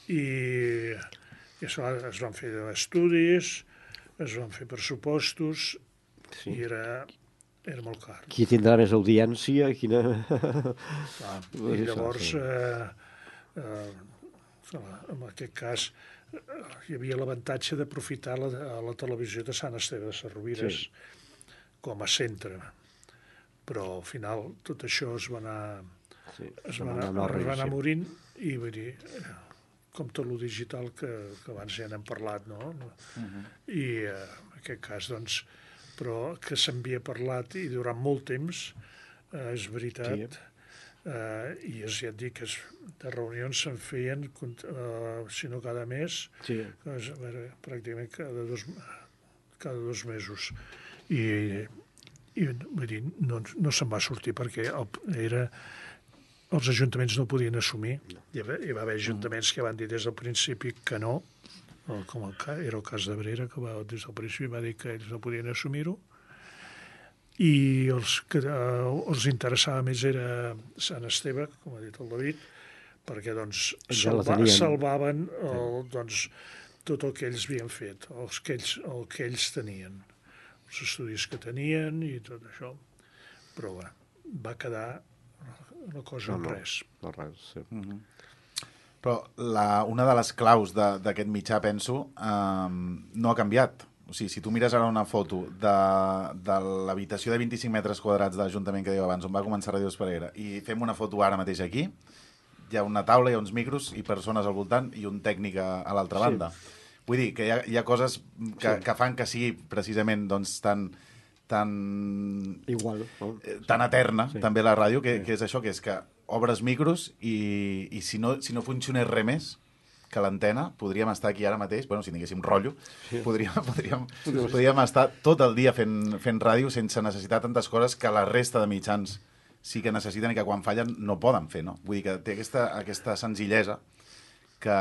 Speaker 9: I, i es, va, es van fer estudis, es van fer pressupostos, sí. i era, era molt car.
Speaker 4: Qui tindrà més audiència? Quina...
Speaker 9: Clar, i llavors, eh, eh, en aquest cas, hi havia l'avantatge d'aprofitar la, la televisió de Sant Esteve de Sesrovires sí. com a centre. Però al final tot això es va anar, sí, es va anar, anar, es va anar morint i vull dir, com tot lo digital que, que abans ja n'hem parlat, no? Uh-huh. I eh, en aquest cas, doncs, però que s'havia parlat i durant molt temps, eh, és veritat, sí. Uh, i és, ja et dic, es, de reunions se'n feien, uh, si no cada mes, sí. es, a veure, pràcticament cada dos, cada dos mesos. I, i vull dir, no, no se'n va sortir perquè el, era, els ajuntaments no podien assumir. Hi va, hi va haver ajuntaments que van dir des del principi que no, com el, era el cas d'Abrera, que va, des del principi va dir que ells no podien assumir-ho, i els que eh, els interessava més era Sant Esteve, com ha dit el David, perquè doncs salva, salvaven el, doncs, tot el que ells havien fet, els que ells, el que ells tenien, els estudis que tenien i tot això. Però bé, va quedar una cosa no, en res.
Speaker 4: No, no res, sí.
Speaker 1: Mm-hmm. Però la, una de les claus d'aquest mitjà, penso, eh, no ha canviat. O sigui, si tu mires ara una foto de, de l'habitació de vint-i-cinc metres quadrats de l'Ajuntament que diu abans, on va començar Ràdio Esparreguera, i fem una foto ara mateix aquí, hi ha una taula, hi ha uns micros i persones al voltant i un tècnic a, a l'altra sí. banda. Vull dir que hi ha, hi ha coses que, sí. que fan que sigui precisament doncs, tan, tan,
Speaker 4: Igual, no?
Speaker 1: tan eterna, sí. també la ràdio, que, sí. que és això, que és que obres micros i, i si, no, si no funcionés res més, que l'antena, podríem estar aquí ara mateix, bueno, si tinguéssim rotllo, sí. podríem, podríem, podríem estar tot el dia fent, fent ràdio sense necessitar tantes coses que la resta de mitjans sí que necessiten i que quan fallen no poden fer, no? Vull dir que té aquesta, aquesta senzillesa que,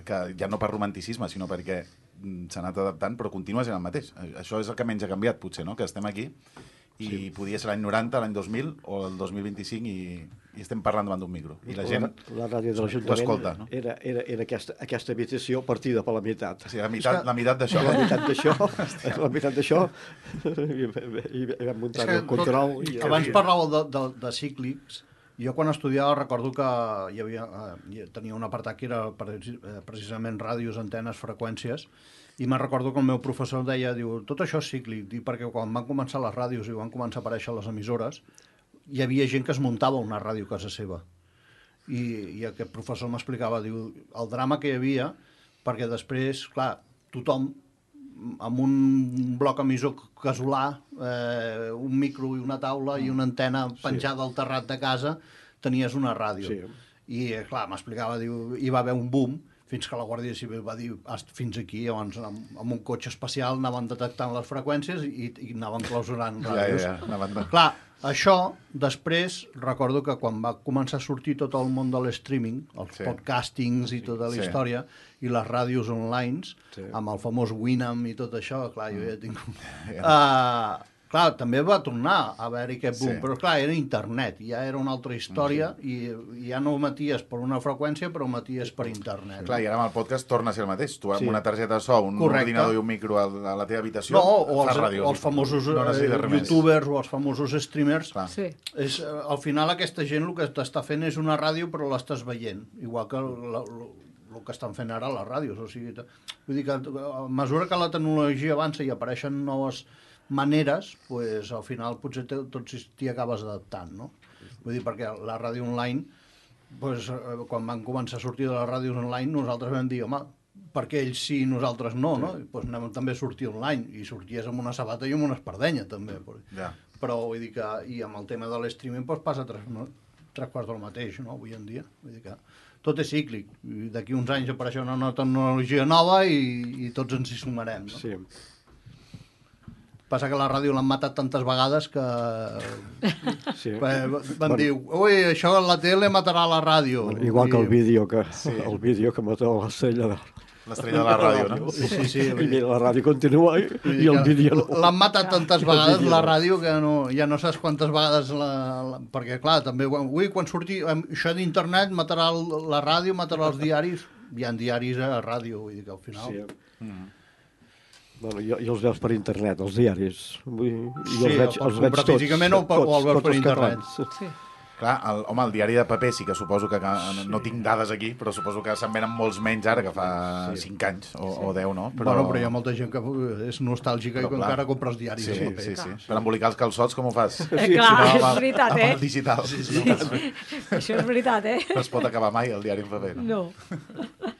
Speaker 1: que ja no per romanticisme, sinó perquè s'ha anat adaptant, però continua sent el mateix. Això és el que menys ha canviat, potser, no? Que estem aquí i sí. podia ser l'any noranta, l'any dos mil o el dos mil vint-i-cinc i, i estem parlant davant d'un micro. I la gent
Speaker 4: la, la ràdio de l'Ajuntament no? era, era, era aquesta, aquesta habitació partida per la meitat.
Speaker 1: Sí, la meitat, la meitat d'això.
Speaker 4: La meitat d'això, la meitat d'això, i, i, i vam muntar el control.
Speaker 10: I, abans parlàveu de, de, de cíclics. Jo quan estudiava recordo que hi havia, eh, tenia un apartat que era precisament ràdios, antenes, freqüències, i me'n recordo que el meu professor deia, diu, tot això és cíclic, diu, perquè quan van començar les ràdios i van començar a aparèixer les emissores, hi havia gent que es muntava una ràdio a casa seva. I, i aquest professor m'explicava, diu, el drama que hi havia, perquè després, clar, tothom, amb un bloc emissor casolà, eh, un micro i una taula i una antena penjada sí. al terrat de casa, tenies una ràdio. Sí. I, clar, m'explicava, diu, hi va haver un boom, fins que la Guàrdia Civil va dir fins aquí, llavors amb, amb un cotxe especial anaven detectant les freqüències i, i anaven clausurant ràdios.
Speaker 1: Ja, ja, ja. Anaven...
Speaker 10: Clar, això, després, recordo que quan va començar a sortir tot el món de l'streaming, els sí. podcastings i tota la sí. història, i les ràdios online, sí. amb el famós Winamp i tot això, clar, jo ja tinc... Yeah. Uh, clar, també va tornar a haver-hi aquest boom, sí. però clar, era internet, ja era una altra història sí. i ja no ho maties per una freqüència, però ho maties per internet.
Speaker 1: Clar, i ara amb el podcast torna a ser el mateix. Tu amb sí. una targeta de so, un
Speaker 10: Correcte.
Speaker 1: ordinador i un micro a la teva habitació,
Speaker 10: no, o
Speaker 1: fas
Speaker 10: els,
Speaker 1: ràdio.
Speaker 10: O els famosos no eh, youtubers o els famosos streamers. Sí. És, al final aquesta gent el que t'està fent és una ràdio, però l'estàs veient, igual que la, la, el que estan fent ara les ràdios. O sigui, vull dir que a mesura que la tecnologia avança i apareixen noves maneres, pues, al final potser tots t'hi acabes adaptant, no? Vull dir, perquè la ràdio online, pues, quan van començar a sortir de les ràdios online, nosaltres vam dir, home, per què ells sí i nosaltres no, no? I, pues, anem també a sortir online, i sorties amb una sabata i amb una espardenya, també. Yeah. Però, vull dir que, i amb el tema de l'streaming, pues, passa tres, no? tres quarts del mateix, no?, avui en dia. Vull dir que tot és cíclic. D'aquí uns anys apareixerà una nova tecnologia nova i, i tots ens hi sumarem, no?
Speaker 4: Sí.
Speaker 10: Passa que la ràdio l'han matat tantes vegades que sí. van bueno. dir, ui, això la tele matarà la ràdio.
Speaker 4: Igual I... que el vídeo que, sí. el vídeo que mató l'estrella de,
Speaker 1: L'estrella de la ràdio, no?
Speaker 4: Sí, sí, sí. I mira, la ràdio continua i, i el vídeo no.
Speaker 10: L'han matat tantes vegades la ràdio que no, ja no saps quantes vegades la, la, perquè clar, també avui quan surti això d'internet matarà la ràdio, matarà els diaris. Hi ha diaris a ràdio, vull dir que al final...
Speaker 4: Sí. Mm. Bueno, jo, jo els veus per internet, els diaris. Vull,
Speaker 10: sí, els veig, els veig tots. Físicament o, tots, o els veus per internet.
Speaker 4: Sí.
Speaker 1: Clar, el, home, el diari de paper sí que suposo que, que no tinc dades aquí, però suposo que se'n venen molts menys ara, que fa sí. cinc anys o, sí. o deu, no?
Speaker 10: Però... Bueno, però hi ha molta gent que és nostàlgica però, i que clar. encara compra els diaris
Speaker 1: sí,
Speaker 10: de paper.
Speaker 1: Sí, sí, sí. Per embolicar els calçots, com ho fas?
Speaker 5: Eh, clar, no, és
Speaker 1: amb,
Speaker 5: veritat,
Speaker 1: amb
Speaker 5: eh?
Speaker 1: Amb el digital.
Speaker 5: Sí, sí. Sí. Això és veritat, eh?
Speaker 1: No es pot acabar mai el diari en paper, no?
Speaker 5: No.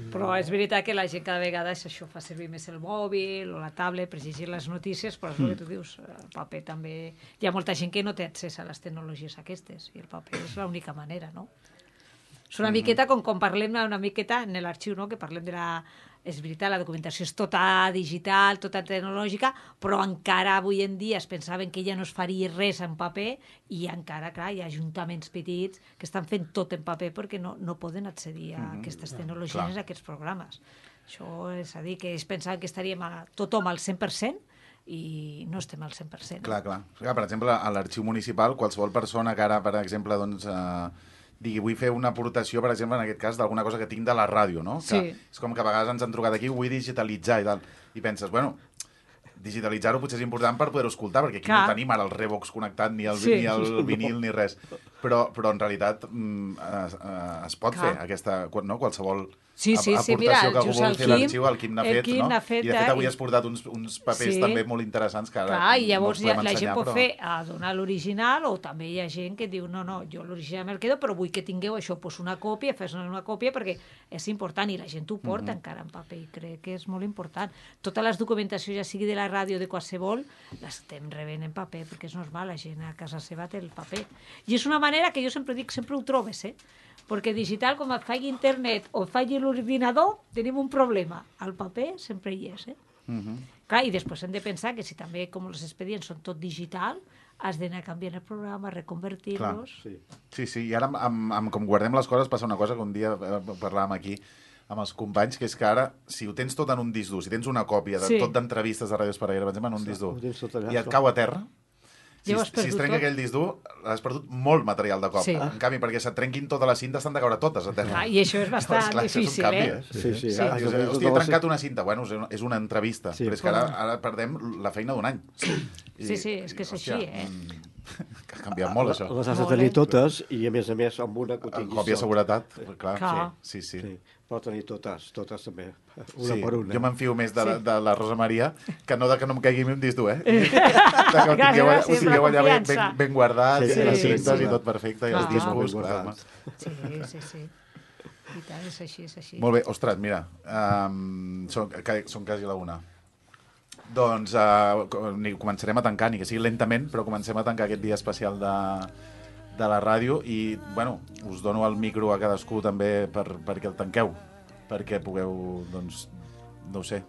Speaker 5: Però és veritat que la gent cada vegada això fa servir més el mòbil o la tablet per llegir les notícies, però és el que tu dius, el paper també... Hi ha molta gent que no té accés a les tecnologies aquestes i el paper és l'única manera, no? És una miqueta com quan parlem una miqueta en l'arxiu, no? Que parlem de la... És veritat, la documentació és tota digital, tota tecnològica, però encara avui en dia es pensaven que ja no es faria res en paper i encara, clar, hi ha ajuntaments petits que estan fent tot en paper perquè no, no poden accedir a mm-hmm. aquestes tecnologies, a aquests programes. Això és a dir, que es pensaven que estaríem a tothom al cent per cent i no estem al cent per cent.
Speaker 1: Clar, clar. Per exemple, a l'arxiu municipal, qualsevol persona que ara, per exemple, doncs... Eh... digui, vull fer una aportació, per exemple, en aquest cas, d'alguna cosa que tinc de la ràdio, no?
Speaker 5: Sí.
Speaker 1: Que és com que a vegades ens han trucat aquí, ho vull digitalitzar i tal. I penses, bueno, digitalitzar-ho potser és important per poder-ho escoltar, perquè aquí Clar. no tenim ara el Revox connectat, ni el, sí. ni el vinil, ni res. Però, però en realitat es, es pot Clar. fer aquesta, no? Qualsevol...
Speaker 5: Sí, sí, sí,
Speaker 1: aportació
Speaker 5: mira,
Speaker 1: que algú vol fer l'arxiu, el Quim n'ha fet,
Speaker 5: Quim
Speaker 1: no?
Speaker 5: fet,
Speaker 1: I de fet avui
Speaker 5: i...
Speaker 1: has portat uns, uns papers
Speaker 5: sí.
Speaker 1: també molt interessants que ara
Speaker 5: Clar, i llavors
Speaker 1: no
Speaker 5: ja, la gent pot
Speaker 1: però...
Speaker 5: fer a donar l'original o també hi ha gent que diu no, no, jo l'original me'l quedo però vull que tingueu això, pues una còpia, fes una còpia perquè és important i la gent ho porta mm-hmm. encara en paper i crec que és molt important. Totes les documentacions, ja sigui de la ràdio o de qualsevol, les estem rebent en paper perquè és normal, la gent a casa seva té el paper. I és una manera que jo sempre dic, sempre ho trobes, eh? Perquè digital, com et faci internet o et faci l'ordinador, tenim un problema. El paper sempre hi és, eh? Uh-huh. Clar, i després hem de pensar que si també, com els expedients són tot digital, has d'anar canviant el programa, reconvertir-los...
Speaker 1: Sí. sí, sí, i ara amb, amb, amb com guardem les coses passa una cosa que un dia parlàvem aquí amb els companys, que és que ara, si ho tens tot en un disc dur, si tens una còpia de sí. tot d'entrevistes de Ràdio Esparreguera, per exemple, en un sí, disc dur, i et cau a terra, Si, si es trenca tot. aquell disc dur, has perdut molt material de cop. Sí. En canvi, perquè se't trenquin totes les cintes, t'han de caure totes a terra.
Speaker 5: Ah, I això és bastant clar, difícil,
Speaker 1: canvi,
Speaker 5: eh?
Speaker 1: Sí, sí. sí. sí. Ah, dius, hòstia, he trencat una cinta. Bueno, és una entrevista, sí, però és que ara, ara perdem la feina d'un any.
Speaker 5: Sí, I, sí, sí, és que és hòstia, així, eh?
Speaker 1: Que ha canviat molt, això.
Speaker 4: Les has de tenir totes i, a més a més, amb una que ho tinguis.
Speaker 1: Còpia de seguretat, clar.
Speaker 5: clar.
Speaker 1: Sí, sí. sí.
Speaker 4: sí. Però tenir totes, totes també, una
Speaker 1: sí,
Speaker 4: per una.
Speaker 1: Jo m'enfio més de, sí. de la Rosa Maria que no de que no em caigui un disc dur, eh? De que ho tingueu, ho tingueu allà ben, ben, ben guardat, sí, sí, les cintes sí, sí, i tot perfecte, i els discos, clar.
Speaker 5: Sí, sí, sí. I tant, és així, és així.
Speaker 1: Molt bé, ostres, mira, um, són, són quasi la una. Doncs uh, començarem a tancar, ni que sigui lentament, però comencem a tancar aquest dia especial de... de la ràdio i, bueno, us dono el micro a cadascú també per, perquè el tanqueu, perquè pugueu, doncs, no ho sé.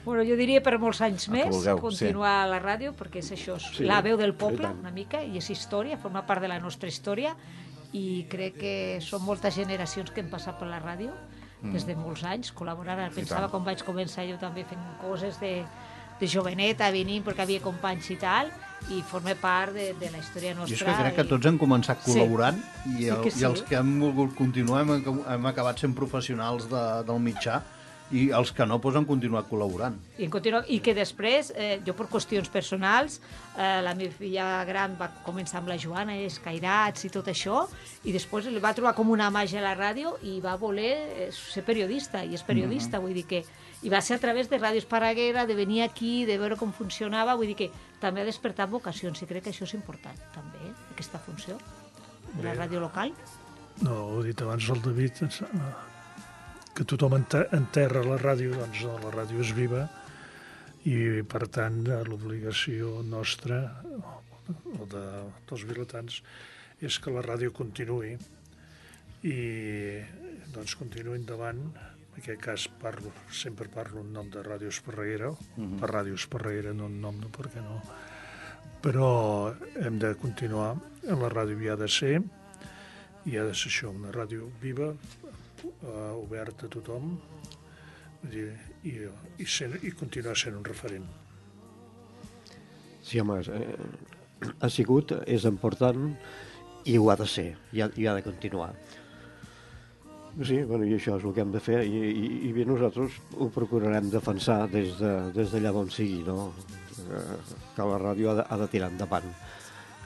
Speaker 5: Bueno, jo diria per molts anys més
Speaker 1: vulgueu,
Speaker 5: continuar
Speaker 1: sí.
Speaker 5: a la ràdio, perquè és això, és
Speaker 4: sí,
Speaker 5: la veu del poble, una mica, i és història, forma part de la nostra història, i crec que són moltes generacions que hem passat per la ràdio, mm. des de molts anys, col·laborant. Pensava quan vaig començar jo també fent coses de, de joveneta, venint perquè havia companys i tal, i forma part de, de la història nostra.
Speaker 10: Jo és que crec que tots hem començat col·laborant
Speaker 5: sí.
Speaker 10: i, el,
Speaker 5: sí sí.
Speaker 10: i els que hem volgut continuar hem, hem acabat sent professionals de, del mitjà i els que no pues, han continuat col·laborant.
Speaker 5: I, continu... I que després, eh, jo per qüestions personals, eh, la meva filla gran va començar amb la Joana, escairats i tot això, i després li va trobar com una màgia a la ràdio i va voler ser periodista, i és periodista, uh-huh. vull dir que... I va ser a través de Ràdio Esparreguera, de venir aquí, de veure com funcionava, vull dir que també ha despertat vocacions, i crec que això és important, també, aquesta funció de la ràdio local.
Speaker 9: No, ho he dit abans el David, que tothom enterra la ràdio, doncs la ràdio és viva, i per tant l'obligació nostra, o de, dels vilatans, és que la ràdio continuï, i doncs continuï endavant. En aquest cas parlo, sempre parlo en nom de Ràdio Esparreguera, uh-huh. per Ràdio Esparreguera, no en nom de per què no. Però hem de continuar, la ràdio hi ha de ser, i ha de ser això, una ràdio viva, uh, oberta a tothom, I, i, i, ser, i continuar sent un referent.
Speaker 4: Sí, home, eh, ha sigut, és important i ho ha de ser, i ha, i ha de continuar. Sí, bueno, i això és el que hem de fer, i, i, i bé, nosaltres ho procurarem defensar des de, des d'allà on sigui, no? Que la ràdio ha de, ha de tirar endavant.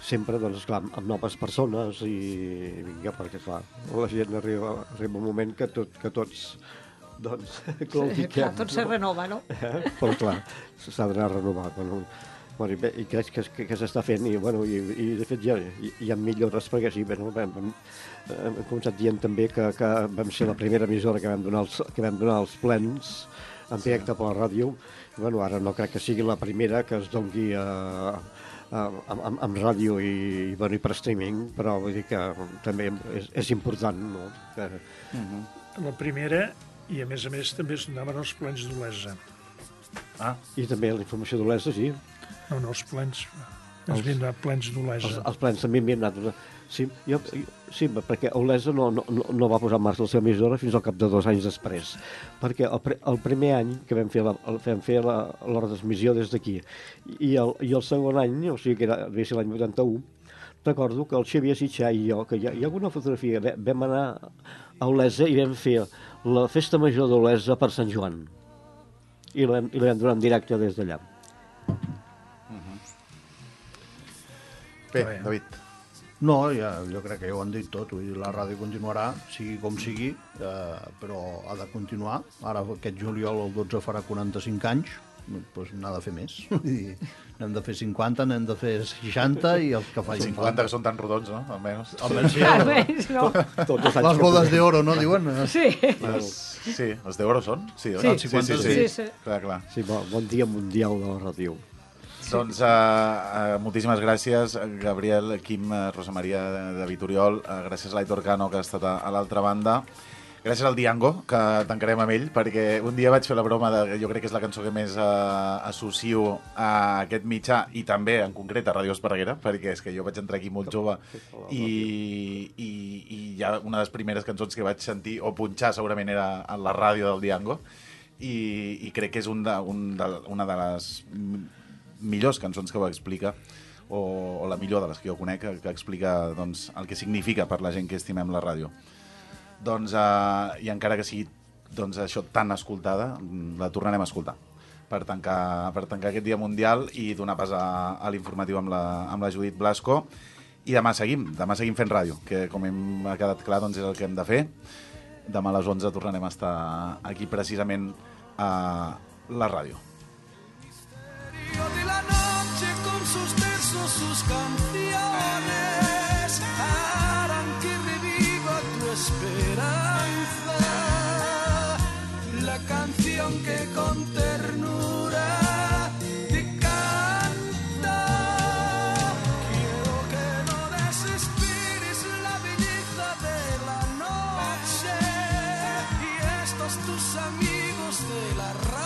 Speaker 4: Sempre, doncs, clar, amb noves persones i vinga, perquè, clar, la gent arriba, arriba un moment que, tot, que tots, doncs, claudiquem.
Speaker 5: Clar, tot se renova, no?
Speaker 4: Eh? Però, clar, s'ha d'anar a renovar. Bueno, bueno, i, bé, i crec que, que, que s'està fent, i, bueno, i, i de fet ja hi, hi ha millores, perquè sí, bueno, vam, vam, hem començat dient també que, que vam ser la primera emissora que vam donar els, que vam donar els plens en directe per la ràdio. Bueno, ara no crec que sigui la primera que es doni a... Amb, amb, amb ràdio i, i, bueno, i per streaming, però vull dir que també és, és important, no? Que...
Speaker 9: Uh-huh. La primera, i a més a més també es donaven els plens d'Olesa.
Speaker 4: Ah. I també la informació d'Olesa, sí.
Speaker 9: No, no, els plens... Ens havien donat plens d'Olesa.
Speaker 4: Els, els plens també m'hi han donat... Sí, jo, sí, perquè Olesa no, no, no va posar en marxa la seva emissora fins al cap de dos anys després, perquè el, el primer any que vam fer la, vam fer la, la retransmissió des d'aquí, i el, i el segon any, o sigui que era, devia ser l'any vuitanta-u, recordo que el Xavier Sitxà i jo, que hi ha, hi ha alguna fotografia, vam anar a Olesa i vam fer la festa major d'Olesa per Sant Joan, i la, i la vam donar en directe des d'allà.
Speaker 1: Uh-huh. Bé, David.
Speaker 10: No, ja, jo crec que ja ho han dit tot. Vull dir, la ràdio continuarà, sigui com sigui, eh, però ha de continuar. Ara aquest juliol el dotze farà quaranta-cinc anys, doncs n'ha de fer més. Vull dir, n'hem de fer cinquanta, n'hem de fer seixanta i els que facin
Speaker 1: cinquanta que són tan rodons, no? Almenys.
Speaker 10: Almenys sí.
Speaker 5: Almenys, no.
Speaker 10: Tot, tot les bodes d'oro, no, diuen?
Speaker 5: Sí.
Speaker 1: Les, sí, les d'oro són? Sí,
Speaker 5: sí.
Speaker 1: Sí, sí, sí, sí.
Speaker 5: sí, sí.
Speaker 1: Clar, clar.
Speaker 4: Sí, bon, bon dia mundial de la ràdio.
Speaker 1: Doncs uh, uh, moltíssimes gràcies, Gabriel, Quim, uh, Rosa Maria David Oriol, uh, gràcies a l'Aitor Cano, que ha estat a, a l'altra banda, gràcies al Diango, que tancarem amb ell, perquè un dia vaig fer la broma de, jo crec que és la cançó que més uh, associo a aquest mitjà, i també, en concret, a Ràdio Esparreguera, perquè és que jo vaig entrar aquí molt jove, i, i, i ja una de les primeres cançons que vaig sentir, o punxar segurament, era a la ràdio del Diango, i, i crec que és un de, un de, una de les millors cançons que ho explica, o, o la millor de les que jo conec, que, que explica doncs, el que significa per la gent que estimem la ràdio. Doncs, eh, i encara que sigui doncs, això tan escoltada, la tornarem a escoltar per tancar, per tancar aquest dia mundial i donar pas a, a l'informatiu amb, la, amb la Judit Blasco. I demà seguim, demà seguim fent ràdio, que com hem ha quedat clar doncs, és el que hem de fer. Demà a les onze tornarem a estar aquí precisament a la ràdio.
Speaker 7: De la noche con sus versos, sus canciones harán que reviva tu esperanza, la canción que con ternura te canta. Quiero que no desesperes la belleza de la noche y estos tus amigos de la radio